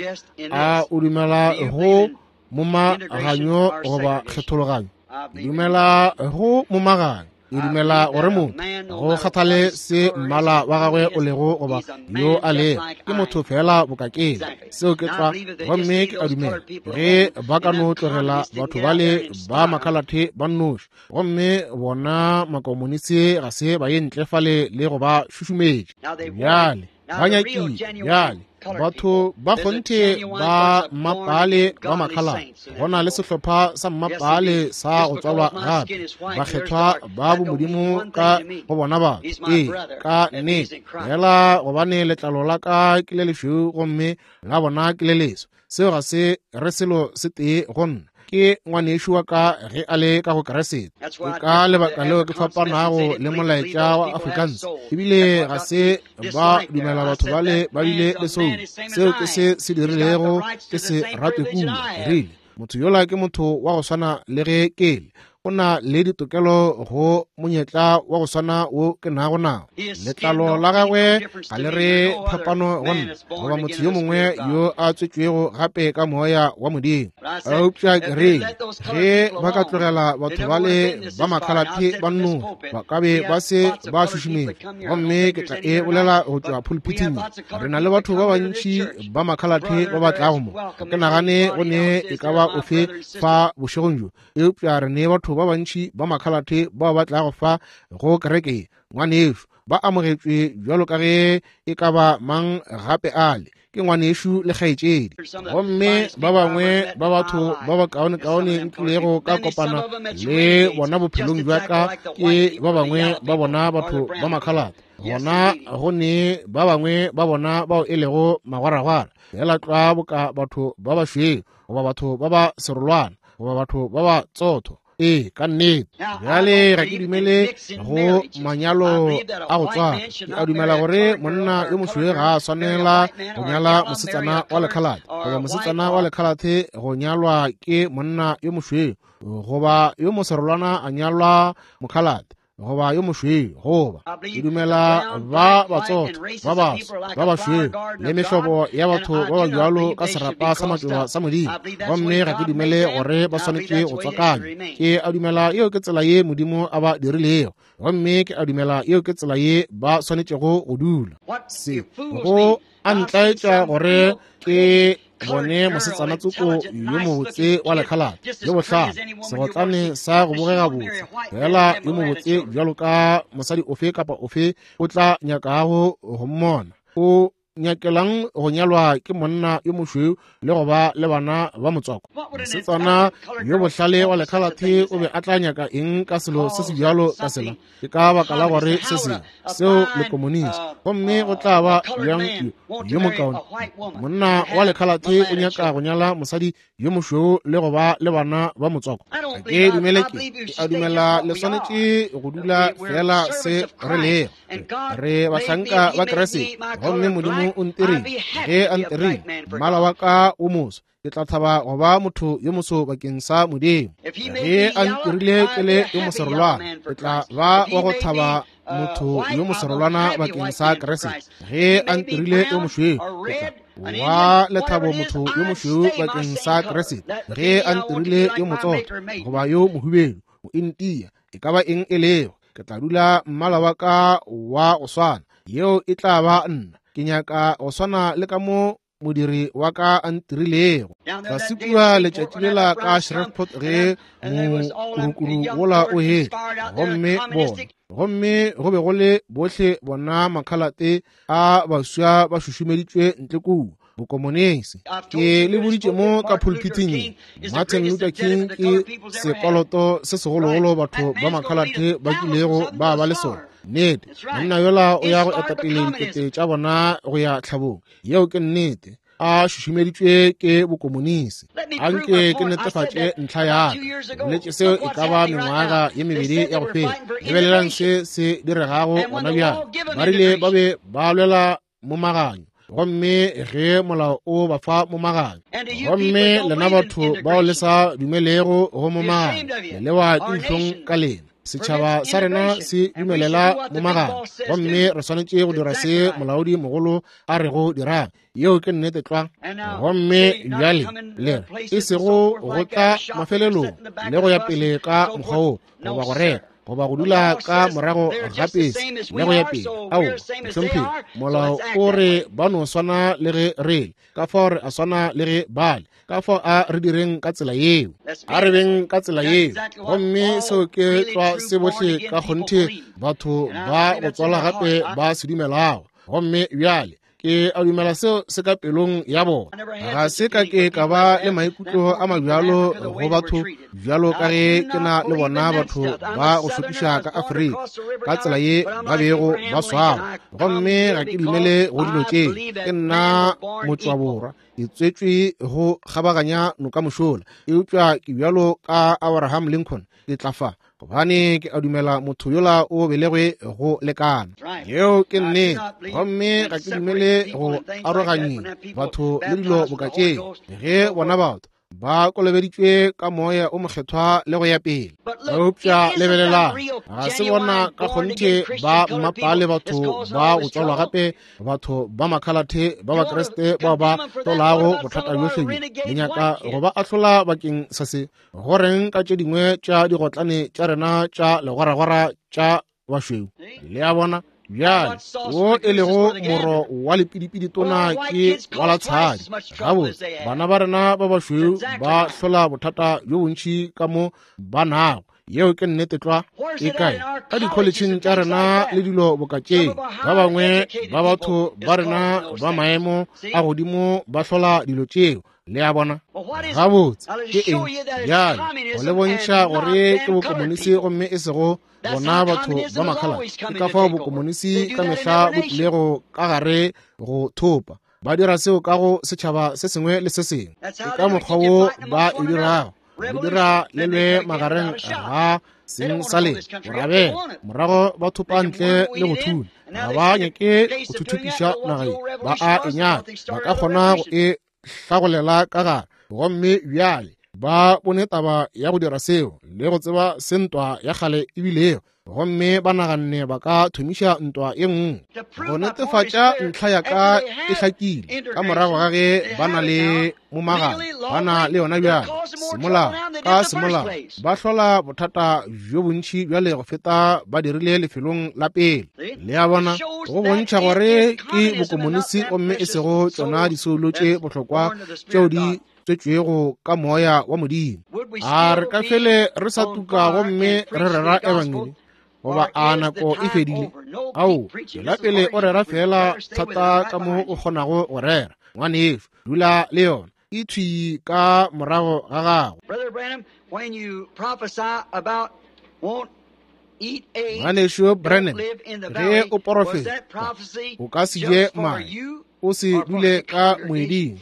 S1: A o dumela go momaganyo goba kgethologanyo? Dumela go momaganyo. E dumela gore motho go kgathale se mmala wa gagwe o lego goba yo a lego, ke motho fela bokakeng. Seo ke tlwa. Gomme ke a dumela ge ba ka no tlogela batho bale ba makhalathe ba nnoši, gomme bona makomonisi ga se ba ye ntle fale le go ba šušumetša. Bjale ba nyakile bjale batho ba kgonthe ba mmapale ba makhalate. Go na le sehlopha sa mmapale sa go tswalwa gape, bakgethwa ba bomodimo ka go bona batho. Ee, ka nnete fela, gobane letlalo la ka ke le lešweu gomme la bona ke le leso, seo ga se re selo se tee go nna. Ke ngwanešu wa ka ge a le ka go Keresete. Ke ka lebaka leo ke fapanago le molaetša wa Afrikaans, ebile ga se ba dumela batho bale ba bile le soul. Seo ke se se dirilego ke se rate kudu. Ke rile motho yola ke motho wa go swana le ge ke le. O na le ditokelo go monyetla wa go swana wo ke nago nao. Letlalo la gagwe ga le re phapano go nna goba motho yo mongwe yo a tswetšwego gape ka moya wa Modimo. Eupša ke rile, ge ba ka tlogela batho bale ba makhalathe ba nnoši, ba ka be ba se ba šušumetša. Gomme ke tla e bolela go tšwa pulpithing. Re na le batho ba bantši ba makhalathe ba ba tlago mo. Ga ke nagane go ne e ka ba ofe fa bošegong bjo, eupša re ne batho ba bantši ba makhalathe bao ba tlago fa go kereke. Ngwanešu, ba amogetšwe bjalo ka ge e ka ba mang gape ale, ke ngwanešu le kgaetšedi. Gomme ba bangwe ba batho ba bakaonekaone nkilego ka kopana le bona bophelong bja ka ke ba bangwe ba bona batho ba makhalathe. Gona go ne ba bangwe ba bona bao e lego magwaragwara, fela tlwa boka batho ba bašweu goba batho ba ba serolwana goba batho ba ba tsotho. Ee, ka nnete. Bjale ga ke dumele go manyalo a go tswala. Ke a dumela gore monna yo mošweu ga a swanela go nyala mosetsana wa lekhalathe, goba mosetsana wa lekhalathe go nyalwa ke monna yo mošweu, goba yo moserolwana a nyalwa mokhalathe goba yo mošweu. Goba ke dumela ba batsotho ba baso ba bašweu le mehlobo ya batho ba ba bjalo ka serapa sa matšoba sa Modimo. Gomme ga ke dumele gore ba swanetše go tswakanywa. Ke a dumela yeo ke tsela ye Modimo a ba dirilego, gomme ke a dumela yeo ke tsela ye ba swanetšego go dula. Se go a ntlaetša gore ke bone mosetsana tsoko yo mobotse wa lekhalathe yo bohlale, segotlane sa go bogega botse, fela yo mobotse bjalo ka mosadi ofe kapa ofe o tla nyakago go mmona. O nyakelang go nyalwa ke monna yo mošweu le go ba le bana ba motswako? Mosetsana yo bohlale wa lekhalathe o be a tla nyaka eng ka selo se se bjalo ka sela? Ke ka baka la gore se sengwe seo le komonisi. Gomme go tla ba bjang yo mokaone monna wa lekhalathe o nyaka go nyala mosadi yo mošweu le go ba le bana ba motswako? Ga ke dumele ke ke a dumela le swanetše go dula fela se re lego. Re bahlanka ba Kriste, gomme Modimo o ntirile. Ge a ntirile mmala wa ka o moso, ke tla thaba go ba motho yo moso bakeng sa Modimo. Ge a ntirile ke le yo moserolwana, ke tla ba wa go thaba motho yo moserolwana bakeng sa Kriste. Ge a ntirile yo mošweu, ke tla wa lethabo motho yo mošweu bakeng sa Kriste. Ge a ntirile yo motsotho goba yo mohubedu, mointia, e ka ba eng e lego, ke tla dula mmala wa ka wa go swana. Yeo e tla ba nna. Ke nyaka go swana le ka mo modiri wa ka a ntirilego. Tlase kua letšatši lela ka Shreveport ge mokurukuru wola o hetla, gomme bona, gomme go be go le bohle bona makhalate a baswa ba šušumeditšwe ntle kua bokomonisi. Ke le boditše mo ka pulpithing ye, Martin Luther King ke sekoloto se segologolo batho ba makhalate ba kilego ba ba le sona. Nnete, monna yola o ya go etapele dikete tša bona go ya tlhabong. Yeo ke nnete. A šušumeditšwe ke bokomonisi. Anke ke netefatše ntlha ya ka. Boletše seo e ka ba mengwaga ye mebedi ya go feta. Lebelelang se se diregago gona bjale. Ba rile ba be ba lwela momaganyo, gomme ge molao o ba fa momaganyo, gomme lena batho bao le sa dumelego go momaganyo, le lewa ke dihlong ka lena. Setšhaba sa rena se dumelela momaganyo, gomme re swanetše go dira se molaodi mogolo a rego dirang. Yeo ke nnete tlwa. Gomme bjale le re e sego go tla mafelelong le go ya pele ka mokgwa wo, goba go reka, goba go dula ka morago ga pese le go ya pele. Ao, mohlomphegi, molao o re ba no swana le ge re le, ka fao re a swana le ge bale, ka fao a re direng ka tsela yeo, a re beng ka tsela yeo. Gomme seo ke tlwa se bohle ka kgonthe batho ba go tswala gape ba se dumelago. Gomme bjale ke a dumela seo se ka pelong ya bona. Ga se ka ke ka ba le maikutlo a mabjalo go batho bjalo ka ge ke na le bona batho ba go šokiša ka Afrika ka tsela ye ba bego ba swarwa. Gomme ga ke dumele go dilo tše. Ke nna motšwaborwa, ke tswetšwe go kgabaganya noka mošola, eupša ke bjalo ka Abraham Lincoln, ke tla fa gobane ke a dumela motho yola o belegwe go lekana. Yeo ke nnete. Gomme ga ke dumele go aroganyeng batho le dilo boka tšeo. Ge bona batho Ba kolobeditšwe ka moya o mokgethwa le go ya pele. Eupša lebelelang, ga se bona ka kgonthe ba mmapale batho ba go tswalwa gape, batho ba makhalathe ba Bakriste bao ba hlolago bothata bjohle bjo. Le nyaka go ba ahlola bakeng sa se. Go reng ka tše dingwe tša digotlane tša rena tša legwaragwara tša bašweu? Le a bona? Bjale, wo e lego moro wa lepidipidi tona ke wa la tshadi. Gabotse, bana ba rena ba bašweu ba hlola bothata bjo bontši ka mo ba nago. Yeo ke nnete tlwa. E kae? Ka dikholetšheng tša rena le dilo boka tše. Ba bangwe ba batho ba rena ba maemo a godimo ba hlola dilo tšeo. Le a bona? Gabotse, ke eng? Bjale, go le bontšha gore ke bokomonisi gomme e sego bona batho ba makhala. Ke ka fao bokomonisi ka mehla bo tlilego ka gare go thopa. Ba dira seo ka go setšhaba se sengwe le se sengwe. Ke ka mokgwa wo ba e dirago. Le dira le lwe magareng ga seng sa lena, borabela, morago ba thopa ntle le go thula. Ga ba nyake go thuthupiša naga ye, ba a e nyaka, ba ka kgona go e hlagolela ka gare. Gomme bjale ba bone taba ya go dira seo le go tseba se ntwa ya kgale ebilego, gomme ba naganne ba ka thomiša ntwa ye nngwe. Go netefatša ntlha ya ka e hlakile ka morago ga ge ba na le momagano, ba na le yona bjale semolao ka semolao, ba hlola bothata bjo bontši bjale go feta ba dirile lefelong la pele. Le a bona? Go bontšha gore ke bokomonisi gomme e sego tšona disoulo tše bohlokwa tšeo di tswetšwego ka moya wa Modimo. A re ka fele re sa tuka gomme re rera ebangedi, goba a nako e fedile? Ao, tšwela pele o rera fela thata ka mo o kgonago go rera. Ngwanešu, dula le yona e thwi ka morago ga gago. Ngwanešu Branham, ge o porofeta, o ka se je mae, o se dule ka moeding.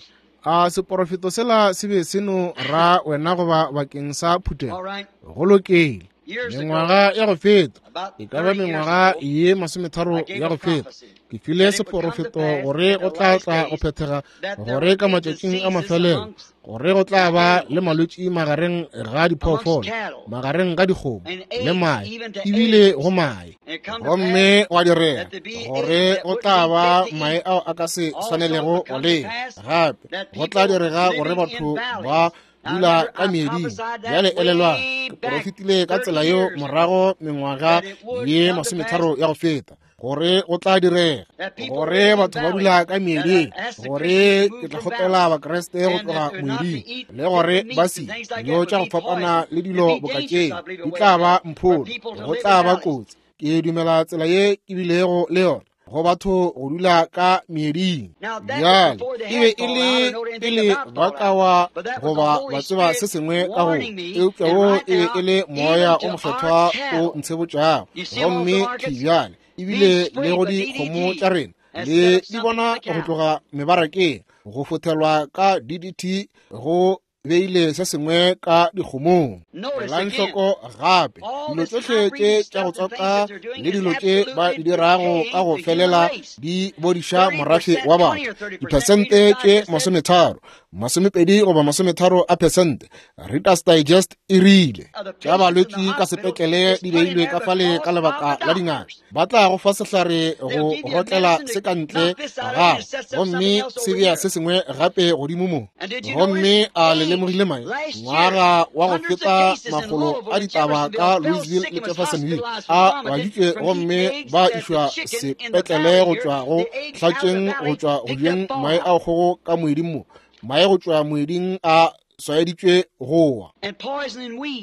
S1: A seporofeto sela se be se no ra wena goba bakeng sa phuthego? Go lokile. Mengwaga ya go feta, e ka ba mengwaga ye masometharo ya go feta, ke file seporofeto gore go tla tla go phethega, gore ka matšatšing a mafelelo gore go tla ba le malwetši magareng ga diphoofolo, magareng ga dikgomo le mae, ebile go mae. Gomme wa direga gore go tla ba mae ao a ka se swanelego go lewa. Gape go tla direga gore batho ba dula ka meeding. Bjale elelwang, ke porofetile ka tsela yeo morago mengwaga ye masometharo ya go feta, gore go tla direga gore batho ba dula ka meeding, gore ke tla kgopela Bakriste go tloga moeding, le gore ba se dilo tša go fapana le dilo boka tšeo di tla ba mpholo, go tla ba kotsi. Ke dumela tsela ye ke bilego le yona go batho go dula ka meeding. Bjale e be e le pele ba ka wa goba ba tseba se sengwe ka go, eupša wo e be e le moya o mokgethwa o ntshebotšago. Gomme bjale ebile le go dikgomo tša rena le di bona go tloga mebarakeng, go fothelwa ka D D T go beile se sengwe ka dikgomong. Elang hloko gape dilo tšohle tše tša go tswaka le dilo tše ba di dirago ka go felela di bodiša morafe wa batho. Diphesente tše masometharo, masomepedi goba masometharo a phesente, Reader's Digest e rile tša balwetši ka sepetlele di beilwe ka fale ka lebaka la dingaka. Ba tla go fa sehlare go rotlela se ka ntle ga gago, gomme se bea se sengwe gape godimo mo. Gomme a le lemogile mae ngwaga wa go feta makgolo a ditaba ka Louisville le Jeffersonville a baditšwe gomme ba išwa sepetlele go tšwa go hlatšeng go tšwa go jeng mae a kgogo ka moeding mo. Mae go tšwa moeding a swaeditšwe go wa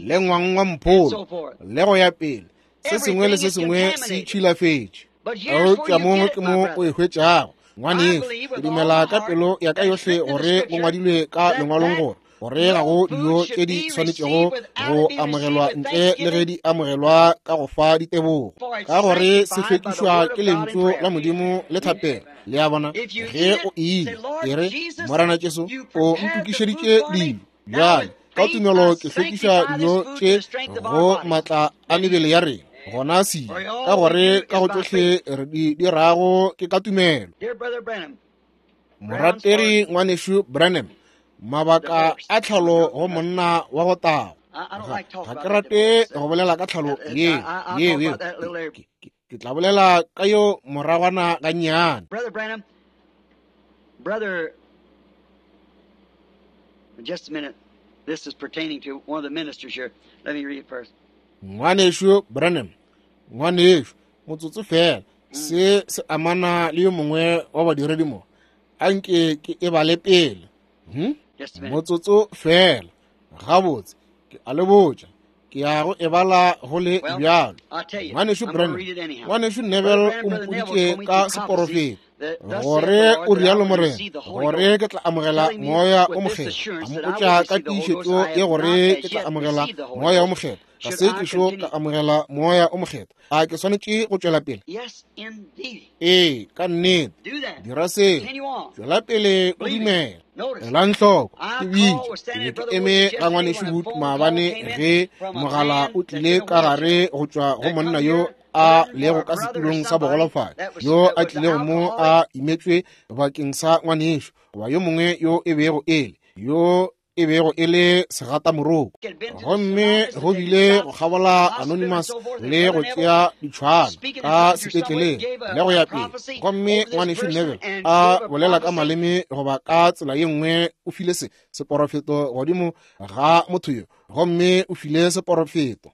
S1: le ngwang wa mpholo le go ya pele. Se sengwe le se sengwe se tšhilafetše. Eupša mo ke mo o e hwetšago. Ngwanešu, ke dumela ka pelo ya ka yohle gore go ngwadilwe ka lengwalong gore gore ga go dijo tše di swanetšego go amogelwa ntle le ge di amogelwa ka go fa ditebogo, ka gore se hlwekišwa ke lentšu la Modimo le thapelo. Le a bona? Ge o ile e re, Morena Jesu, o ntokišeditše dilo, bjale ka tumelo ke hlwekiša dijo tše go matla a mebele ya rena gona se, ka gore ka go tšohle re di dirago ke ka tumelo. Morategi ngwanešu Branham, Mabaka a tlhalo go monna wa go tago. Ga ke rate go bolela ka tlhalo ye ye ye. Ke tla bolela ka yo moragwana gannyane.
S2: Brother Branham, brother, just a minute. This is pertaining to one of the ministers here. Let me read it first.
S1: Ngwanešu Branham, ngwanešu, motsotso fela. Se se amana le yo mongwe wa badiredi mo. Anke ke e bale pele. Hmm? Motsotso fela. Gabotse, ke a le botša. Ke ya go e bala go le bjalo. Ngwanešu Branham, ngwanešu Neville o mpoditše ka seporofeto gore o rialo Morena, gore ke tla amogela moya o mokgethwa. A mpotša ka tiišetšo ye gore ke tla amogela moya o mokgethwa. Ga se ke šo ka amogela moya o mokgethwa. A ke swanetše go tšwela pele? Ee, ka nnete. Dira seo. Tšwela pele o dumela. Elang hloko, ke bitše, ke be ke eme ga ngwanešu Wood maabane ge mogala o tlile ka gare go tšwa go monna yo a lego ka setulong sa bogolofadi, yo a tlilego mo a imetšwe bakeng sa ngwanešu goba yo mongwe yo e bego e le yo e bego e le segatamoroko. Gomme go bile go kgabola Anonymous le go tšea ditšhwana ka sepetleleng le go ya pele. Gomme ngwanešu Neville a bolela ka maleme goba ka tsela ye nngwe o file se seporofeto godimo ga motho yo. Gomme o file seporofeto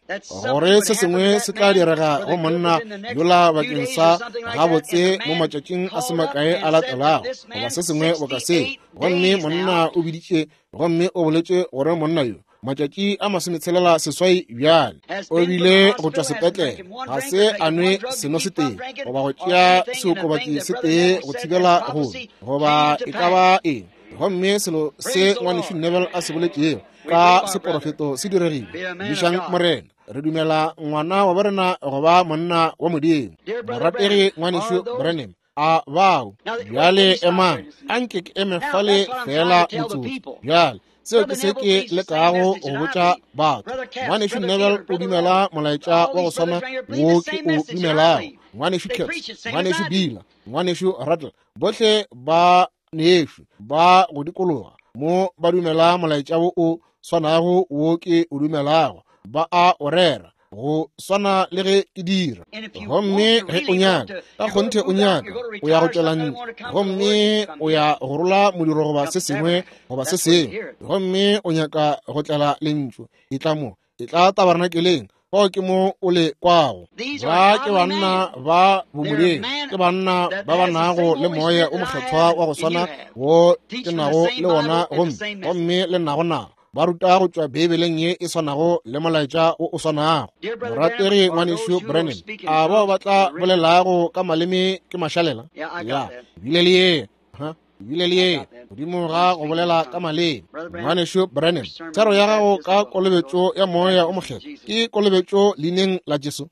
S1: gore se sengwe se tla direga go monna yola bakeng sa gabotse mo matšatšing a se makae a latelago goba se sengwe boka seo. Gomme monna o biditše gomme o boletše gore monna yo matšatši a masometshelela seswai bjale o bile go tšwa sepetlele, ga se a nwe seno se tee goba go tšea seokobatši se tee go thibela go goba e ka ba eng. Gomme selo se ngwanešu Neville a se boletšego ka seporofeto se diregile. Bišang Morena. Re dumela ngwana wa borena goba monna wa Modimo. Morategi ngwanešu Branham, a bao bjale emang, anke ke eme fale fela motsotso. Bjale seo ke se ke lekago go botša batho. Ngwanešu Neville o dumela molaetša wa go swana wo ke o dumelago. Ngwanešu Kurtz, ngwanešu Bila, ngwanešu Rattle, bohle ba nešu ba go dikologa mo ba dumela molaetša wo o swanago wo ke o dumelago. Ba a o rera go swana le ge ke dira. Gomme ge o nyaka, ka kgonthe o nyaka, o ya go tšwela ntle, gomme o ya go rola modiro goba se sengwe goba se sengwe, gomme o nyaka go tlela lentšu, e tla mo, e tla tabernakeleng. Fao ke mo o le kwago. Ba ke banna ba bomodimo, ke banna ba ba nago le moya o mokgethwa wa go swana wo ke nago le wona gomme gomme le nago nago. Ba ruta go tšwa Beibeleng ye e swanago le molaetša o o swanago. Morategi ngwanešu Branham, a bao ba tla bolelago ka maleme ke mašalela? Ya, bile le ye. Ha? Bile le ye godimo ga go bolela ka maleme. Ngwanešu Branham, thero ya gago ka kolobetšo ya moya o mokgethwa ke kolobetšo leineng la Jesu?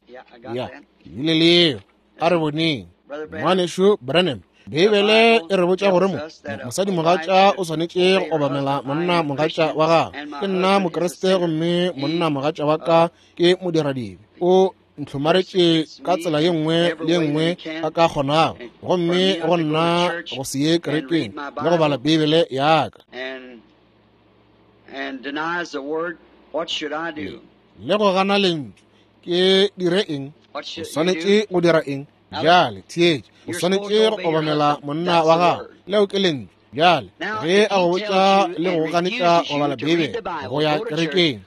S1: Ya, bile le ye. A re boneng. Ngwanešu Branham, Beibele e re botša gore mo mosadi mogatša o swanetše go obamela monna mogatša wa gagwe. Ke nna Mokriste gomme monna mogatša wa ka ke modiradibe. O ntlhomaretše ka tsela ye nngwe le ye nngwe a ka kgonago, gomme go nna go se ye kerekeng le go bala Beibele ya ka le go gana lentšu. Ke dire eng? O swanetše go dira eng? Bjale theetša, o swanetše go obamela monna wa gago. Leo ke lentšu. Bjale ge a go botša le go ganetša go bala Beibele, go ya kerekeng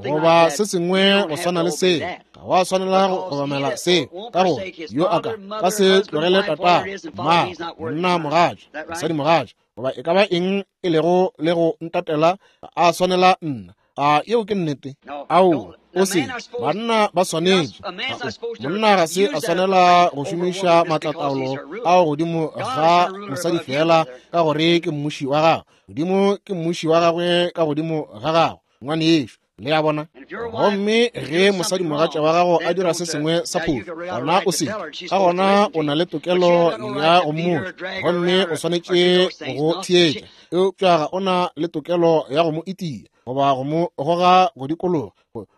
S1: goba se sengwe go swana le seo, ga wa swanela go obamela seo, ka gore yo a ka ka se tlogele tatago, mmago, monna mogatša, mosadi mogatša, goba e ka ba eng e lego le go ntatela, a swanela nna. A yeo ke nnete? Ao, o se banna ba swanetše. Monna ga se a swanela go šomiša maatlataolo ao godimo ga mosadi fela ka gore ke mmuši wa gagwe. Modimo ke mmuši wa gagwe ka godimo ga gagwe, ngwanešu. Le a bona? Gomme ge mosadi mogatša wa gago a dira se sengwe sa phošo, gona o se ka gona o na le tokelo ya go mmotša, gomme o swanetše go theetša. Eupša ga o na le tokelo ya go mo itia goba go mo goga go dikologa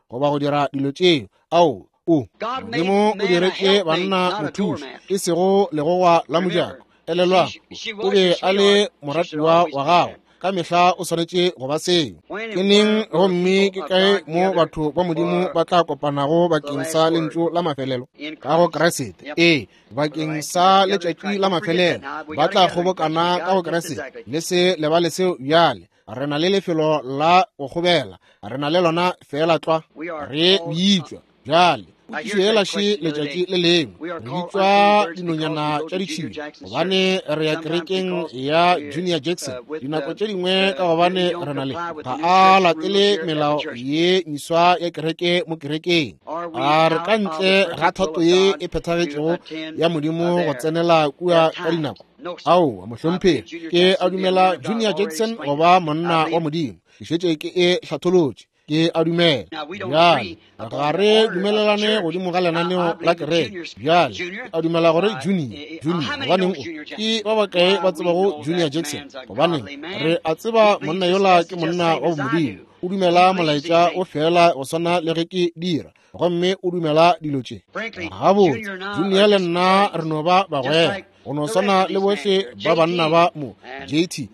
S1: goba go dira dilo tšeo. Ao, o Modimo o diretše banna mothuši, e sego legogwa la mojako. Elelwang, o be a le moratiwa wa gago. Ka mehla o swanetše go ba seo. Ke neng gomme ke kae mo batho ba Modimo ba tla kopanago bakeng sa lentšu la mafelelo? Ka go Kriste. Ee, bakeng sa letšatši la mafelelo ba tla kgobokana ka go Kriste. Le se lebale seo bjale. Re na le lefelo la go kgobela, re na le lona feela tlwa. Re bitšwa bjale potšišo yela še letšatši le lengwe, re bitšwa dinonyana tša ditšhila gobane re ya kerekeng ya Junior Jackson. Dinako tše dingwe ka gobane re na le ga a latele melao ye meswa ya kereke mo kerekeng. A re ka ntle ga thato ye e phethagetšego ya Modimo go tsenela kua ka dinako? Aowa, mohlomphegi, ke a dumela Junior Jackson goba monna wa Modimo. Ke šetše ke e hlatholotše. Ke a dumela. Bjale ga re dumelelane godimo ga lenaneo la kereke. Bjale ke a dumela gore Junior, Junior, gobaneng o ke ba bakae ba tsebago Junior Jackson? Gobaneng re a tseba monna yola ke monna wa Modimo. O dumela molaetša o fela go swana le ge ke dira, gomme o dumela dilo tše. Gabotse, Junior le nna re no ba bagwera, go no swana le bohle ba banna ba mo, J T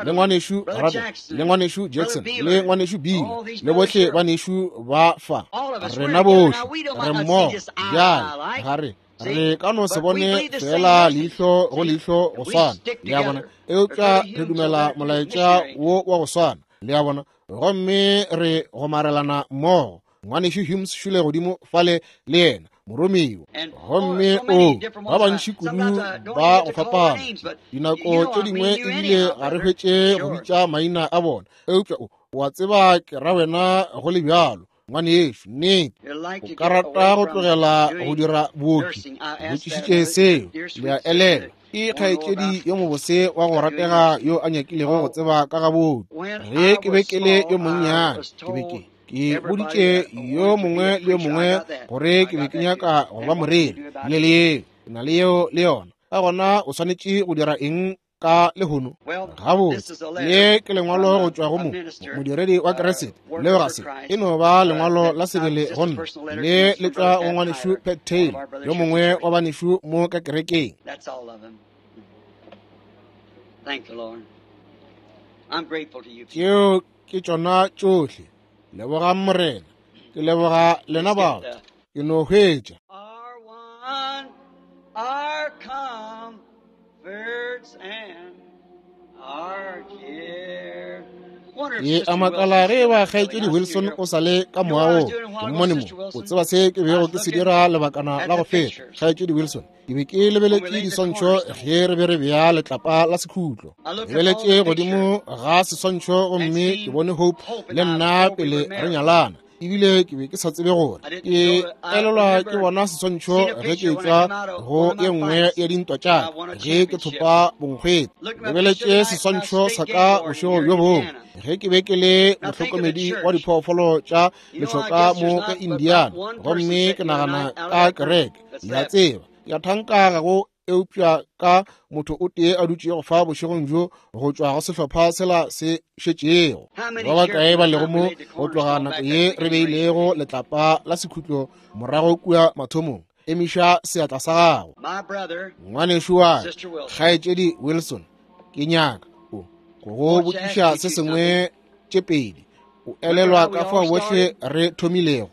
S1: le ngwanešu Rabe, le ngwanešu Jackson, le ngwanešu Bill, le bohle banešu ba fa. Rena bohle re mmogo. Bjale ga re re ka no se bone fela leihlo go leihlo go swana, le a bona, eupša re dumela molaetša wo wa go swana, le a bona, gomme re gomarelana mmogo. Ngwanešu Humes šule godimo fale le yena moromiwa, gomme o ba bantši kudu ba go fapana. Dinako tše dingwe ebile ga re hwetše go bitša maina a bona, eupša o wa tseba ke ra wena go le bjalo. Ngwanešu, nnete o ka rata go tlogela go dira booki? Botšišitše seo, le a elelwa. Ke kgaetšedi yo mobose wa go ratega yo a nyakilego go tseba ka ga booki. Ge ke be ke le yo monnyane, ke be ke ke boditše yo mongwe le yo mongwe gore ke be ke nyaka go ba moreri. Le le yeo, ke na le yeo le yona. Ka gona o swanetše go dira eng ka lehono? Gabotse, ye ke lengwalo go tšwa go mo modiredi wa Kriste. Leo ga se e no ba lengwalo la sebele go nna. Le le tšwa go ngwanešu Pat Taylor, yo mongwe wa banešu mo ka kerekeng. Tšeo ke tšona tšohle. Lebogang Morena. Ke leboga lena batho. Ke no hwetša.
S2: Our comforts and our care.
S1: Ke a makala ge ba kgaetšedi Wilson o sa le ka moagong. Ke mmone mo. O tseba se ke bego ke se dira lebakana la go feta, kgaetšedi Wilson. Ke be ke lebeletše diswantšho ge re be re bea letlapa la sekhutlo. Lebeletše godimo ga seswantšho gomme ke bone Hope le nna pele re nyalana. Ebile ke be ke sa tsebe gore ke elelwa ke bona seswantšho ge ke etšwa go ye nngwe ya dintwa tša ka ge ke thopa bonkgwete. Lebeletše seswantšho sa ka bošego bjo bongwe ge ke be ke le mohlokomedi wa diphoofolo tša lešoka mo ka Indiana, gomme ke nagana ka kereke. Le a tseba, ke a thanka ga go eupša ka motho o tee a dutšego fa bošegong bjo go tšwa go sehlopha sela se šetšego. Ba bakae ba lego mo go tloga nako ye re beilego letlapa la sekhutlo morago kua mathomong? Emiša seatla sa gago. Ngwanešu wa kgaetšedi Wilson, ke nyaka o go botšiša se sengwe tše pedi. O elelwa ka fao bohle re thomilego?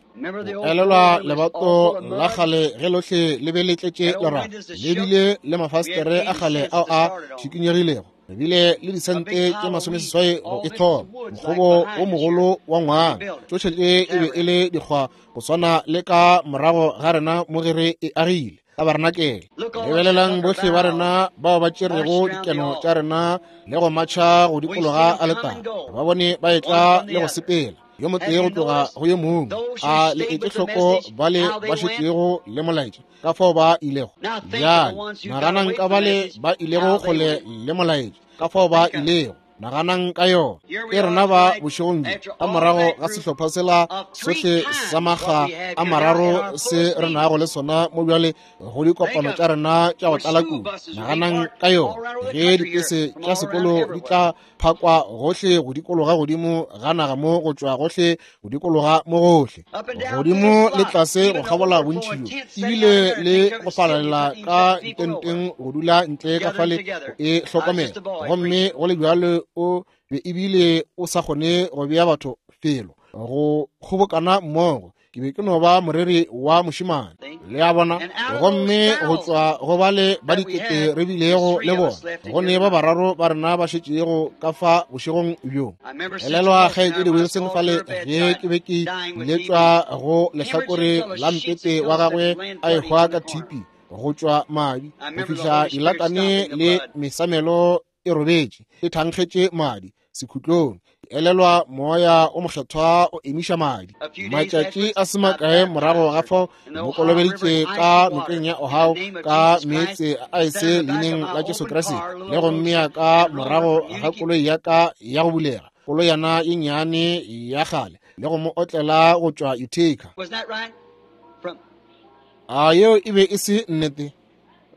S1: O elelwa lebato la kgale ge lohle le be le tletše lerato, le bile le mafastere a kgale ao a šikinyegilego, re bile le disente tše masomeseswai go e thoma, mokgobo o mogolo wa ngwana. Tšohle tše e be e le dikgwa go swana le ka morago ga rena mo ge re e agile tabarenakele. Lebelelang bohle ba rena bao ba tšerego dikeno tša rena le go matšha go dikologa aletare, ba bone ba etla le go sepela yo motee go tloga go yo mongwe. A le etše hloko bale ba šetšego le molaetša ka fao ba ilego? Bjale naganang ka bale ba ilego kgole le molaetša ka fao ba ilego. Naganang ka yona. Ke rena ba bošegong bjo ka morago ga sehlopha sela sohle sa makga a mararo se re nago le sona mo bjale go dikopano tša rena tša go tlala kudu. Naganang ka yona ge dipese tša sekolo di tla phakwa gohle go dikologa godimo ga naga mo go tšwa gohle go dikologa mo gohle, godimo le tlase go kgabola bontši bjo, ebile le go falalela ka ditenteng go dula ntle ka fale go e hlokomela. Gomme go le bjalo o Be ebile o sa kgone go bea batho felo go kgobokana mmogo. Ke be ke no ba moreri wa mošemane, le a bona. Gomme go tšwa go bale ba dikete re bilego le bona, go ne ba bararo ba rena ba šetšego ka fa bošegong bjo. Elelwa kgaetšedi Wilson fale ge ke be ke letšwa go lehlakore la mpete wa gagwe a ehwa ka T B go tšwa madi go fihla dilakane le mesamelo e robetše e thankgetše madi sekhutlong. Elelwa moya o mokgethwa o emiša madi. Matšatši a se makae morago ga fao mo kolobeditše ka nokeng ya Ohio ka meetse a aese leineng la Jesu Kriste, le go mmea ka morago ga koloi ya ka ya go bulega, koloyana ye nnyane ya kgale, le go mo otlela go tšwa Utica. A yeo e be e se nnete?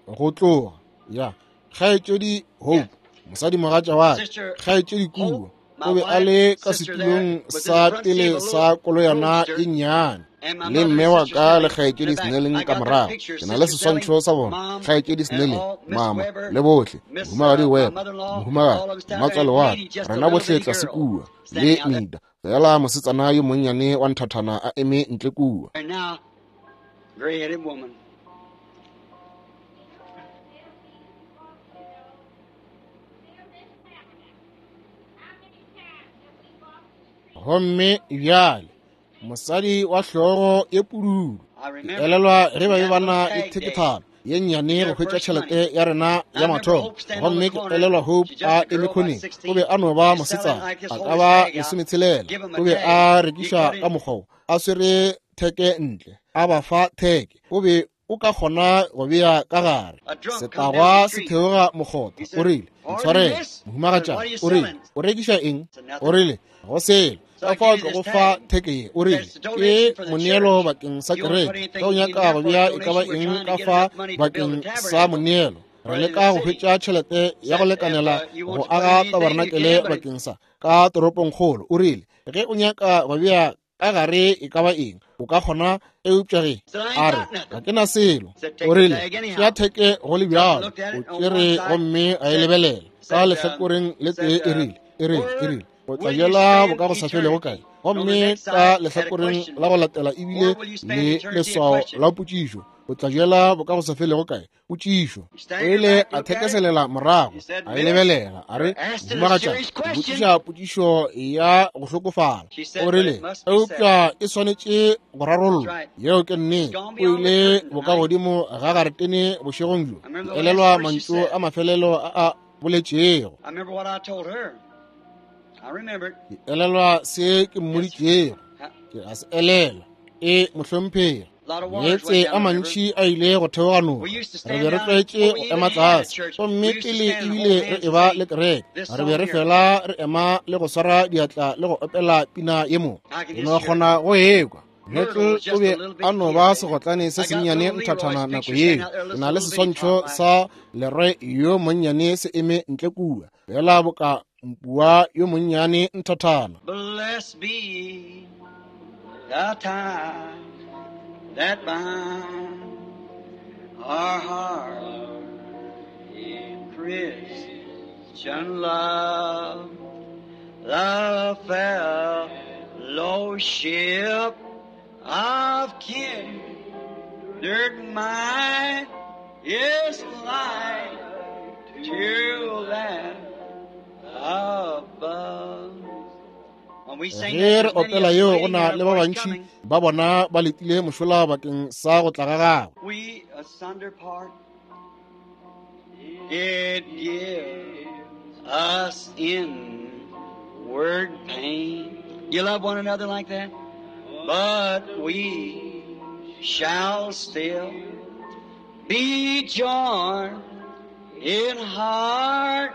S1: Go tloga ya kgaetšedi Hope, mosadimogatša wa ka, kgaetšedi kua, o be a le ka setulong sa pele sa koloyana e nnyane, le mme wa ka le kgaetšedi Snelling ka morago. Ke na le seswantšho sa bona, kgaetšedi Snelling, mama le bohle, mohumagadi Webb, mohumagadi mmatswale wa ka, rena bohle tlase kua, le Mida, fela mosetsana yo monnyane wa nthathana a eme ntle kua. Gomme bjale mosadi wa hlogo ye pududu, ke elelwa ge ba be ba na le thekethano ye nnyane go hwetša tšhelete ya rena ya mathomo. Gomme ke elelwa Hope a eme khoneng, o be a no ba mosetsana a ka ba lesometshelela, o be a rekiša ka mokgwa a swere theke ntle, a ba fa theke, o be o ka kgona go bea ka gare. Setagwa se theoga mokgotha, o rile, ntshwarele mohumagatšana, o rile, o rekiša eng? O rile, go selo, ka fao ke go fa theke ye. O rile, ke moneelo bakeng sa kereke, ge o nyaka go bea e ka ba eng ka fa bakeng sa moneelo, re leka go hwetša tšhelete ya go lekanela go aga tabarenakele bakeng sa ka toropongkgolo. O rile, ge o nyaka go bea ka gare e ka ba eng, o ka kgona, eupša ge a re ga ke na selo. O rile, tšea theke go le bjalo. O tšere gomme a e lebelela ka lehlakoreng le tee, e rile, e rile, e rile, o tla jela boka go sa felego kae? Gomme ka lehlakoreng la go latela ebile le leswao la potšišo, o tla jela boka go sa felego kae? Potšišo. O ile a thekeselela morago, a e lebelela, a re, mohumagatšana, botšiša potšišo ya go hlokofala. O rile, eupša e swanetše go rarollwa. Yeo ke nnete. O ile bokagodimo ga garetene bošegong bjo. Ke elelwa mantšu a mafelelo a a boletšego. Ke elelwa se ke mmoditšego. Ke a se elelwa. E mohlomphegi. Meetse a mantši a ile go theoga noka. Re be re tlwaetše go ema tlase, gomme pele ebile re eba le kereke, re be re fela re ema le go swara diatla le go opela pina ye mo. Ke no kgona go ekwa. Myrtle o be a no ba segotlane se sennyane nthathana nako yeo. Ke na le seswantšho sa Leroy yo monnyane se eme ntle kua, fela boka mpua yo monnyane nthathana.
S2: Blessed be the tie that binds our heart in Christian love, the fellowship of kindred mind is like to that above.
S1: Ge re opela yeo, go na le ba bantši ba bona ba letile mošola bakeng sa go tla ga gagwe.
S2: We asunder part, it gives us inward pain. You love one another like that? But we shall still be joined in heart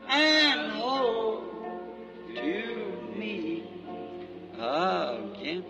S2: and hope to meet again.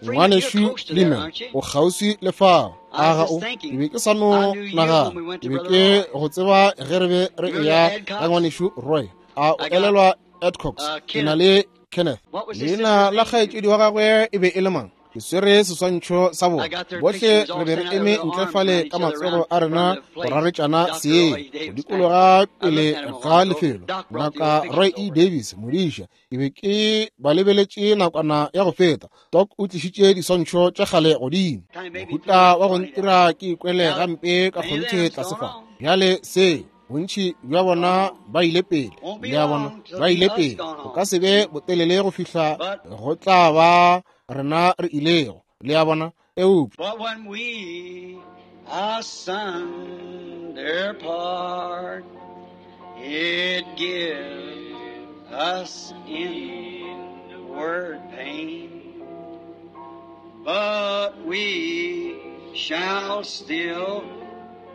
S1: Ngwanešu Lehman, o kgauswi le fao. Aga o, ke be ke sa no nagana, ke be ke go tseba ge re be re eya ka ngwanešu Roy. A o elelwa Adcox? Ke na le Kenneth. Leina la kgaetšedi wa gagwe e be e le mang? Ke swere seswantšho sa bona. Bohle re be re eme ntle fale ka matsogo a rena go raretšana seeng, go dikologa pele ga lefelo. Ngaka Roy E. Davis, modiša, ke be ke ba lebeletše nakwana ya go feta. Doc o tlišitše diswantšho tša kgale godimo. Mohuta wa go ntira ke ikwele gampe ka kgonthe tlase fa. Bjale se bontši bja bona ba ile pele, le a bona, ba ile pele. Go ka se be botelele go fihla go tla ba rena re ilego, le a bona. Eupša
S2: But when we asunder part, it gives us inward pain. But we shall still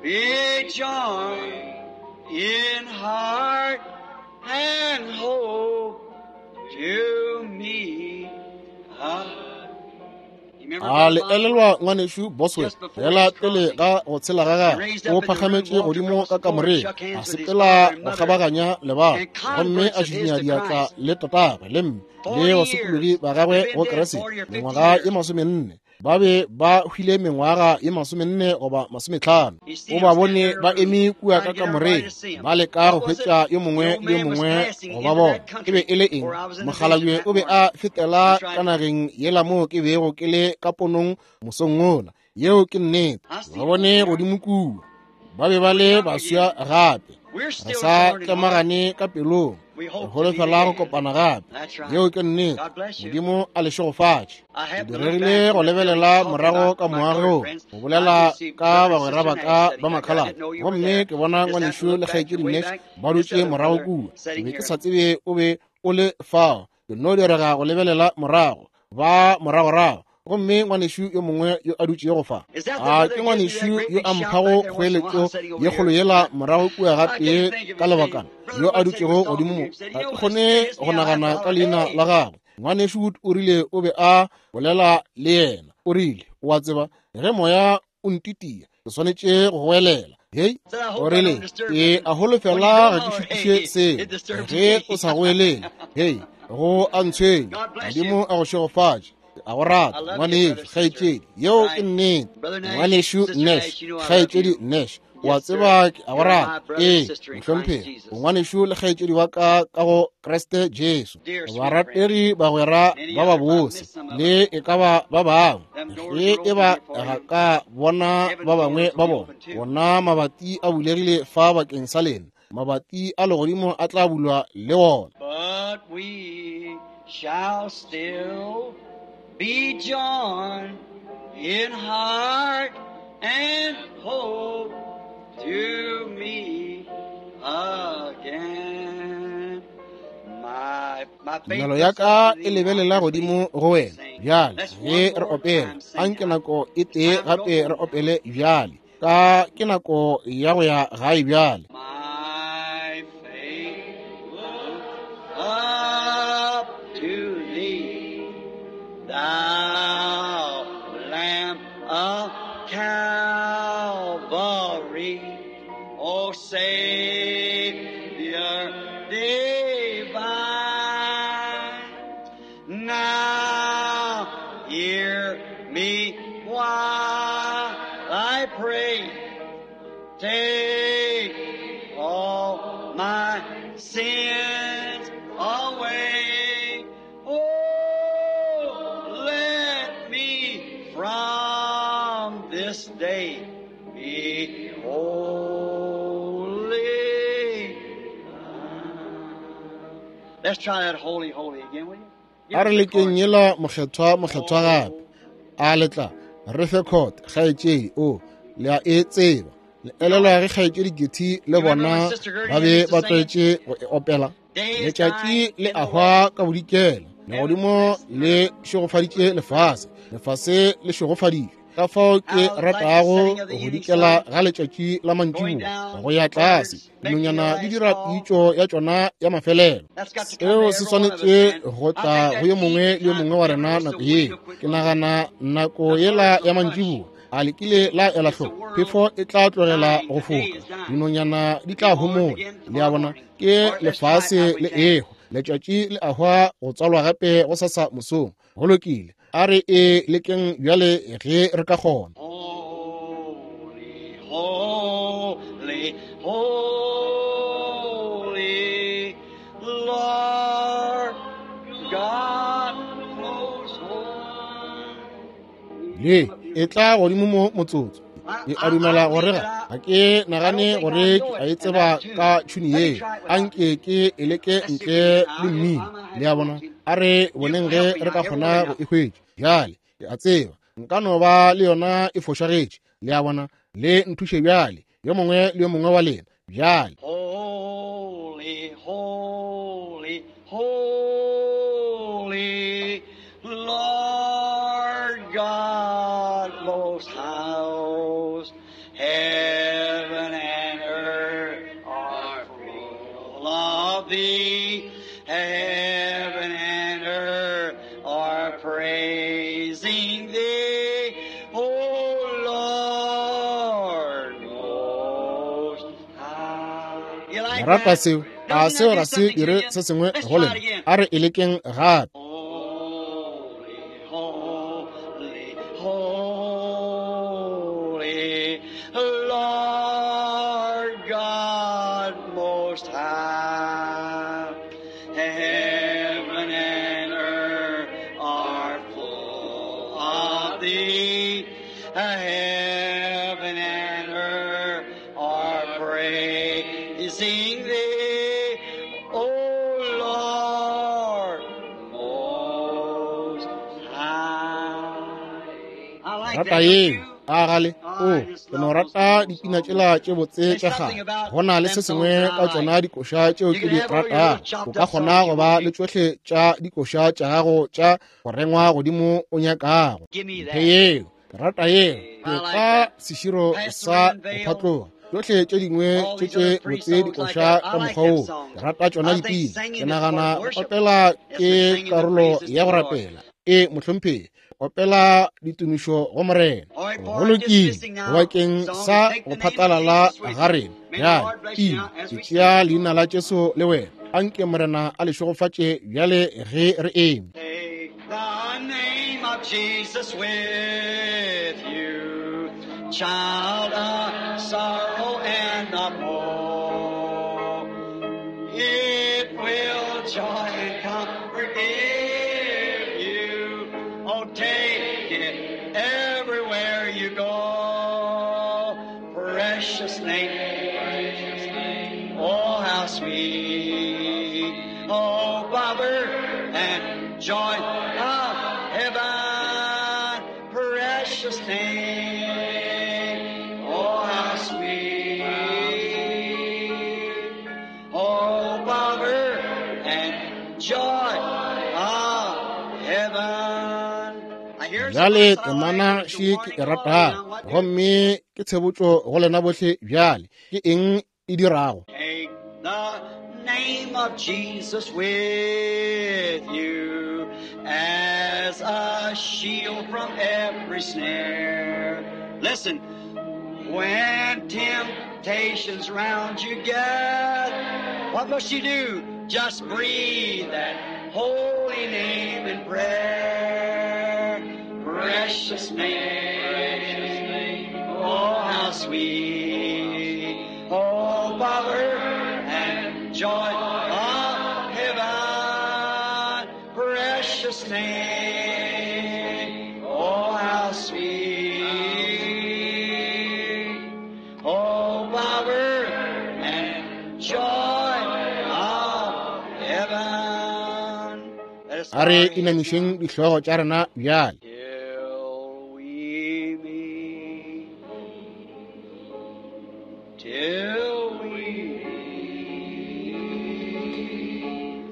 S2: be joined in heart and hope to meet up.
S1: A le elelwa ngwanešu Boswell fela pele ga go tshela ga gagwe, o phagametše godimo ka kamoreng, a sepela go kgabaganya lebala, gomme a šišinya diatla le tatagwe le mme le basokologi ba gagwe go Kriste mengwaga ye masomenne. Ba be ba hwile mengwaga ye masomenne goba masometlhano. O ba bone ba eme kua ka kamoreng, ba leka go hwetša yo mongwe le yo mongwe go ba bona. E be e le eng? Mokgalabje o be a fetela ka nageng yela moo ke bego ke le ka ponong mosong wola. Yeo ke nnete. Ba bone godimo kua. Ba be ba le baswa gape. Re sa tlemagane ka pelong. Re holofela go kopana gape. Yeo ke nnete. Modimo a le šegofatše. Ke diregile go lebelela morago ka moagong, go bolela ka bagwera ba ka ba makhalate, gomme ke bona ngwanešu le kgaetšedi Nash ba dutše morago kua. Ke be ke sa tsebe o be o le fao. Ke no direga go lebelela morago, ba moragorago, gomme ngwanešu yo mongwe yo a dutšego fa. A ke ngwanešu yo a mphago kgoeletšo ye kgolo yela morago kua gatee ka lebakana, yo a dutšego godimo mo. Ga ke kgone go nagana ka leina la gagwe. Ngwanešu Wood o rile o be a bolela le yena. O rile, o a tseba, ge moya o ntitia, ke swanetše go goelela. Hei, o rile, ke a holofela ga ke šutiše seo. Ge o sa goelele, hei, go a ntshwenya. Modimo a go šegofatše. A go rata, ngwanešu, kgaetšedi. Yeo ke nnete. Ngwanešu Nash, kgaetšedi Nash, o a tseba ke a go rata. Ee, mohlomphegi, o ngwanešu le kgaetšedi wa ka ka go Kriste Jesu. Barategi bagwera ba babose le e ka ba ba bangwe. Ge e ba ga ka bona ba bangwe ba bona, bona mabati a bulegile fa bakeng sa lena. Mabati a legodimo a tla bulwa le wona.
S2: But we shall still be joined in heart and hope to meet again. My, my faith
S1: Tumelo ya ka e lebelela godimo go wena. Bjale ge re opela, anke nako e tee gape re opele bjale. Ka ke nako ya go ya gae bjale.
S2: My faith looks up to thee, thou Lamb of Calvary, O Savior divine. Now hear me while I pray. Take all my sins away. Oh, let me from this day be holy. Let's try that holy, holy again, will you?
S1: A re lekeng yela mokgethwa mokgethwa gape. A le tla re fe court, kgaetšedi, o le a e tseba. Le elelwa ge kgaetšedi Getty le bona ba be ba tlwaetše go e opela. Letšatši le a hwa ka bodikela, legodimo le šegofaditše lefase, lefase le šegofaditšwe. Ka fao ke ratago go dikela ga letšatši la mantšiboa go ya tlase, dinonyana di dira pitšo ya tšona ya mafelelo. Seo se swanetše go tla go yo mongwe le yo mongwe wa rena nako yeo. Ke nagana nako yela ya mantšiboa a le kile la ela hloko, phefo e tla tlogela go foka, dinonyana di tla homola. Le a bona, ke lefase le ehwa, letšatši le a hwa go tswalwa gape go sasa mosong. Go lokile, A re e lekeng bjale ge re ka kgona.
S2: Holy, holy, holy, Lord God most high.
S1: Le e tla godimo mo motsotso. Ke a dumela gore ga ga ke nagane gore ke a e tseba ka tšhuni ye. Anke ke e leke ntle le mmino. Le a bona? A re boneng ge re ka kgona go e hwetša. Bjale ke a tseba nka no ba le yona e fošagetše. Le a bona? Le nthuše bjale, yo mongwe le yo mongwe wa lena. Bjale
S2: Holy, holy, holy, Lord God most high, heaven and earth are full of thee. Heaven and earth are praising thee, O Lord most high. You like
S1: le rata
S2: that?
S1: seo? A
S2: Doesn't
S1: seo
S2: that
S1: ga
S2: do
S1: se
S2: something to
S1: dire
S2: you?
S1: se sengwe
S2: Let's
S1: go
S2: try it
S1: lena?
S2: again.
S1: A re e lekeng gape.
S2: Holy, holy, holy, Lord God Most High. Heaven and earth are full of thee. Heaven and earth are praising thee, O Lord Most High. I like
S1: Rata
S2: that, don't
S1: yeo
S2: you?
S1: a gale o ke no rata dipina tšela tše botse tša kgale. Go na le se sengwe ka tšona dikoša tšeo ke di ratago. O ka kgona go ba le tšohle tša dikoša tša gago tša go rengwa godimo o nyakago.
S2: Give me
S1: Mphe
S2: that.
S1: yeo, ke rata yeo. Ke
S2: I like
S1: ka
S2: that.
S1: seširo
S2: Pass the
S1: sa
S2: rim
S1: go
S2: veil,
S1: phatloga. Tšohle tše dingwe
S2: all
S1: tše
S2: these
S1: tše
S2: other free
S1: botse
S2: songs like
S1: dikoša
S2: that. I
S1: ka
S2: like
S1: mokgwa
S2: them
S1: woo.
S2: songs.
S1: Ke rata tšona
S2: I think
S1: dipina. Ke
S2: singing is part
S1: nagana
S2: of
S1: go
S2: worship.
S1: opela
S2: Yes,
S1: ke
S2: we're singing the
S1: karolo
S2: praises to
S1: ya
S2: the
S1: go
S2: Lord.
S1: rapela. E mohlomphegi, opela ditumišo go Morena.
S2: All right,
S1: Go
S2: for our
S1: lokile
S2: dismissing now
S1: bakeng
S2: song,
S1: sa
S2: take
S1: go
S2: the name of
S1: phatlalala
S2: Jesus with
S1: ga
S2: you.
S1: rena.
S2: May the
S1: Bjale
S2: Lord bless you
S1: pina,
S2: now as
S1: ke
S2: we
S1: tšea
S2: stand.
S1: leina la Jesu le wena. Anke Morena a le šegofatše bjale ge re eme.
S2: Take the name of Jesus with you, child of sorrow and of woe. It will joy and comfort give you. Oh, take it everywhere you go. Precious name, precious name. Oh, how sweet. Oh, power and joy of heaven. Precious name. Oh, how sweet. Oh, power and joy of heaven. I hear
S1: Bjale
S2: somebody say,
S1: temana
S2: "It's a
S1: še ke
S2: warning
S1: e
S2: to all
S1: ratago,
S2: now. What do?"
S1: gomme ke tshebotšo go lena bohle. Bjale ke eng e dirago?
S2: Take the name of Jesus with you as a shield from every snare. Listen, when temptations round you get, what must you do? Just breathe that holy name in prayer. Precious name, oh how sweet, oh power and joy of heaven. Precious name, oh how sweet, oh power and joy of heaven. Let us
S1: A
S2: bow
S1: re
S2: our heads now.
S1: inamišeng dihlogo tša rena bjale.
S2: Till we meet, till we meet,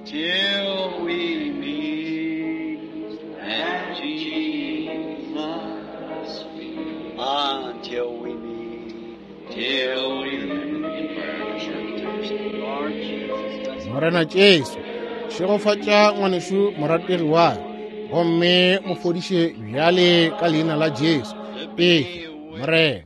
S2: till we meet at Jesus' feet. Until we meet, till we meet. Lord Jesus, bless
S1: Morena Jesu, šegofatša ngwanešu morategi wa ka, gomme mo fodiše bjale ka leina la Jesu.
S2: to
S1: Efa,
S2: be with
S1: Morena.